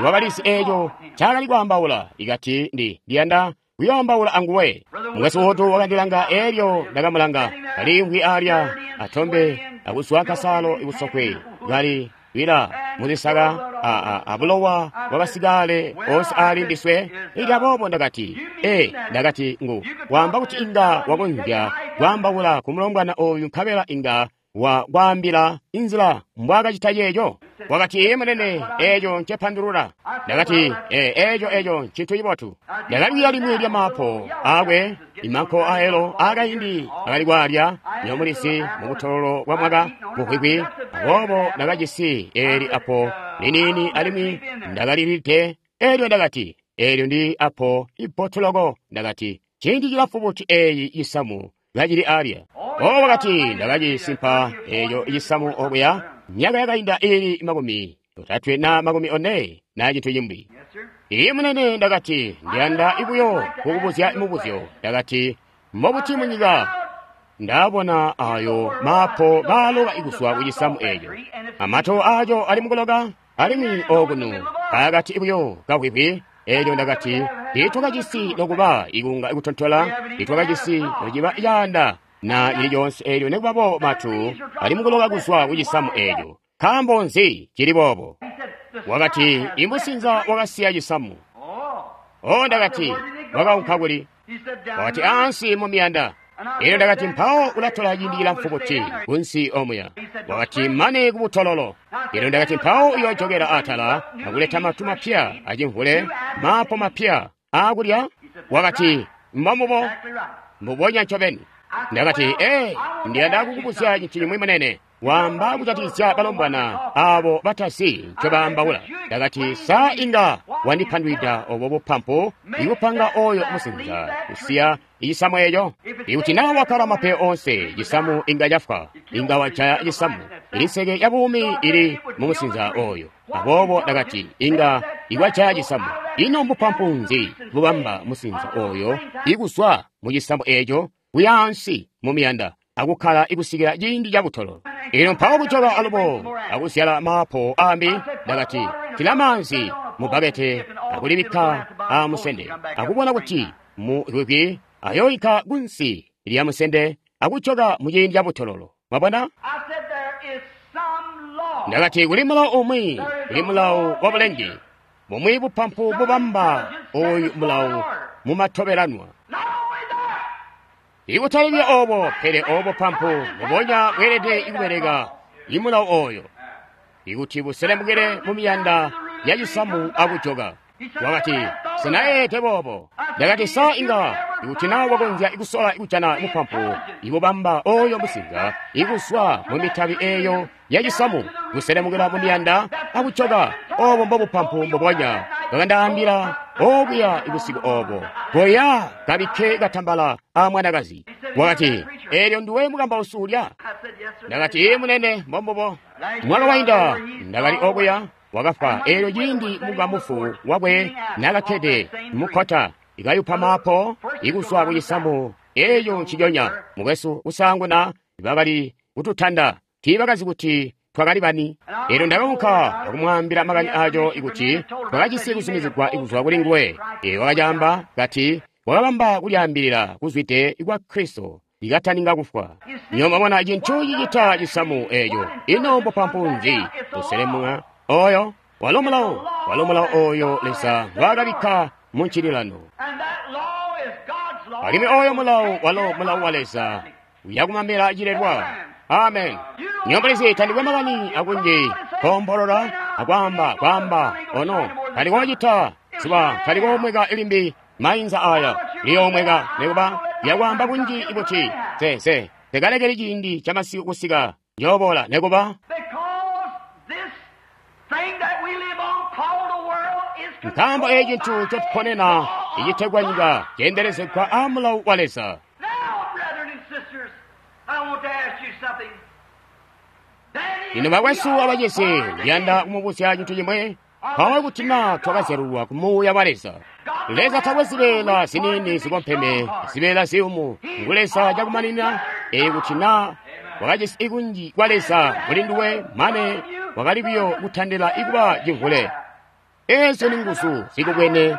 wakalizi eeco ncaakali kwaambaula. Ikati ndi ndiyanda kuyoambaula anguwe. Mukwesu Wood wakandilanga, elyo ndakamulanga kaliimvwi alya atombe akuzwa kasaalo ikusokwe kali wila muzisaka abulowa bwabasikale onse ali ndiswe. Elyo aboobo ndakati, ee, ndakati ngu waamba kuti inga wakonzya kwaambaula ku mulombwana oyu nkabela inga wa kwaambila inzila mbwaakacita ceeco. Wakati, ee munene, eeco ncepandulula. Ndakati, ee, eeco eeco ncintu cibotu. Ndakali limwi lya maapo aakwe, imanko aelo aakaindi akali kwaalya nyomulizi mubutololo bwa mwaka buhwihwi. Aboobo ndakajisi eeli apo liniini alimwi ndakalilide. Elyo ndakati, eelyo ndi apo ibbotu loko. Ndakati, ciindi cilamfu buti eeyi cisamu kacili alya? O wakati ndakacisimpa eeco cisamu okuya myaka yakainda iili makumi otatwe na makumi one na cintu cimbi. Ii munene, ndakati ndiyanda ibuyo kukubuzya mubuzyo. Ndakati mbobuti munyika ndabona ayo maapo kaaloka ikuzwa kucisamu eeco, amato aaco ali mukuloka, alimwi okunu kaakati buyo kahwihwi. Elyo ndakati tiitwakajisi nokuba ikunga ikutontola, tiitwakajisi nociba caanda na cili coonse eelyo nekubaboobo matu ali mukuloka kuzwa ku cisamu eeco. Nkaambo nzi cili boobo? Wakati, imusinza wakasiya cisamu. Oh, ndakati, wakaunka kuli? Wakati, ansi mu miyanda. Elyo ndakati, mpawo ulatola ciindi cilamfu buti kunsi omuya? Wakati, mane kubutololo. Elyo ndakati, mpawo uyoojokela atala akuleta matu mapya acimvule, maapo mapya aakulya? Wakati, mbombubo, mbubonya ncobeni. Ndakati, ee, ndiyanda kukubuzya cintu cimwi munene. Wamba kujatikizya balombwana abo batazi ncobaambaula. Ndakati, sa inga wandipandwida obo bupampu ikupanga oyo musinza kusiya cisamu eco? Ikuti naa wakkala mapeyo onse, cisamu inga cafwa, inga wajaya cisamu. Inseke ya buumi ili mu musinza oyo. Aboobo ndakati, inga iwajaya cisamu. Ino mbupampu nzi bubamba musinza oyo ikuzwa mu cisamu eco kuyaansi mu miyanda akukkala ikusikila ciindi cabutolo? Ino mpawo kujoka alubo akuzyala maapo ambi. Ndakati, tila maanzi mu bbakete akulibikka aamusende akubona kuti mu lwikwi ayoyika kunsi lya musende akujoka mu ciindi cabutololo. Mwabona? Ndakati, kuli mulawo umwi, kuli mulawo wa bulenge bumwi bupampu bubamba oyu mulawo mumatobelanwa. Ikutalibya obo, pele obo pampu mbubonya bweelede ikubeleka imulawo oyo ikuti buselemukile mu miyanda ya cisamu akujoka. Wakati, sinayeete boobo. Ndakati, sa inga ikuti naa wakonzya ikusola kujana mupampu ikubamba oyo musinza ikuzwa mu mitabi eyo ya cisamu kuselemukila mu miyanda akujoka, obo mbobupampu mbubonya bwakandaambila okuya ibusiku obo. Goya kabikke katambala a mwanakazi. Wakati, eelyo nduwe mukambausi ulya? Ndakati, ee munene, mbombubo. Mwaka wainda ndakali okuya, wakafwa. Eelyo ciindi mukamufu wakwe nakakkede mukkota ikayupa maapo ikuzwa ku cisamu eeyo nciconya. Mukwesu, kusaanguna bakali kututanda, tiibakazi kuti twakali bani. Eelyo ndakaunka akumwaambila makani aco ikuti twakajisi kuzumizigwa kuzwa kuli nguwe. Eelyo wakacaamba kati wakabamba kulyaambilila kuzwide kwa Kristo ikataninga kufwa. Nyo mwabona cintu cicita cisamu eeco. Ino mbupampu nzi buselemuka oyo? Walo mulawo, walo mulawo oyo Leza ngwaakabikka mu ncililano. Alimwi oyo mulawo walo mulawo wa Leza uyakumamela cilelwa. Amen. Nyombolizi tandikwe makani akunji kombolola akwaamba kwaamba ono talikocita zuba talikomweka limbi mainza aya liyomweka nekuba lyakwaamba kunji ikuti se se tekalekeli ciindi camasiku kusika njoobola nekuba. Nkaambo eeci cintu ncotuponena icitegwa nyika ceendelezegwa a mulawo wa Leza. Lino bakwesu abacizi, ndiyanda kumubuzya cintu cimwe. Mpawo kuti naa twakazyalulwa ku Muuya wa Leza. Leza takwe zibeela ziniini zikompeme, zibeela ziyumu. Ngu Leza cakumanina. Ee kuti naa wakajisi ikunji kwa Leza muli nduwe mane wakali buyo kutandila ikuba cimvule. Eezyo ni nguzu zikubwene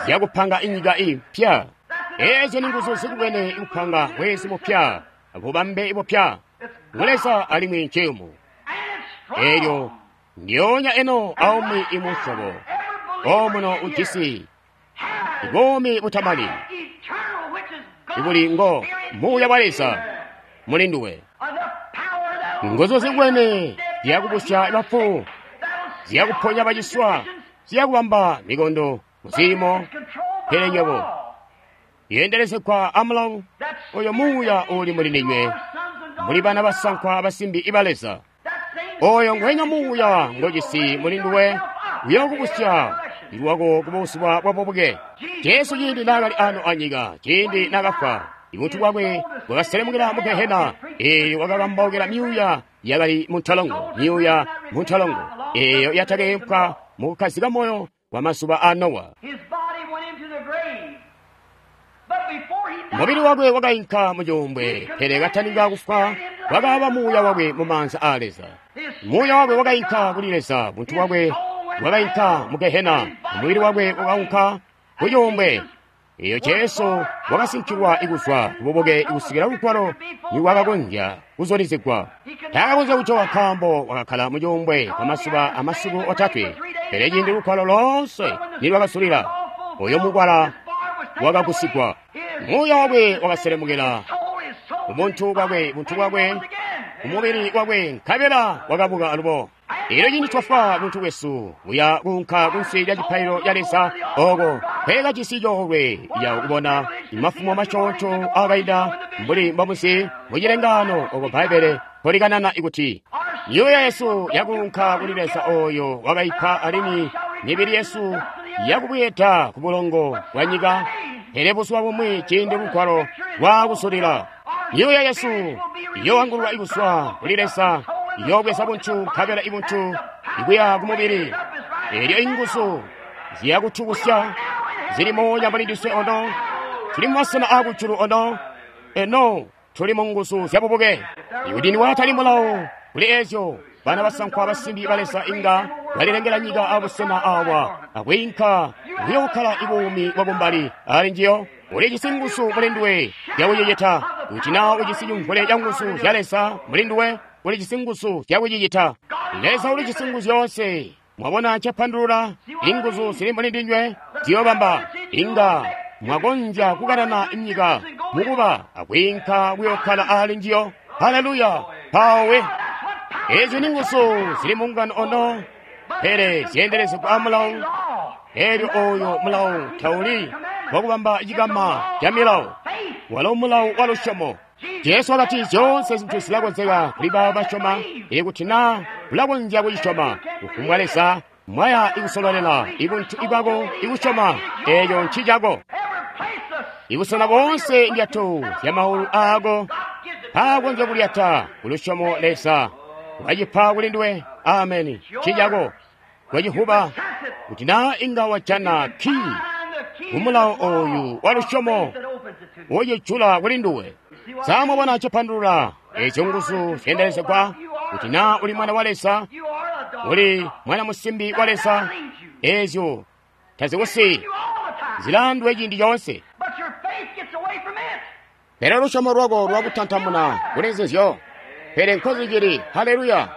zyakupanga inyika impya. Eezyo ni nguzu zikubwene ikupanga mwezi mupya, bubambe bupya. Ngu Leza alimwi nciyumu. Eelyo ndyoonya eno aumwi imusyobo omuno ujisi buumi butamani ibuli ngo Muuya wa Leza muli nduwe. Nguzu zikubwene zyakubusya bafu, zyakuponya baciswa, zyakubamba mikondo muziimo. Pele nywebo yendelezegwa amulawo oyo Muuya uli muli ndinywe, muli bana basankwa abasimbi iba Leza. Oyo ngwenya Muuya ngojisi muli nduwe uyokubusya lwako kubusuba bwa bubuke. Jesu ciindi naakali ano anyika, ciindi naakafwa, ibuntu bwakwe bwakaselemukila mu Gehena. Eeyo wakakambaukila myuuya yakali muntolongo, myuuya muntolongo eeyo yatakeempwa mukukkazika moyo wa mazuba a Nowa. Mubili wakwe wakainka mucuumbwe, pele kataninga kufwa wakaaba muuya wakwe mu maanza a Leza. Muuya wakwe wakainka kuli Leza, buntu bwakwe bwakainka mu Gehena, mubili wakwe wakaunka ku cuumbwe. Eyo Jesu wakasinkilwa kuzwa kububuke kusikila lugwalo niwakakonzya kuzulizigwa. Taakakonzya kujoka nkaambo wakakkala mucuumbwe kwa masuba amasiku otatwe. Pele ciindi lugwalo loonse nilwakazulila, oyo mukwala wakagusigwa. Muuya wakwe wakaselemukela ubuntu bwakwe, buntu bwakwe, umubili wakwe, nkabela wakabuka alubo. Elyo ciindi twafwa buntu bwesu buya kuunka kunsi lya cipaililo ca Leza oko nkweekajisi coolwe ca kubona mafumo masyoonto aakainda mbuli mbomuzi mucilengaano oko Bbaibbele mpolikanana ikuti myoyo yesu yakuunka kuli Leza oyo wakaipa alimwi mibili yesu yakubweeda ku bulongo bwa nyika. Pele buzuba bumwi ciindi lugwalo lwaakusulila, myoyo yesu iyoangululwa kuzwa kuli Leza, iyoobweza buntu nkabela ibuntu ikuya kumubili. Elyo inguzu ziyakutubusya zili moonya muli ndiswe ono, tuli mumasena aakujulu ono, eno tuli mu nguzu zyabubuke. Ikuti niwatali mulawo kuli ezyo, bana basankwa abasimbi ba Leza inga balilengela nyika abusena awa akwiinka kuyookkala ibuumi bwakumbali ali njiyo. Ulijisi nguzu muli nduwe zyakucicita. Kuti naa ujisi cimvule ca nguzu zya Leza muli nduwe, ulijisi nguzu zyakucicita. Leza ulijisi nguzu zyoonse. Mwabona ncapandulula? Inguzu zili muli ndinywe ziyoobamba inga mwakonzya kukanana nyika mukuba akwiinka kuyookkala ali njiyo. Haleluya! Mpawo ezyo ni nguzu zili mungano ono, pele zyeendelezegwa amulawo. Elyo oyo mulawo tauli wakubamba cikama ca milawo, walo mulawo wa lusyomo. Jesu wakati zyoonse zintu zilakonzeka kuli baabo basyoma, ikuti naa ulakonzya kucisyoma. Kufumbwa Leza mwaya ikusololela ibuntu ibwako ikusyoma, eeco ncicako. Ibusena boonse ndyato zya maulu aako aakonzya kulyata kulusyomo Leza wacipa kuli nduwe. Ameni. Ncicako. Wacihuba kuti naa inga wajana kii kumulawo oyu wa lusyomo wocijula kuli nduwe. Sa mwabona ncapandulula ezyo nguzu zyeendelezegwa? Kuti naa uli mwana wa Leza, uli mwana musimbi wa Leza, ezyo tazikusi zilandwe ciindi coonse. Pele lusyomo lwako lwakutantamuna kuli nzizyo. Pele nkozicili. Haleluya!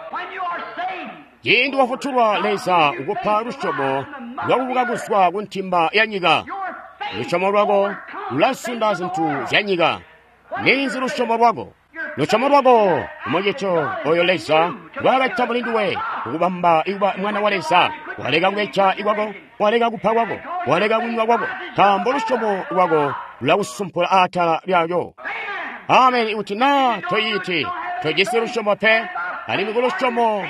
Ciindi wafutulwa, Leza ukupa lusyomo lwakubuka kuzwa ku ntimba ya nyika. Lusyomo lwako lulasunda zintu zya nyika. Ninzi lusyomo lwako? Lusyomo lwako umucito oyo Leza lwakacita muli nduwe kukubamba ikuba mwana wa Leza. Waleka kubeja ikwako, waleka kupha kwako, waleka kunywa kwako, nkaambo lusyomo lwako lulakusumpula atala lyalyo. Ameni. Ikuti naa toyiti, tojisi lusyomo pe, alimwi kulusyomo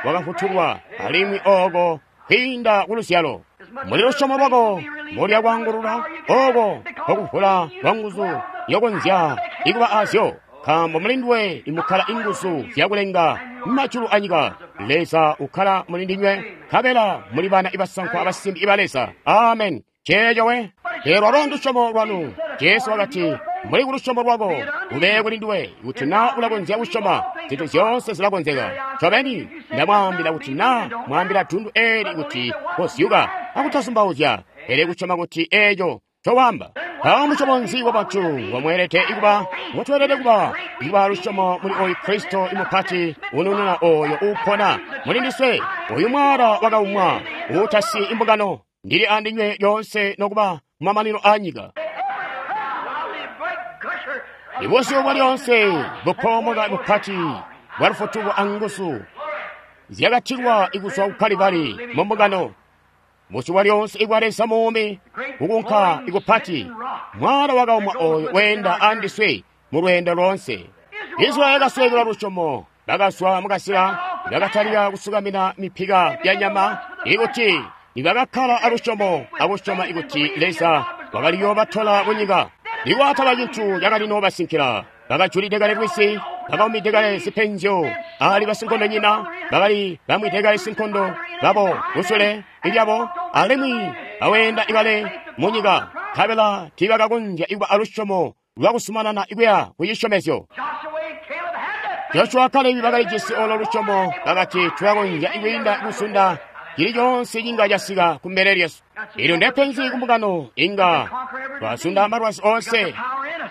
wakafutulwa, alimwi oko kwiinda kuluzyalo. Muli lusyomo lwako mulya kwaangulula, oko nkokuvula kwa nguzu yokonzya ikuba azyo, nkaambo muli nduwe imukkala inguzu zyakulenga majulu anyika. Leza ukkala muli ndinywe, nkabela muli bana ibasankwa abasimbi iba Leza. Amen. Ceeco we. Pele lwalo ndusyomo lwanu. Jesu wakati, muli kulusyomo lwako ube kuli nduwe. Kuti naa ulakonzya kusyoma, zintu zyoonse zilakonzeka. Ncobeni ndamwaambila kuti naa mwaambila dundu eli kuti kozyuka akutazumbauzya, pele kusyoma kuti eeco ncowamba. Mpawo musyobo nzi wa bantu ngomweelede kuba, ngotweelede kuba, ikuba lusyomo muli oyu Kristo imupati unununa oyo uupona muli ndiswe, oyu mwaala wakaumwa uutasi imbungano. Ndili andinywe lyoonse nokuba kumamanino a nyika. Ibusyu bwa lyoonse bupoomoka bupati bwa lufutuko anguzu zyakatilwa ikuzwa ku Kalibali mu mbungano. Busyu bwa lyoonse ibwa Leza muumi kukunka ikupati, mwaala wakaumwa oyo weenda andiswe mu lweendo loonse. Israeli yakasweekelwa lusyomo, bakazwa mukasila, bakatalika kusukamina mipika ya nyama, ikuti nibakakkala alusyomo akusyoma ikuti Leza wakaliyoobatola kunyika. Nikwataba cintu cakali noobasinkila, bakajulide kale lwisi, bakaumide kale zipenzyo ali basinkondonyina, bakali bamwide kale sinkondo babo kusule ilyabo, alimwi baweenda ikale munyika, nkabela tiibakakonzya ikuba alusyomo lwakusumanana ikuya kucisyomezyo. Joshua Kalebi bakalijisi olo lusyomo, bakati tulakonzya ikwiinda kusunda Cili coonse cinga casika kumbele lyesu. Elyo ndepenzi kumbungano inga twazunda malwazi onse.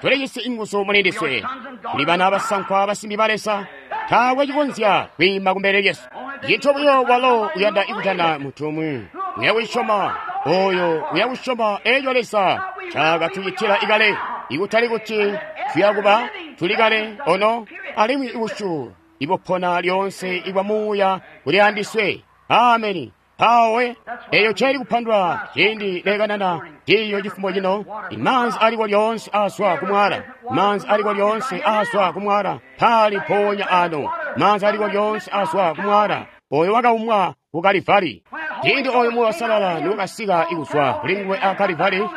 Tulijisi inguzu muli ndiswe. Tuli bana basankwa basimbi ba Leza. Taakwe cikonzya kwiima kumbele lyesu. Cintu buyo walo uyanda ikutana muntu umwi. Uyakusyoma oyo uyakusyoma eco Leza cakatucitila ikale. Ikutali kuti tuyakuba tuli kale ono alimwi ibusyu ibupona lyonse ibwa muuya kuli andiswe. Ameni. Pawe eyo celi kupandwa ciindi lekanana ciyo cifumo cino. Imanzi aliko lyonse azwa kumwala. Manzi aliko lyonse azwa kumwala. Pali ponya ano. Manzi aliko lyonse azwa kumwala. Oyo wakaumwa ku Kalivari. Ciindi oyo Muuya Uusalala niwakasika ikuzwa kuli nguwe a Kalivari,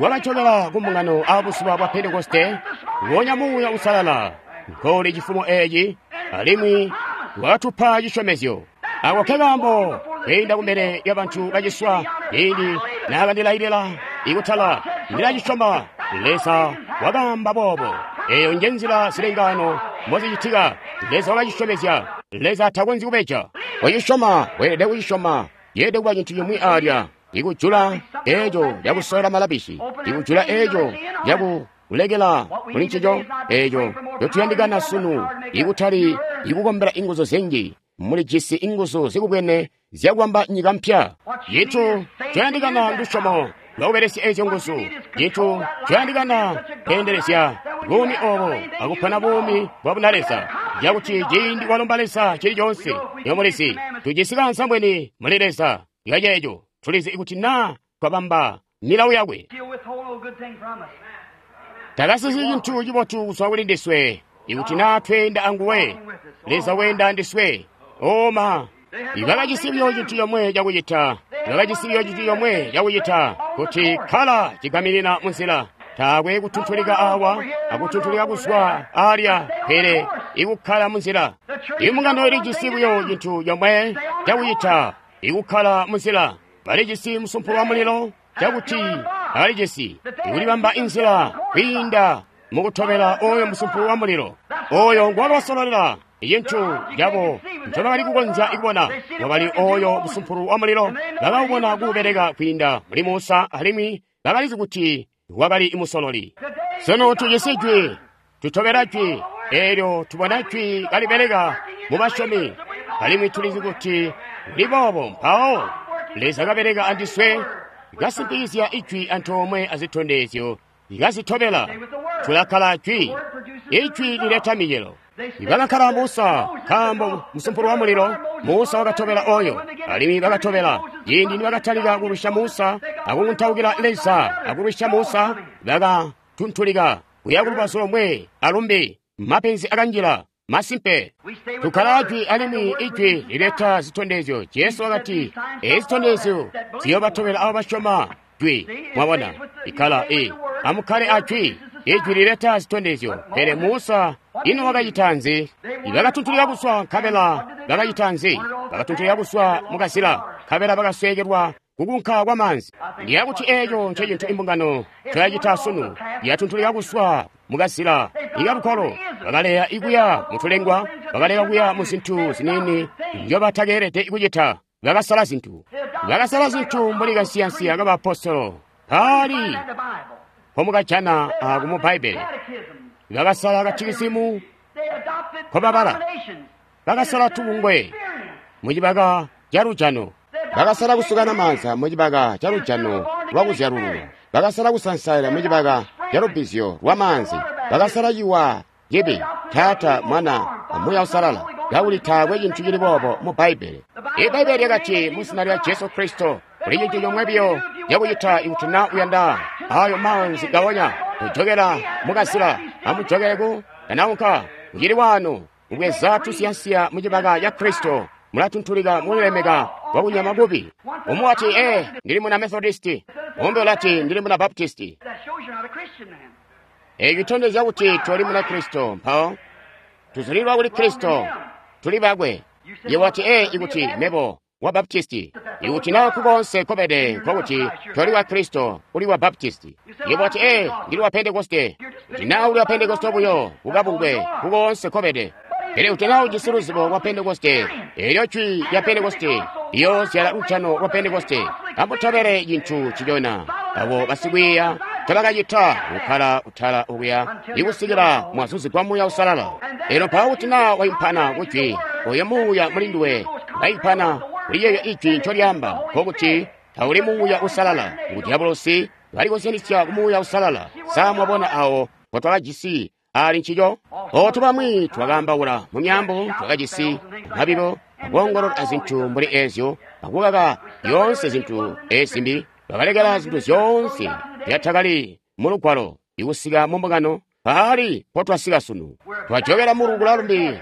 wakacokela ku mbungano a buzuba bwa Pentekoste, wonya Muuya Uusalala nkoli cifumo eci, alimwi wakatupa cisyomezyo. Ako kekaambo kwiinda kumbele lya bantu baciswa ciindi naakandilailila ikutala ndilacisyoma. Leza wakaamba boobo. Eyo nje nzila zilengano mbozicitika. Leza wakacisyomezya. Leza takonzyi kubeja. Kucisyoma weelede kucisyoma. Yeelede kuba cintu cimwi alya ikujula eco lyakusola malabishi, ikujula eco lyakulekela kuli ncico eco ncotuyandikana sunu, ikutali ikukombela inguzu zinji. Mulijisi inguzu zikubwene zyakubamba nyika mpya. Cintu coyandikana ndusyomo lwakubelesya ezyo nguzu. Cintu coyandikana kweendelezya buumi obo akupona buumi bwa bunaleza, cakuti ciindi walomba Leza cili coonse, yomulizi tujisi kaanzambweni muli Leza yaceeco. Tulizi kuti naa twabamba milawo yakwe, takasisi cintu cibotu kuzwa kuli ndiswe. Ikuti naa tweenda anguwe, Leza weenda andiswe. Oma bakajisi buyo cintu comwe cakucita. Bakajisi buyo cintu comwe cakucita, kuti kkala cigaminina munzila. Taakwe kutuntulika awa akutuntulika kuzwa alya, pele ikukkala munzila. Imbungano ilijisi buyo cintu comwe cakucita, ikukkala munzila. Balijisi musumpulo wa mulilo cakuti balijisi ikulibamba inzila kwiinda mukutobela oyo musumpulo wa mulilo. Oyo nguwakabasololela. Cintu cabo ncobakali kukonzya kubona wakali oyo musumpulo wa mulilo. Bakawubona kuubeleka kwiinda muli Musa, alimwi bakalizi kuti wakali musololi. Sunu tujisi jwi, tutobela jwi, eelyo tubona jwi kalibeleka mu basyomi, alimwi tulizi kuti kuli boobo. Mpawo Leza kabeleka andiswe, kasimpikizya ijwi antoomwe azitondezyo likazitobela. Tulakkala jwi. Ijwi lileta micelo. Bakakkala Musa, nkaambo musumpulo wa mulilo Musa wakatobela oyo, alimwi bakatobela. Ciindi nibakatalika kulwisya Musa akukuntaukila Leza akulwisya Musa, bakatuntulika kuya kulubazu lomwe alumbi. Mapenzi akanjila. Masimpe tukkala jwi, alimwi ijwi lileta zitondezyo. Jesu wakati ezi zitondezyo ziyoobatobela abo basyoma jwi. Mwabona, ikkala e amukkale a jwi. Ijwi lileta zitondezyo. Pele Musa ino wakacita nzi? Bakatuntulika kuswa, nkabela bakacita nzi? Bakatuntulika kuswa mukazila, nkabela bakasweekelwa kukunka kwa maanzi. Ndiyakuti eco ncecintu imbungano ncoyacita sunu. Yatuntulika kuswa mukazila ikalukolo. Bakaleya ikuya mutulengwa, bakaleka kuya mu zintu ziniini nzyobatakeelede kucita. Bakasala zintu, bakasala zintu mbuli kansiyansiya k'abaapostolo paali pomukajana aku mu Bbaibbele. Bakasala katikisimu nkobabala, bakasala tubungwe mucibaka ca lujano, bakasala kusukana maanza mucibaka ca lujano lwakuzyalululwa, bakasala kusansaila mucibaka ca lubbizyo lwa maanzi, bakasala ciwa cibi, Taata, Mwana, Muuya Uusalala, kakuli taakwe cintu cili boobo mu Bbaibbele. Ibbaibbele lyakati mu zina lya Jesu Kristo kuli cintu comwe biyo cakucita ikuti naa uyanda ayo maanzi gawonya kujokela mukazila, amujokele ku kanaunka kucili wano kubweza tusiyansiya mucibaka ca Kristo. Mulatuntulika mulilemeka kwakunyama kubi. Umwi wati, ee, ndili muna Methodisti. Umbi ulati, ndili muna Baptisti. Eeci citondezya kuti toli muna Kristo. Mpawo tuzulilwa kuli Kristo, tuli bakwe. Iwe wati, ee, ikuti mebo wa Baptisti. Ikuti naa nkukoonse nkobede nkokuti toli wa Kristo, uli wa Baptisti. Iwe wati, ee, ndili wa Pentekoste. Kuti naa uli wa Pentekoste buyo, kukabungwe, nkukoonse nkobede. Pele kuti naa ujisi luzibo lwa Pentekoste, elyo jwi lya Pentekoste liyoozyala lujano lwa Pentekoste. Amutobele cintu cicona abo basikwiiya tabakacita kukkala kutala okuya ikusikila mwazuzigwa Muuya Uusalala. Elyo mpawo kuti naa waimpana kujwi, oyo Muuya muli nduwe waimpana kuli yeeyo ijwi ncolyaamba, nkokuti tauli Muuya Uusalala. Ngu dyabulosi balikozyanisya ku Muuya Uusalala. Sa mwabona awo mpotwakajisi ali ncico? Otu bamwi twakaambaula mu myaambo, twakajisi mabibo, akoongolola azintu mbuli ezyo, akukaka zyoonse zintu ezimbi. Bakalekela zintu zyoonse zyatakali mu Lugwalo ikusika mu mbungano. Paali mpotwasika sunu, twajokela mu lukula lumbi,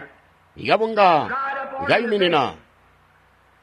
ikabunga kayuminina,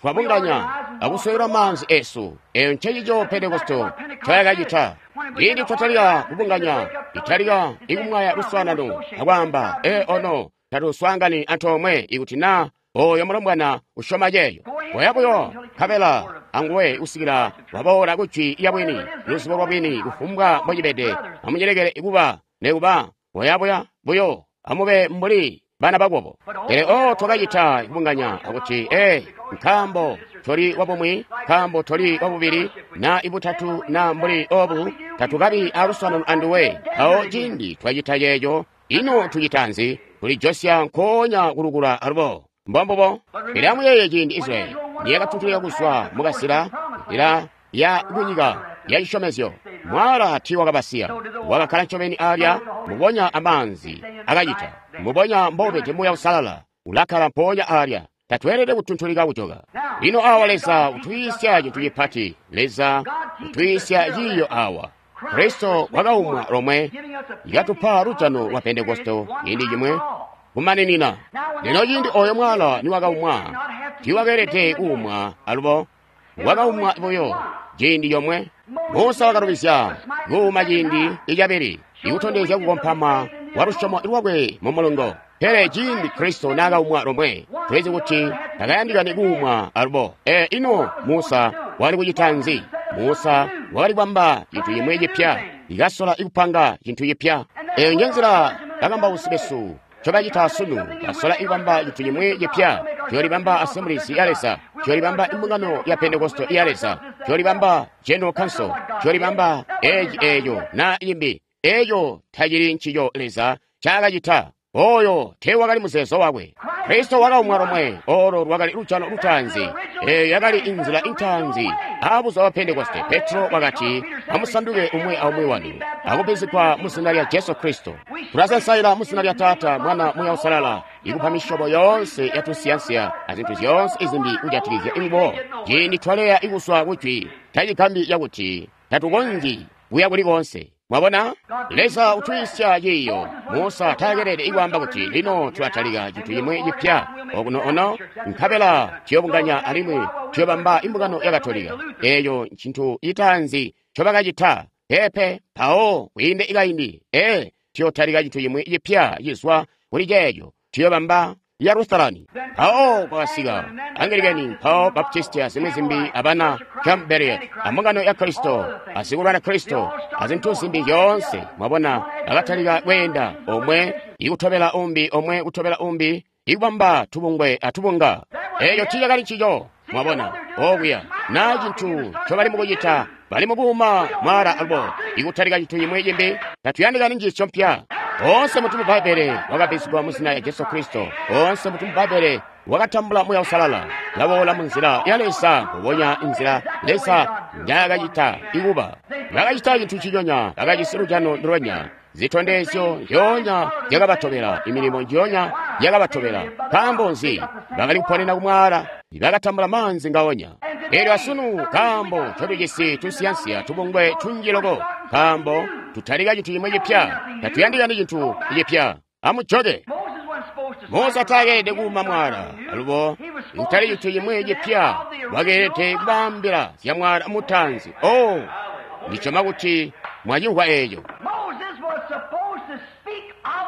twabunganya akuswekela maanzi esu. Eyo ncecico Pentekoste ncoyakacita. Ciindi twatalika kubunganya, italika ikumwaya luswaanano akwaamba, ee ono tatuswaangani antoomwe ikuti naa oyo mulombwana usyoma ceeyo. Koya buyo nkabela anguwe kusikila waboola ku jwi lya bwini, luzibo lwa bwini, kufumbwa mbocibede. Amucilekele kuba nekuba koya buya buyo, amube mbuli bana bakwabo. Pele o twakacita kubunganya akuti, ee, nkaambo toli wabumwi, nkaambo toli wabubili, na ibutatu, na mbuli obu, tatukabi aluswaanano anduwe. Awo ciindi twacita ceeco, ino tucita nzi? Tulijosya nkoonya kulukula alubo. Mbombubo. Pele amuyeeye ciindi Israyeli niyakatuntulika kuzwa mukasila nzila ya kunyika ya cisyomezyo, mwaala tiiwakabasiya, wakakkala ncobeni alya mubonya amaanzi akacita mubonya mbobede Muuya Uusalala ulakkala mpoonya alya. Tatweelede kutuntulika kujoka. Lino awa Leza utuyiisya cintu cipati. Leza utuyiisya ciiyo awa. Kristo wakaumwa lomwe, yakatupa lujano lwa Pentekoste ciindi cimwe kumaninina. Lino ciindi oyo mwaala niwakaumwa, tiiwakeelede kuumwa alubo, wakaumwa buyo ciindi comwe. Musa wakalubizya kuuma ciindi icabili, ikutondezya kukompama kwa lusyomo lwakwe mu mulungo. Pele ciindi Kristo naakaumwa lomwe, tulizi kuti takayandikani kuumwa alubo. E ino Musa wakali kucita nzi? Musa wakali kubamba cintu cimwi cipya, ikasola ikupanga cintu cipya. Eyo njenzila bakambausi besu ncobacita sunu, basola ikubamba cintu cimwi cipya. Tuyolibamba Assemblies ya Leza, tuyolibamba imbungano ya Pentekoste ya Leza, tuyolibamba General Council, tuyolibamba eci eco na imbi. Eco tacili ncico Leza ncaakacita. Oyo teewakali muzeezo wakwe. Kristo wakaumwa lomwe, olo lwakali lujano lutaanzi. Eyo yakali inzila intaanzi aabuzuba bwa Pentekoste. Petro wakati, amusanduke umwi aumwi wanu akubbizigwa mu zina lya Jesu Kristo. Tulasansaila mu zina lya Taata, Mwana, Muuya Uusalala, ikupa misyobo yoonse ya tunsiyansiya azintu zyoonse izimbi kujatikizya ingubo. Ciindi twaleya ikuswa kujwi, tacigambi cakuti tatukonzyi kuya kuli koonse. Mwabona, Leza utuyiisya ciiyo. Musa taakelede ikwaamba kuti lino tulatalika cintu cimwi cipya okuno ono, nkabela tuyobunganya alimwi tuyobamba imbungano ya Katolika. Eeyo ncintu citaanzi ncobakacita. Peepe, mpawo kwiinde ikaindi, ee, tuyotalika cintu cimwi cipya cizwa kuli ceeco, tuyobamba ya Lutherani. Mpawo kwakasika Anglikani, mpawo Baptisti azimwi zimbi, abana Campbell, ambungano ya Kristo, asikulwana Kristo, azintu zimbi zyoonse. Mwabona, bakatalika kweenda omwe ikutobela umbi, omwe kutobela umbi, ikubamba tubungwe atubunga. Eeco tiicakali ncico. Mwabona okuya na cintu ncobali mukucita, bali mukuuma mwaala alubo ikutalika cintu cimwi cimbi. Tatuyandikani njiisyo mpya. Oonse mutu mu Bbaibbele wakabbizigwa mu zina lya Jesu Kristo. Oonse mutu mu Bbaibbele wakatambula Muuya Uusalala. Laboola mu nzila ya Leza, mbubonya inzila Leza njaakacita ikuba. Bakacita cintu ciconya, bakajisi lujano ndulwenya. Zitondezyo nzyoonya zyakabatobela, imilimo nzyoonya yakabatobela. Nkaambo nzi? Bakali kuponena kumwaala, bakatambula maanzi ngaonya. Elyo asunu nkaambo ncotujisi tunsiyansiya tubungwe tunji loko, nkaambo tutalika cintu cimwi cipya, tatuyandikani cintu cipya. Amujoke. Musa taakeelede kuuma mwaala alubo kutali cintu cimwi cipya, wakeelede kubaambila zya mwaala mutaanzi. Oh, ndisyoma kuti mwacimvwa eeco.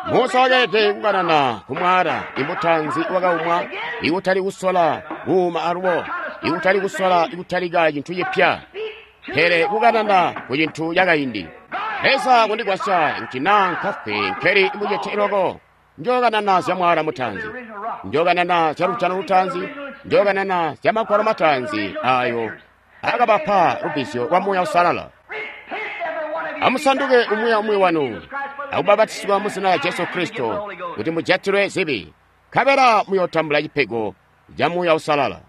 Musa wakeelede kukanana ku mwaala imutaanzi wakaumwa, ikutali kusola kuuma alubo, ikutali kusola ikutalika cintu cipya, pele kukanana ku cintu cakaindi. Leza kundigwasya kuti naa nkafwe nkeli mucete loko Njokanana zya mwaala mutaanzi, njokanana zya lujano lutaanzi, njokanana zya magwalo mataanzi ayo akabapa lubbizyo lwa Muuya Uusalala. Amusanduke umwi aumwi wanu akubabatisibwa mu zina lya Jesu Kristo kuti mujatilwe zibi, nkabela muyootambula cipego ca Muuya Uusalala.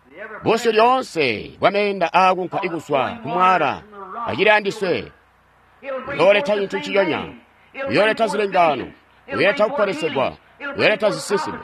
Busyu lyoonse bwa meenda aakunka ikuswa ku mwaala acili andiswe, uyooleta cintu ciyonya, uyooleta zilengaano, uyooleta kuponesegwa, uyooleta zisinsime,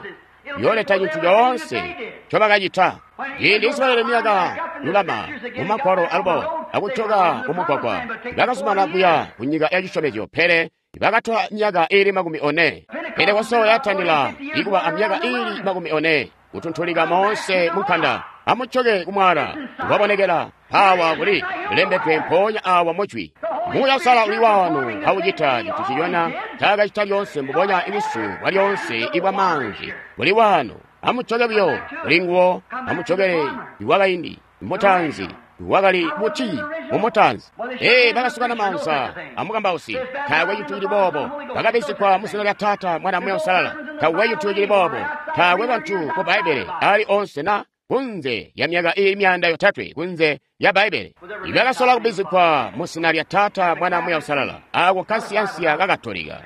uyooleta cintu coonse ncobakacita. Ciindi Israyeli niyaka lulama mu magwalo alubo akujoka mu mugwagwa, bakazumana kuya ku nyika ya cisyomezyo, pele bakatola myaka iili makumi one. Pentekoste yatandila ikuba amyaka iili makumi one kutuntulika moonse mu nkanda. Amujoke ku mwaala wabonekela awa kuli lembedwe mpoonya awa mujwi. Muuya Uusalala uli wano aucita cintu ciyona ncaakacita lyoonse mbubonya ibusu bwa lyoonse ibwa maanzi buli wano. Amujoke buyo kuli nguwo, amujokele iwakaindi mutaanzi wakali buti mumutaanzi. Ee, bakasukana maanza amukambausi, taakwe cintu cili boobo. Bakabizigwa mu zina lya Taata, Mwana, Muuya Uusalala, taakwe cintu cili boobo. Taakwe bantu mu Bbaibbele ali onse na kunze ya myaka ili myanda yotatwe kunze ya Bbaibbele ibakasola kubizigwa mu zina lya Taata, Mwana, Muuya Uusalala, ako kansiyansiya ka Katolika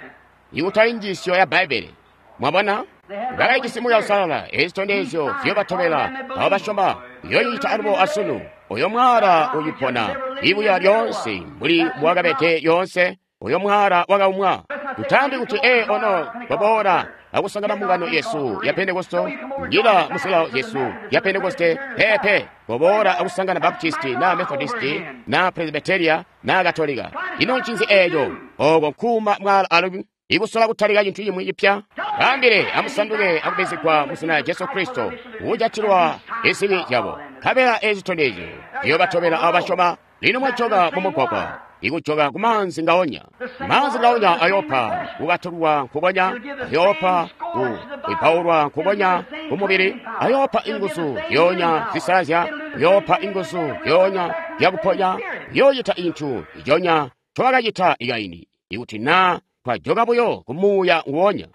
ikutali njiisyo ya Bbaibbele. Mwabona, bakajisi Muuya Uusalala. Ezi zitondezyo ziyobatobela abo basyoma, uyoocita alubo asunu. Oyo mwaala ucipona ibuya lyoonse mbuli mbwakabede lyoonse. Oyo mwaala wakaumwa. Tutaambi kuti ee ono twaboola akusangana mbungano yesu ya Pentekoste, njila musilawo yesu ya Pentekoste. Pepe, twaboola akusangana Baptisti na Methodisti na Presbyteria na Katolika. Ino ncinzi eeco? Oko nkuuma mwaala alubi ikusola kutalika cintu cimwi cipya. Baambile amusanduke akubizigwa mu zina lya Jesu Kristo kujatilwa zibi zyabo, nkabela ezi zitondezyo ziyobatobela abo basyoma. Lino mwajoka mu mugwagwa, ikujoka ku maanzi ngaonya. Maanzi ngaonya ayoopa kukatulwa nkukonya, ayoopa kuipaulwa nkukonya kumubili, ayoopa inguzu zyonya zisalazya, ayoopa inguzu zyonya zyakuponya, yoocita intu iconya ncobakacita ikaindi. Ikuti naa twajoka buyo ku muuya nguwonya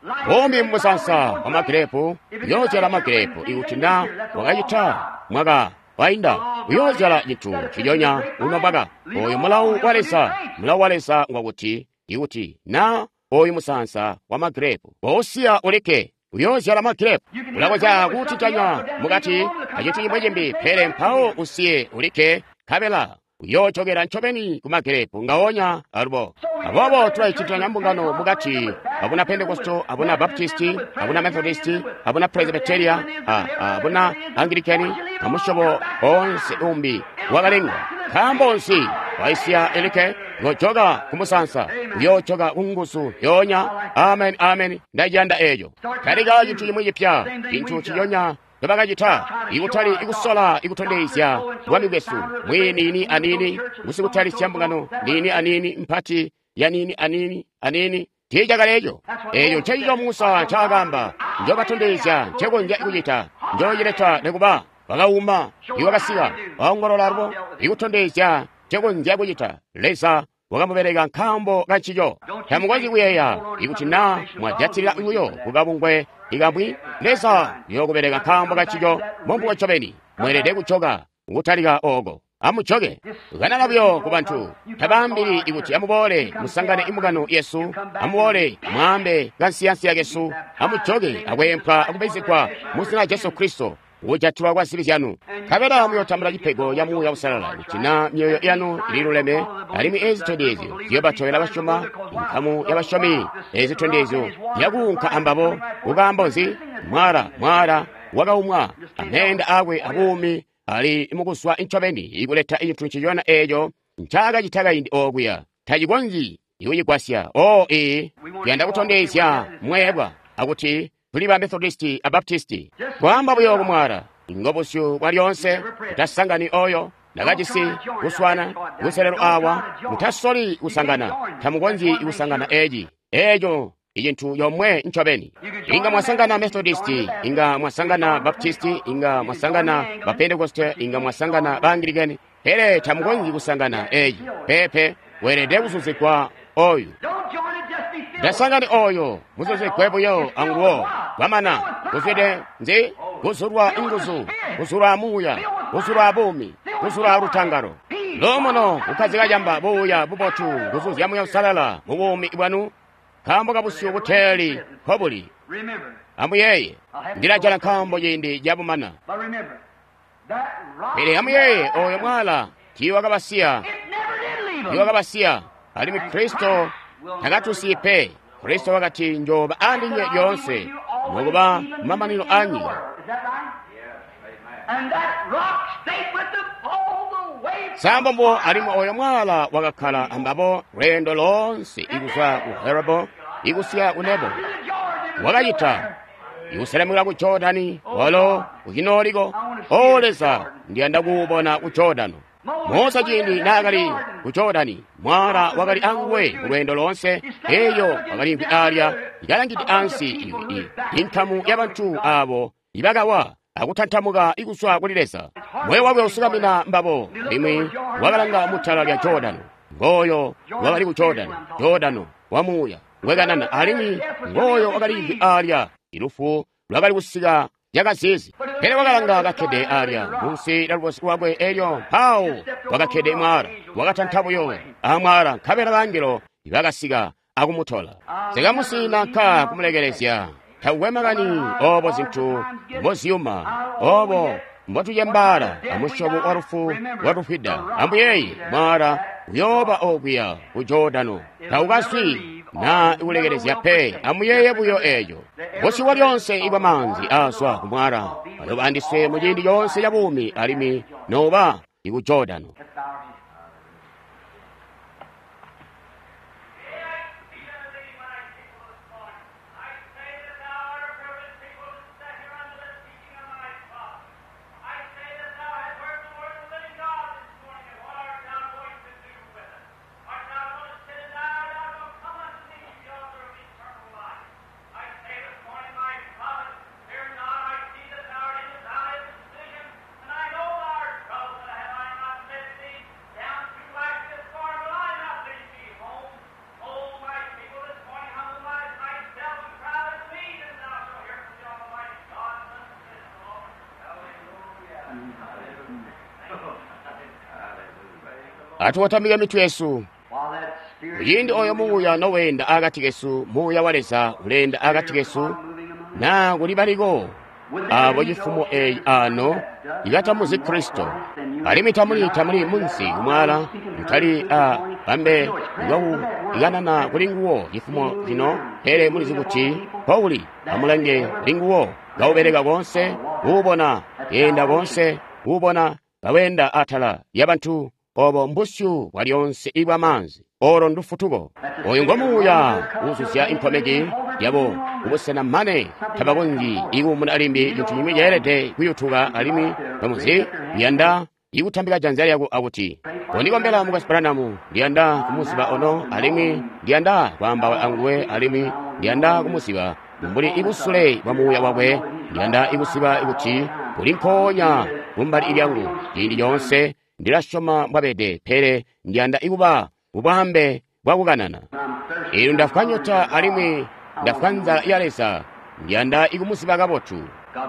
umbi mumusansa wa magirepu, uyoozyala magirepu. Ikuti naa wakacita mwaka wainda, uyoozyala cintu ciyonya uno mwaka. Oyu mulawu wa Leza. Mulawu wa Leza ngwakuti ikuti naa oyu musansa wa magirepu wousiya ulikke, uyoozyala magirepu. Ulakonzya kuutitanya mukati acintu cimwi cimbi, pele mpawo usiye ulikke, nkabela uyoojokela ncobeni ku magirepu ngaonya alubo. Aboobo tulaicitanya mbungano mukati, abuna Pentekoste, abuna Baptisti, abuna Methodisti, abuna Presbyteria, abuna Anglikani, amusyobo onse umbi wakalengwa. Nkaambo nzi waisiya elikke? Uyojoka ku musansa, uyoojoka ku nguzu yoonya. Amen, amen. Ndaciyanda eeco. Talika cintu cimwi cipya, cintu ciyonya ncobakacita, ikutali ikusola ikutondezya bwami bwesu mwiniini aniini, ngusikutalisya mbungano niini aniini mpati ya niini aniini aniini. Tiicakali eco. Eco ncencico Musa ncaakamba, njobatondezya ncekonzya kucita, njoocileta nikuba. Wakauma, iwakasika, waongolola alubo, ikutondezya ncekonzya kucita. Leza wakamubeleka nkaambo kancico. Tamukonzyi kuyeeya ikuti naa mwajatilila buyo kukabungwe ikamwi, Leza uyookubeleka nkaambo kancico. Mombubo ncobeni mweelede kujoka kutalika ooko. Amujoke kanana buyo ku bantu, tabaambili ikuti amuboole musangane imbungano yesu, amuboole mwaambe kansiyansiya kesu. Amujoke akweempwa akubizigwa mu zina lya Jesu Kristo kujatilwa kwa zibi zyanu, nkabela muyootambula cipego ca Muuya Uusalala. Kuti naa myoyo yanu ililuleme, alimwi ezi zitondezyo ziyobatobela basyoma, inkamu yabasyomi. Ezi zitondezyo zyakuunka ambabo. Kukaambo nzi? Mwaala, mwaala wakaumwa, ameenda aakwe abuumi ali mukuswa ncobeni ikuleta cintu nciyona eeco ncaakacita kaindi okuya. Tacikonzyi ikucigwasya. O ee, tuyanda kutondezya mweebwa akuti tuli ba Methodisti a Baptisti. Kwaamba buyo kumwaala ngobusyu bwa lyoonse, mutasangani oyo nakajisi kuswana kuselelo awa. Mutasoli kusangana, tamukonzyi kusangana eci eco icintu yomwe ncobeni. Inga mwasangana Methodisti, inga mwasangana Baptisti, inga mwasangana ba Pentekoste, inga mwasangana ba Anglikani, pele tamukonzyi kusangana eci. Pepe, weelede kuzuzigwa oyu. Ndasangani oyo muzuzigwe buyo anguwo kwamana kuzwide nzi kuzulwa inguzu, kuzulwa muuya, kuzulwa buumi, kuzulwa lutangalo. Luumuno kukkazika camba buuya bubotu nguzu zya Muuya Uusalala mu buumi bwanu nkaambo kabusyu buteeli nkobuli. Amuyeeye, ndilajala nkaambo ciindi cabumana. Pele amuyeeye oyo mwala tiiwakabasiya, tiiwakabasiya, alimwi Kristo takatusiyi pe. Kristo wakati njoba andinywe lyoonse nokuba mamanino a nyika. Sambombo alimwi oyo mwala wakakkala ambabo lweendo loonse ikuzwa ku Herebo ikusiya ku Nebo. Wakacita ikuselemukila ku Jordani walo ucinooliko. O Leza, ndiyanda kuubona ku Jordano. Musa ciindi naakali ku Jordani, mwala wakali anguwe kulweendo loonse. Eyo wakaliimvwi alya ikalangide ansi inkamu yabantu abo ibakawa akutantamuka ikuzwa kuli Leza. Moyo wakwe usukamina mbabo, limwi wakalanga mutala lya Jordano. Ngoyo wakali ku Jordano, Jordano wa muuya ngwekanana, alimwi ngoyo wakaliimvwi alya. Ilufu lwakali kusika yakazizi. Pele wakalanga kakkede alya munsi lya lubosi lwakwe, elyo mpawo wakakkede mwala, wakatanta buyo amwala, nkabela bangelo bakasika akumutola. Sikamusina nka kumulekelezya. Takukwe makani obo zintu mboziyuma, obo mbotucembaala amusyobo wa lufu lwatufwida. Ambuyeyi mwala uyooba okuya ku Jordano, taukaswi na ikulekelezya pe. Amuyeeye buyo eeco. Busyu bwa lyonse ibwa maanzi aazwa ku mwala ayoba andiswe mu ciindi coonse ca buumi, alimwi noba iku Jordano. Atuwatamike mitwe yesu. Kuciindi oyo muuya noweenda akati kesu, muuya wa Leza uleenda akati kesu, na kuli baliko abo cifumo eyi ano ikatamuzi Kristo, alimwi tamuli tamuli munsi kumwala mutali a bambe ikanana kuli nguwo cifumo cino, pele mulizi kuti Pauli amulange kuli nguwo kaubeleka konse, kuubona yenda konse, kuubona kawenda atala yabantu. Obo mbusyu bwa lyonse ibwa maanzi olo ndufutuko. Oyo ngo muuya uzuzya inkomeki yabo kubusena mane tabakonzyi ikuumuna alimbi cintu cimwi ceelede kuyutuka, alimwi bamuzi liyanda ikutambika janza lyako akuti kondikombela mukwesu Branham, ndiyanda kumuziba ono, alimwi ndiyanda kwaambaula anguwe, alimwi ndiyanda kumuziba mbuli ibusule bwa muuya wakwe, ndiyanda ikuziba kuti uli nkoonya kumbali lyangu ciindi coonse. Ndilasyoma mbwabede, pele ndiyanda ikuba bubambe bwakukanana. Eelyo ndafwa nyota alimwi ndafwa nzala ya Leza, ndiyanda ikumuziba kabotu.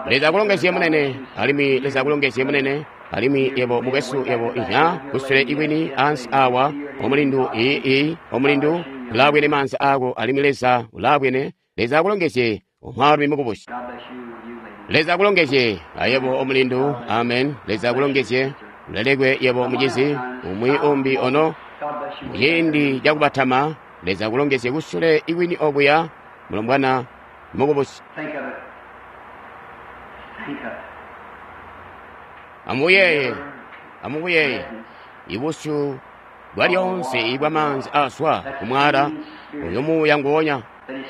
Leza akulongezye munene, alimwi Leza akulongezye munene, alimwi yebo mukwesu, yebo inya kusule ikwini ansi awa omulindu ii omulindu ulaabwene maanza ako, alimwi Leza ulaabwene. Leza akulongezye omwaalumi mukubusi. Leza akulongezye ayebo omulindu. Amen. Leza akulongezye. Ulelekwe yebo mucizi umwi umbi ono muciindi cakubatama. Leza akulongezye kusule ikwini okuya mulombwana mukubusi. Amuyeeye, amubuyeeye ibusyu bwa lyonse ibwa maanzi aazwa kumwala oyo muuya nguwonya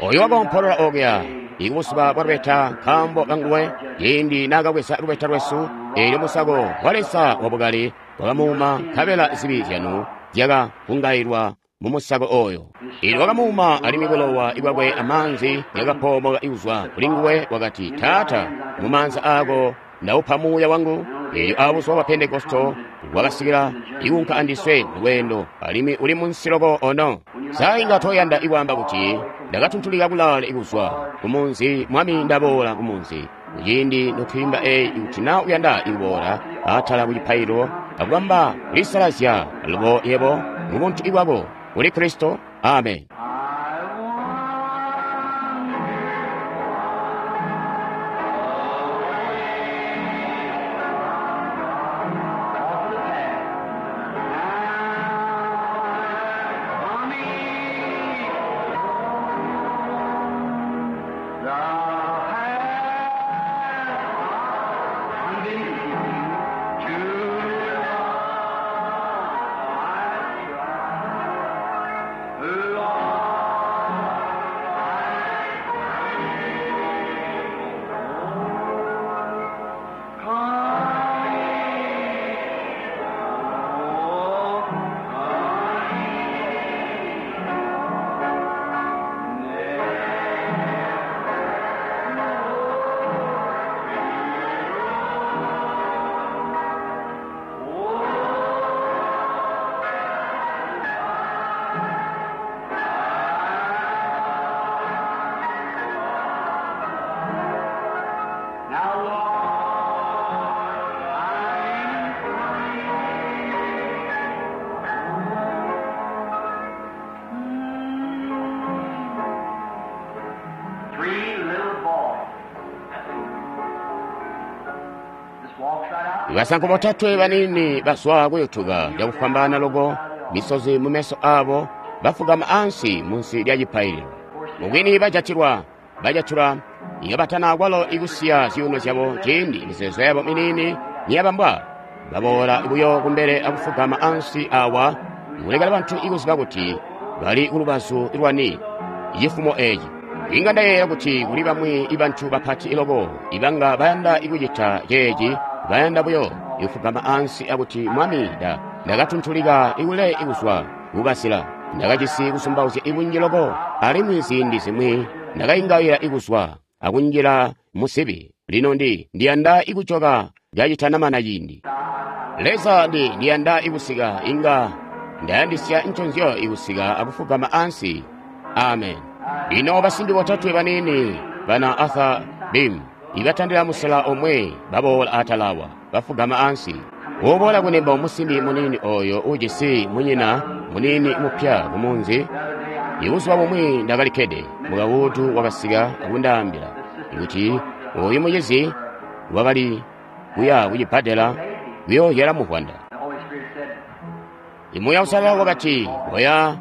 oyo wakompolola okuya ikubusuba bwa lubeta nkaambo kanguwe ciindi naakabweza lubeta lwesu. Eelyo musako wa Leza wabukali wakamuuma, nkabela zibi zyanu zyakavungailwa mu musako oyo. Eelyo wakamuuma, alimwi bulowa bwakwe amaanzi yakapoomoka kuzwa kuli nguwe. Wakati, Taata, mu maanza aako ndaupa muuya wangu. Eelyo abuzuba bwa Pentekosto wakasikila ikunka andiswe mulweendo, alimwi uli munsi loko ono. Sa inga toyanda ikwaamba kuti Ndakatuntulika kulaale kuzwa ku munzi. Mwami, ndaboola ku munzi. Kuciindi notwiimba eyi, kuti na uyanda ikuboola atala ku cipaililo akubamba kulisalazya alubo yebo mu buntu bwako kuli Kristo. Amen. Now, Lord, I'm Three little boys. Just walks right out. Basanko botatwe banini baswa kuyutuka cakufwambaana loko, misozi mu meso abo, bafugama ansi munsi lya cipaililo. Mubwini bajatilwa, bajatula iyo batana kwalo ikusiya zyuuno zyabo ciindi mizeezo yabo miniini niyabambwa. Baboola buyo kumbele akufugama ansi awa, kulekela bantu ikuziba kuti bali kulubazu lwani cifumo eci. Inga ndayeeya kuti kuli bamwi ibantu bapati loko ibanga bayanda ikucita ceeci, bayanda buyo ikufugama ansi akuti, Mwami, nda ndakatuntulika ikule ikuzwa kukasila, ndakajisi kusumbauzya ibunji loko, alimwi ziindi zimwi ndakaingaila ikuzwa akunjila musibi. Lino ndi ndiyanda ikujoka kacitanamana ciindi. Leza, ndi ndiyanda ikusika, inga ndayandisya nconzyo ikusika akufugama ansi. Amen. Lino basimbi botatwe banini bana Arthur Bim ibatandila musela omwe baboola atalawa bafugama ansi. Uboola kunembo musimbi munini oyo ujisi munyina munini mupya kumunzi. Ibuzuba bumwi ndakalikkede, mukawutu wakasika akundaambila kuti oyu mucizi wakali kuya kucibbadela kuyoozyala muvwanda. The Holy Spirit said, Imuuya Uusalala wakati, oya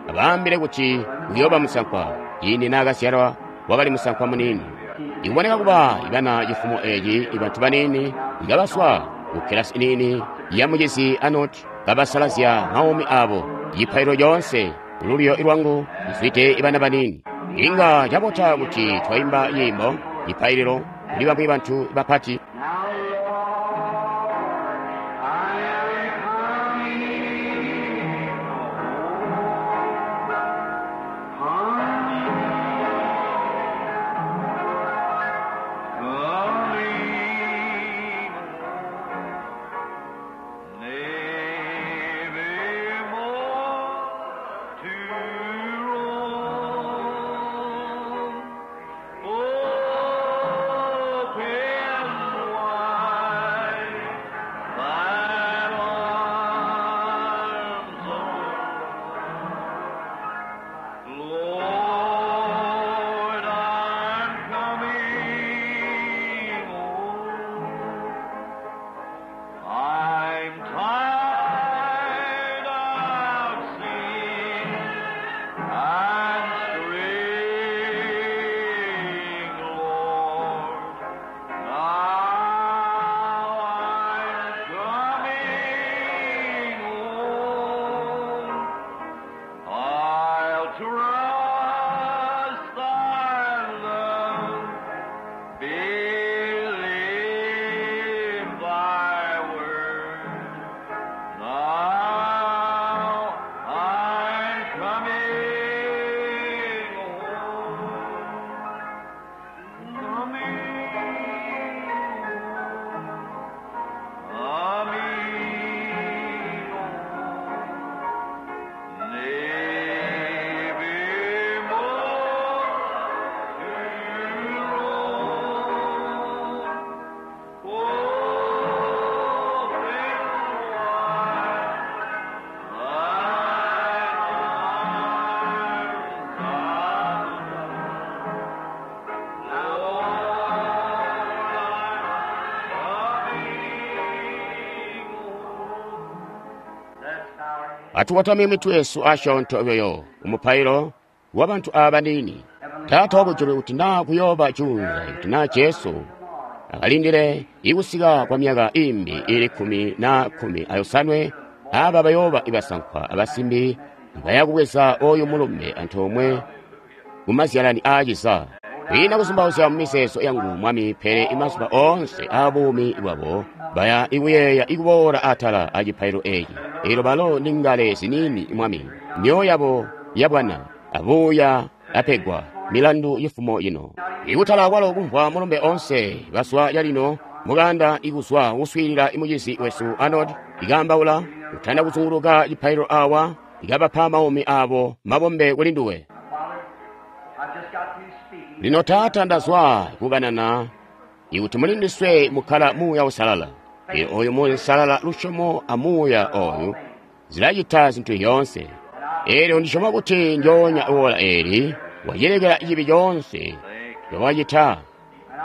abaambile kuti uyooba musankwa. Ciindi naakazyalwa wakali musankwa muniini. Ikuboneka kuba ibana cifumo eci ibantu baniini ikabaswa ku kilasi iniini ya mucizi Anoti, kabasalazya maumi abo. Cipaililo coonse lulyo lwangu lizwide ibana baniini. Inga cabota kuti twaimba nyimbo cipaililo kuli bamwi bantu bapati. Now, Lord, I am coming Coming nevermore to roam. Open wide Atukotamye mitwe yesu asyoonto buyo umupailo wa bantu aba baniini. Taata wakujulu, kuti naa kuyooba juunza, kuti naa Jesu akalindile ikusika kwa myaka imbi ili kkumi na kkumi ayosanwe, aba bayooba ibasankwa abasimbi bayakubweza oyu mulumbe antoomwe kumazyalani aaciza. Kwiina kuzumbauzya mu mizeezo yangu, Mwami, pele imazuba oonse aabuumi bwabo baya ikuyeeya ikuboola atala acipailo eeci. Eelyo balo ni ngale ziniini, Mwami, myoyo yabo yabwana abuuya apegwa milandu yifumo ino. Ikutala kwalo kumvwa mulumbe onse baswa calino mukanda ikuzwa kuswiilila imucizi wesu Arnold ikaambaula kutanda kuzunguluka cipailo awa ikabapa maumi abo mabombe kuli nduwe. Lino Taata, ndazwa kukanana ikuti muli ndiswe mukkala Muuya Uusalala. Eelyo oyu Muuya Uusalala, lusyomo a Muuya oyu zilacita zintu zyoonse. Eelyo ndisyoma kuti njoonya ola eeli wacilekela cibi coonse ncowacita.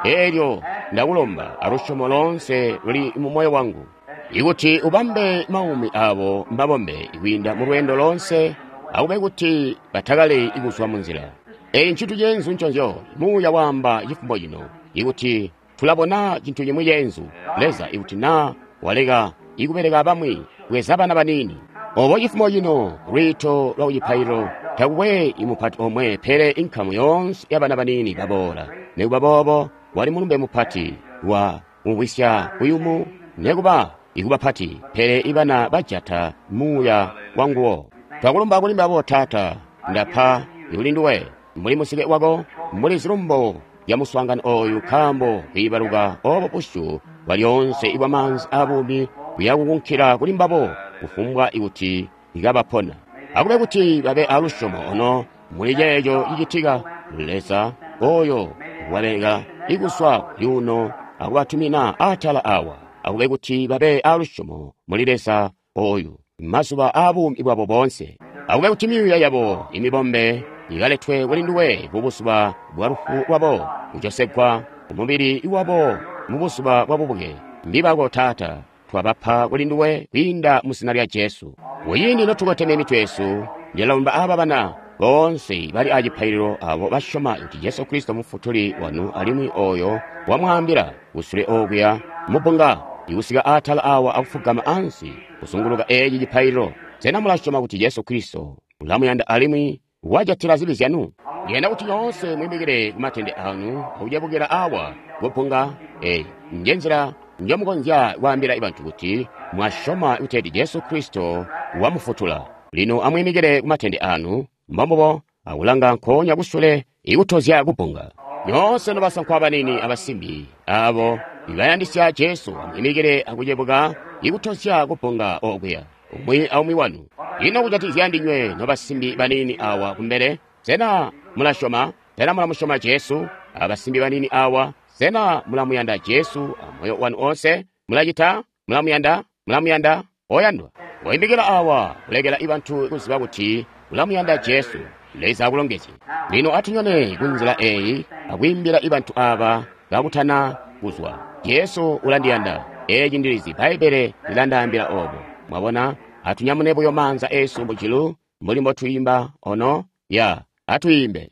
Eelyo ndakulomba alusyomo loonse luli mu moyo wangu ikuti ubambe maumi abo mabombe kwiinda mu lweendo loonse, akube kuti batakale kuzwa mu nzila. Eyi ncintu ceenzu nconzyo Muuya waamba cifumo cino, ikuti tulabona cintu cimwi ceenzu. Leza, ikuti naa waleka ikubeleka bamwi bweza bana baniini. Obo cifumo cino lwiito lwa kucipaililo takukwe imupati omwe, pele inkamu yoonse ya bana baniini baboola. Nikuba boobo wali mulumbe mupati wa kumvwisya kuyumu, nikuba ikuba pati, pele ibana bajata muuya wanguwo. Twakulumba kuli mbabo, Taata, ndapa kuli nduwe mbuli musike wako, mbuli zilumbo ya muswaangano oyu, nkaambo kwiibaluka obo busyu bwa lyoonse ibwa maanzi abuumi buyakukunkila kuli mbabo kufumbwa ikuti ikabapona. Akube kuti babe alusyomo ono muli ceeco cicitika. Leza oyo wabeleka ikuswa kuli uno akubatumina atala awa, akube kuti babe alusyomo muli Leza oyu mazuba aabuumi bwabo boonse. Akube kuti myuuya yabo imibombe ikaletwe kuli nduwe mubuzuba bwa lufu lwabo, kujosegwa kumubili wabo mubuzuba bwa bubuke. Mbibako, Taata, twabapa kuli nduwe kwiinda mu zina lya Jesu. Kuciindi notukoteme mitwe yesu, ndilomba aba bana boonse bali acipaililo abo basyoma kuti Jesu Kristo mufutuli wanu alimwi oyo wamwaambila kusule okuya mubbunga ikusika atala awa akufugama ansi kuzunguluka eeci cipaililo. Sena mulasyoma kuti Jesu Kristo ulamuyanda alimwi wajatila zibi zyanu? Ndiyanda kuti nyoonse mwimikile kumatende anu akucebukila awa kubbunga eyi. Nje nzila njomukonzya kwaambila bantu kuti mwasyoma kuti Jesu Kristo wamufutula. Lino amwimikile kumatende anu mbombubo akulanga nkoonya kusule ikutozya kubbunga. Nyoonse nobasankwa banini abasimbi abo ibayandisya Jesu, amwimikile akucebuka ikutozya kubbunga okuya, umwi aumwi wanu. Ino kujatikizya ndinywe nobasimbi banini awa kumbele, sena mulasyoma? Sena mulamusyoma Jesu? Abasimbi banini awa, sena mulamuyanda Jesu amoyo wanu onse? Mulacita? Mulamuyanda? Mulamuyanda? Oyandwa, woimikila awa kulekela ibantu kuziba kuti ulamuyanda Jesu. Leza akulongezye. Lino atunyone kunzila eyi akwiimbila ibantu aba kakutana kuzwa. Jesu ulandiyanda. Eeci ndilizi Bbaibbele lilandaambila obo. Mwabona, atunyamune buyo maanza esu mujulu mbuli mbotwiimba ono ya atwiimbe.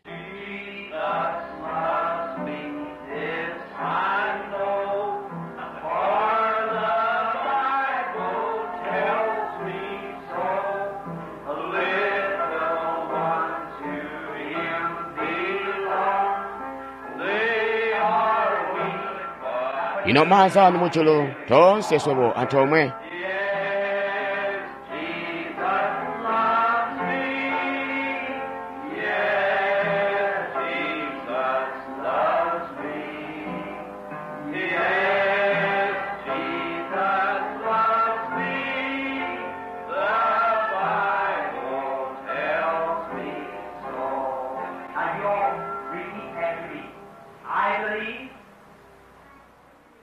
Lino maanza anu mujulu toonse swebo antoomwe.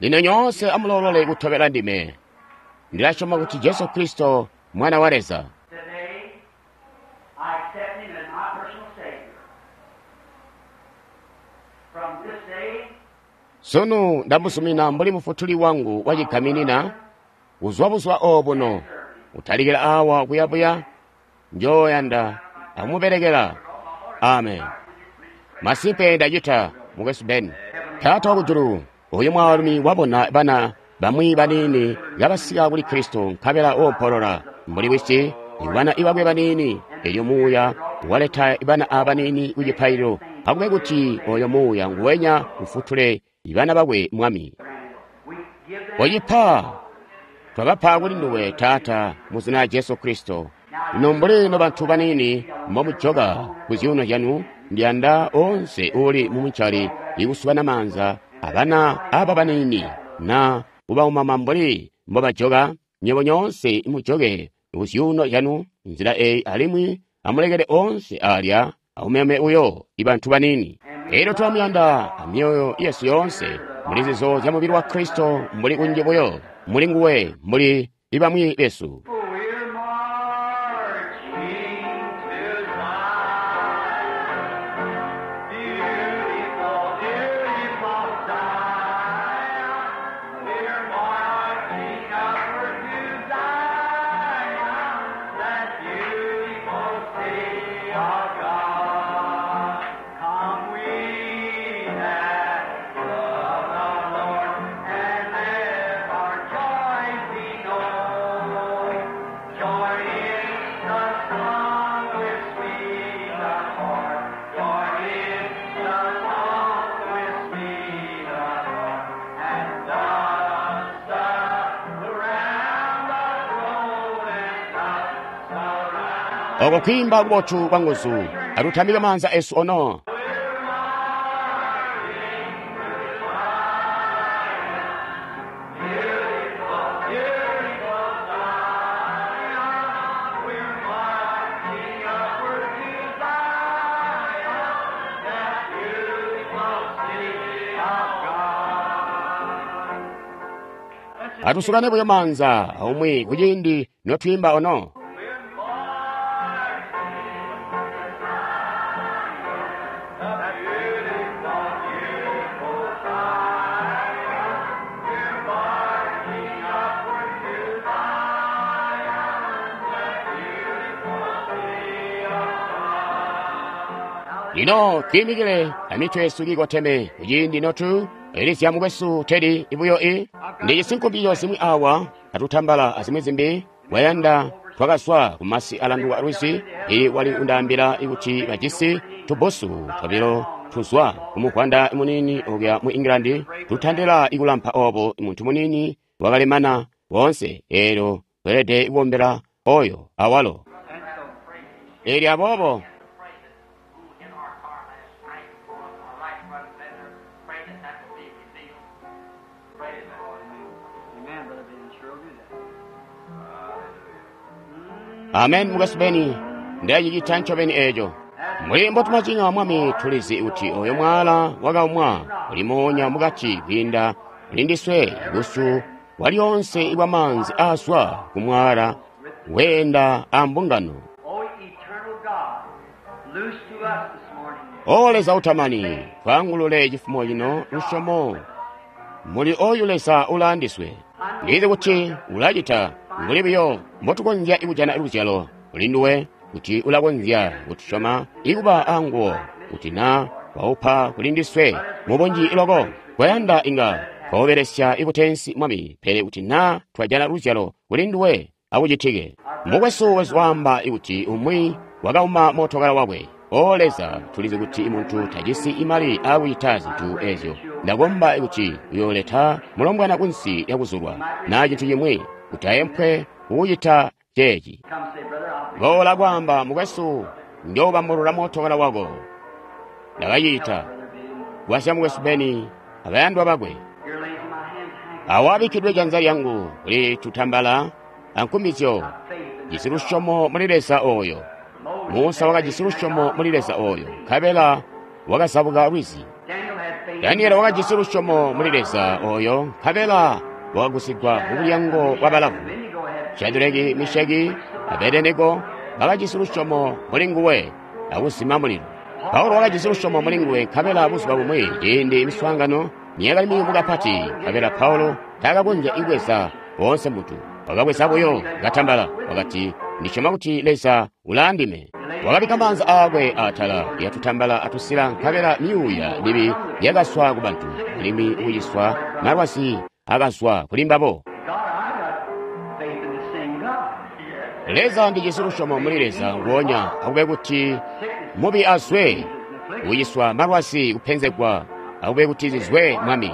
Lino nyoonse amulolole kutobela ndime. Ndilasyoma kuti Jesu Kristo Mwana wa Leza. Today, I accept him as my personal Savior. From this day, Sunu ndamuzumina mbuli mufutuli wangu wacigaminina. Kuzwa buzwa obuno kutalikila awa kuyabuya Njoyanda akumubelekela. Amen. Masimpe ndacita, Mukwesu Ben. Taata wakujulu, oyu mwaalumi wabona bana bamwi baniini kabasika kuli Kristo nkabela oompolola mbuli wisi bana ibakwe baniini. Elyo muuya waleta bana abaniini ku cipaililo. Akube kuti oyo muuya nguwenya ufutule bana bakwe, Mwami. Oyipa, twabapa kuli nduwe, Taata, mu zina lya Jesu Kristo. Lino mbuli nobantu baniini mbomujoka ku zyuuno zyanu, ndiyanda onse uuli mumuncali ikusukana maanza abana aba baniini na kubaumama mbuli mbobajoka. Nywebo nyoonse mujoke ku zyuuno zyanu nzila eyi, alimwi amulekele onse alya aumeme uyo ibantu baniini. Elyo tulamuyanda amyoyo yesu yoonse muli zizo zya mubili wa Kristo, mbuli kunji buyo muli nguwe mbuli ibamwi besu. We're marching to Zion, beautiful, beautiful Zion. We're marching upward to Zion, that beautiful city of God. Come we that love the Lord, and let our joy be known. Join in the song with sweet accord. Join in the song with sweet accord. And thus surround the throne and thus surround. Oko kwimba kubotu kwa nguzu atutambike maanza esu ono. Atusukane buyo maanza aumwi kuciindi notwiimba ono. Lino twiimikile amitwe yesu kiikoteme kuciindi notu elizya mukwesu Teddy ibuyo i ndijisi nkumbizyo zimwi awa atutambala azimwi zimbi wayanda twakazwa kumasi alanduka lwizi. Ili wali undaambila kuti bajisi tubusu twabilo tuzwa kumugwanda munini okuya mu England tutandila ikulampa obo muntu munini wakalemana wonse. Elyo welede kubombela oyo awalo. Elyo aboobo in our car last night, our life wasn't better. Pray that that will be revealed. Pray that. Amen, Brother Ben. Sure will do that. Amen. Mukwesu Beni, ndacicita ncobeni eco. Mbuli mbotumacinya Mwami, tulizi kuti oyo mwala wakaumwa ulimoonya mukati kwiinda mulindiswe busu bwalyonse ibwa maanzi aazwa ku mwala weenda a mbungano. O eternal God, loose to us this morning. O Leza utamani, twangulule chifumo chino lusyomo muli oyu Leza ulaandiswe. Ndizi kuti ulacita mbuli buyo mbotukonzya ikujana luzyalo kuli nduwe, kuti ulakonzya kutusyoma ikuba anguwo, kuti na waupa kuli ndiswe mubunji loko. Kwayanda inga twawubelesya ikutensi Mwami, pele kuti na twajana luzyalo kuli nduwe akucitike. Mukwesu wesu waamba ikuti umwi wakauma mootokala wakwe. O Leza, tulizi kuti muntu tajisi imali akucita zintu ezyo. Ndakomba kuti uyooleta mulombwana kunsi yakuzulwa na cintu chimwi kuti ayempwe kukucita ceeci. Come say, brother, I'll Boola kwaamba, mukwesu, njoobambulula mootokala wako. Ndakacita. Brother Ben. Gwasya mukwesu Beni abayandwa bakwe. Here lays in my hands, hang Awabikkidwe janza lyangu kuli tutambala ankumbizyo. faith in Jisi lusyomo muli Leza oyo. Musa wakajisi lusyomo muli Leza oyo, nkabela wakazabuka lwizi. Daniel had faith. Danieli wakajisi lusyomo muli Leza oyo, nkabela wakagusigwa mu bulyango bwa balavu. Abednego had Shadireki, Misheki, Abedenego bakajisi lusyomo muli nguwe akuzima mulilo. Paulo wakajisi lusyomo muli nguwe, nkabela buzuba bumwi ciindi miswaangano niyakali miyumu kapati, nkabela Paulo taakakonzya ibweza boonse muntu. Wakabweza buyo katambala, wakati, Ndisyoma kuti Leza ulaandime. Wakabikka maanza aakwe atala yatutambala atusila nkabela myuuya mibi yakazwa kubantu, alimwi kuciswa malwazi akazwa kuli mbabo. Leza, ndijisi lusyomo muli Leza nguonya, akube kuti mubi azwe, kuciswa malwazi kupenzegwa, akube kuti zizwe, Mwami.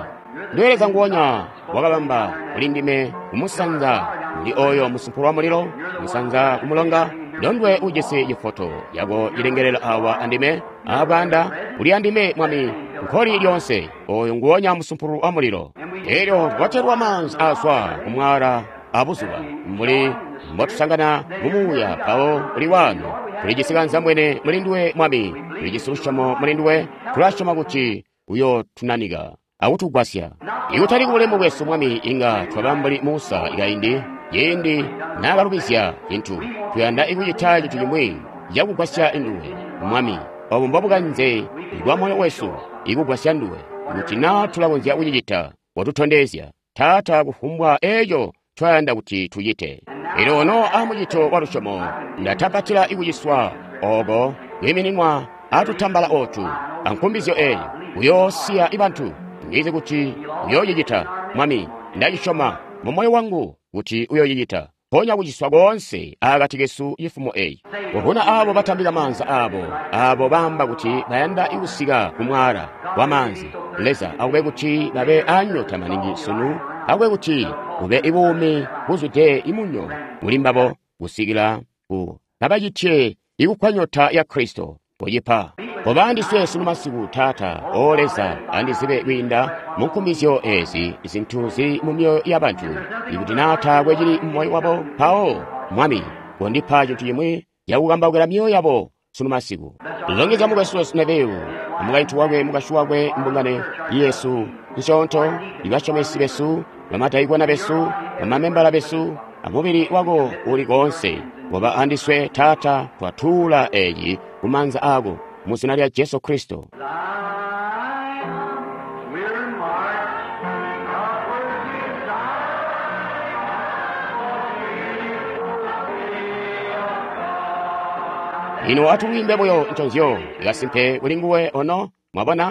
Ndiwe Leza nguonya wakabamba kuli ndime kumusanza muli oyo musumpu wa mulilo, kumusanza kumulonga, ndondwe ujisi cifoto yako cilengelela awa andime, abanda uli andime, Mwami, nkoli lyonse, oyo nguonya musumpu wa mulilo. Elyo twatelwa maanzi azwa kumwala abuzuba, mbuli mbotusangana mumuuya mpawo uli wano. Tulijisi kanzambwene muli nduwe, Mwami, tulijisi lusyomo muli nduwe, tulasyoma kuti uyotunanika akutugwasya. Ikutali kubulemu bwesu, Mwami, inga twaba mbuli Musa kaindi, ciindi naakalubizya cintu. Tuyanda ikucita cintu cimwi cakugwasya nduwe, Mwami. Obo mbobukanze bwa moyo wesu, ikugwasya nduwe. Kuti naa tulakonzya kucicita, watutondezya, Taata, kufumbwa eeco twayanda kuti tucite. Elyo ono amucito wa lusyomo, ndatapatila ikuciswa oko kwiimininwa atutambala otu ankumbizyo eyi, uyoosiya ibantu. Ndizi kuti uyoocicita, Mwami. Ndacisyoma mu moyo wangu kuti uyoocicita. Ponya kuciswa koonse akati kesu cifumo eyi. Kuvuna abo batambika maanza abo, abo baamba kuti bayanda kusika kumwaala wa maanzi. Leza, akube kuti babe anyota maningi sunu, akube kuti bube ibuumi buzwide imunyo kuli mbabo kusikila ku kabacitye ikukkwa nyota ya Kristo. Kucipa. Kobandiswe sunu masiku, Taata, O Leza, andizibe kwiinda mu nkumbizyo ezi zintu zili mu myoyo y'abantu. Ikuti naa taakwe cili mu moyo wabo, mpawo, Mwami, kondipa cintu cimwi cakukambaukila myoyo yabo sunu masiku. Longezya mukwesu wesu Neville, mukaintu wakwe, mukashi wakwe, mbungano yesu nsyoonto, ibasyomesi besu, bamadaikona besu, bamamembala besu, amubili wako uli koonse. Koba andiswe, Taata, twatuula eyi kumaanza ako, mu zina lya Jesu Kristo. Lino atulwiimbe buyo nconzyo ikasimpe kuli nguwe ono, mwabona?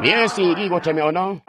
Myesi kikoteme ono.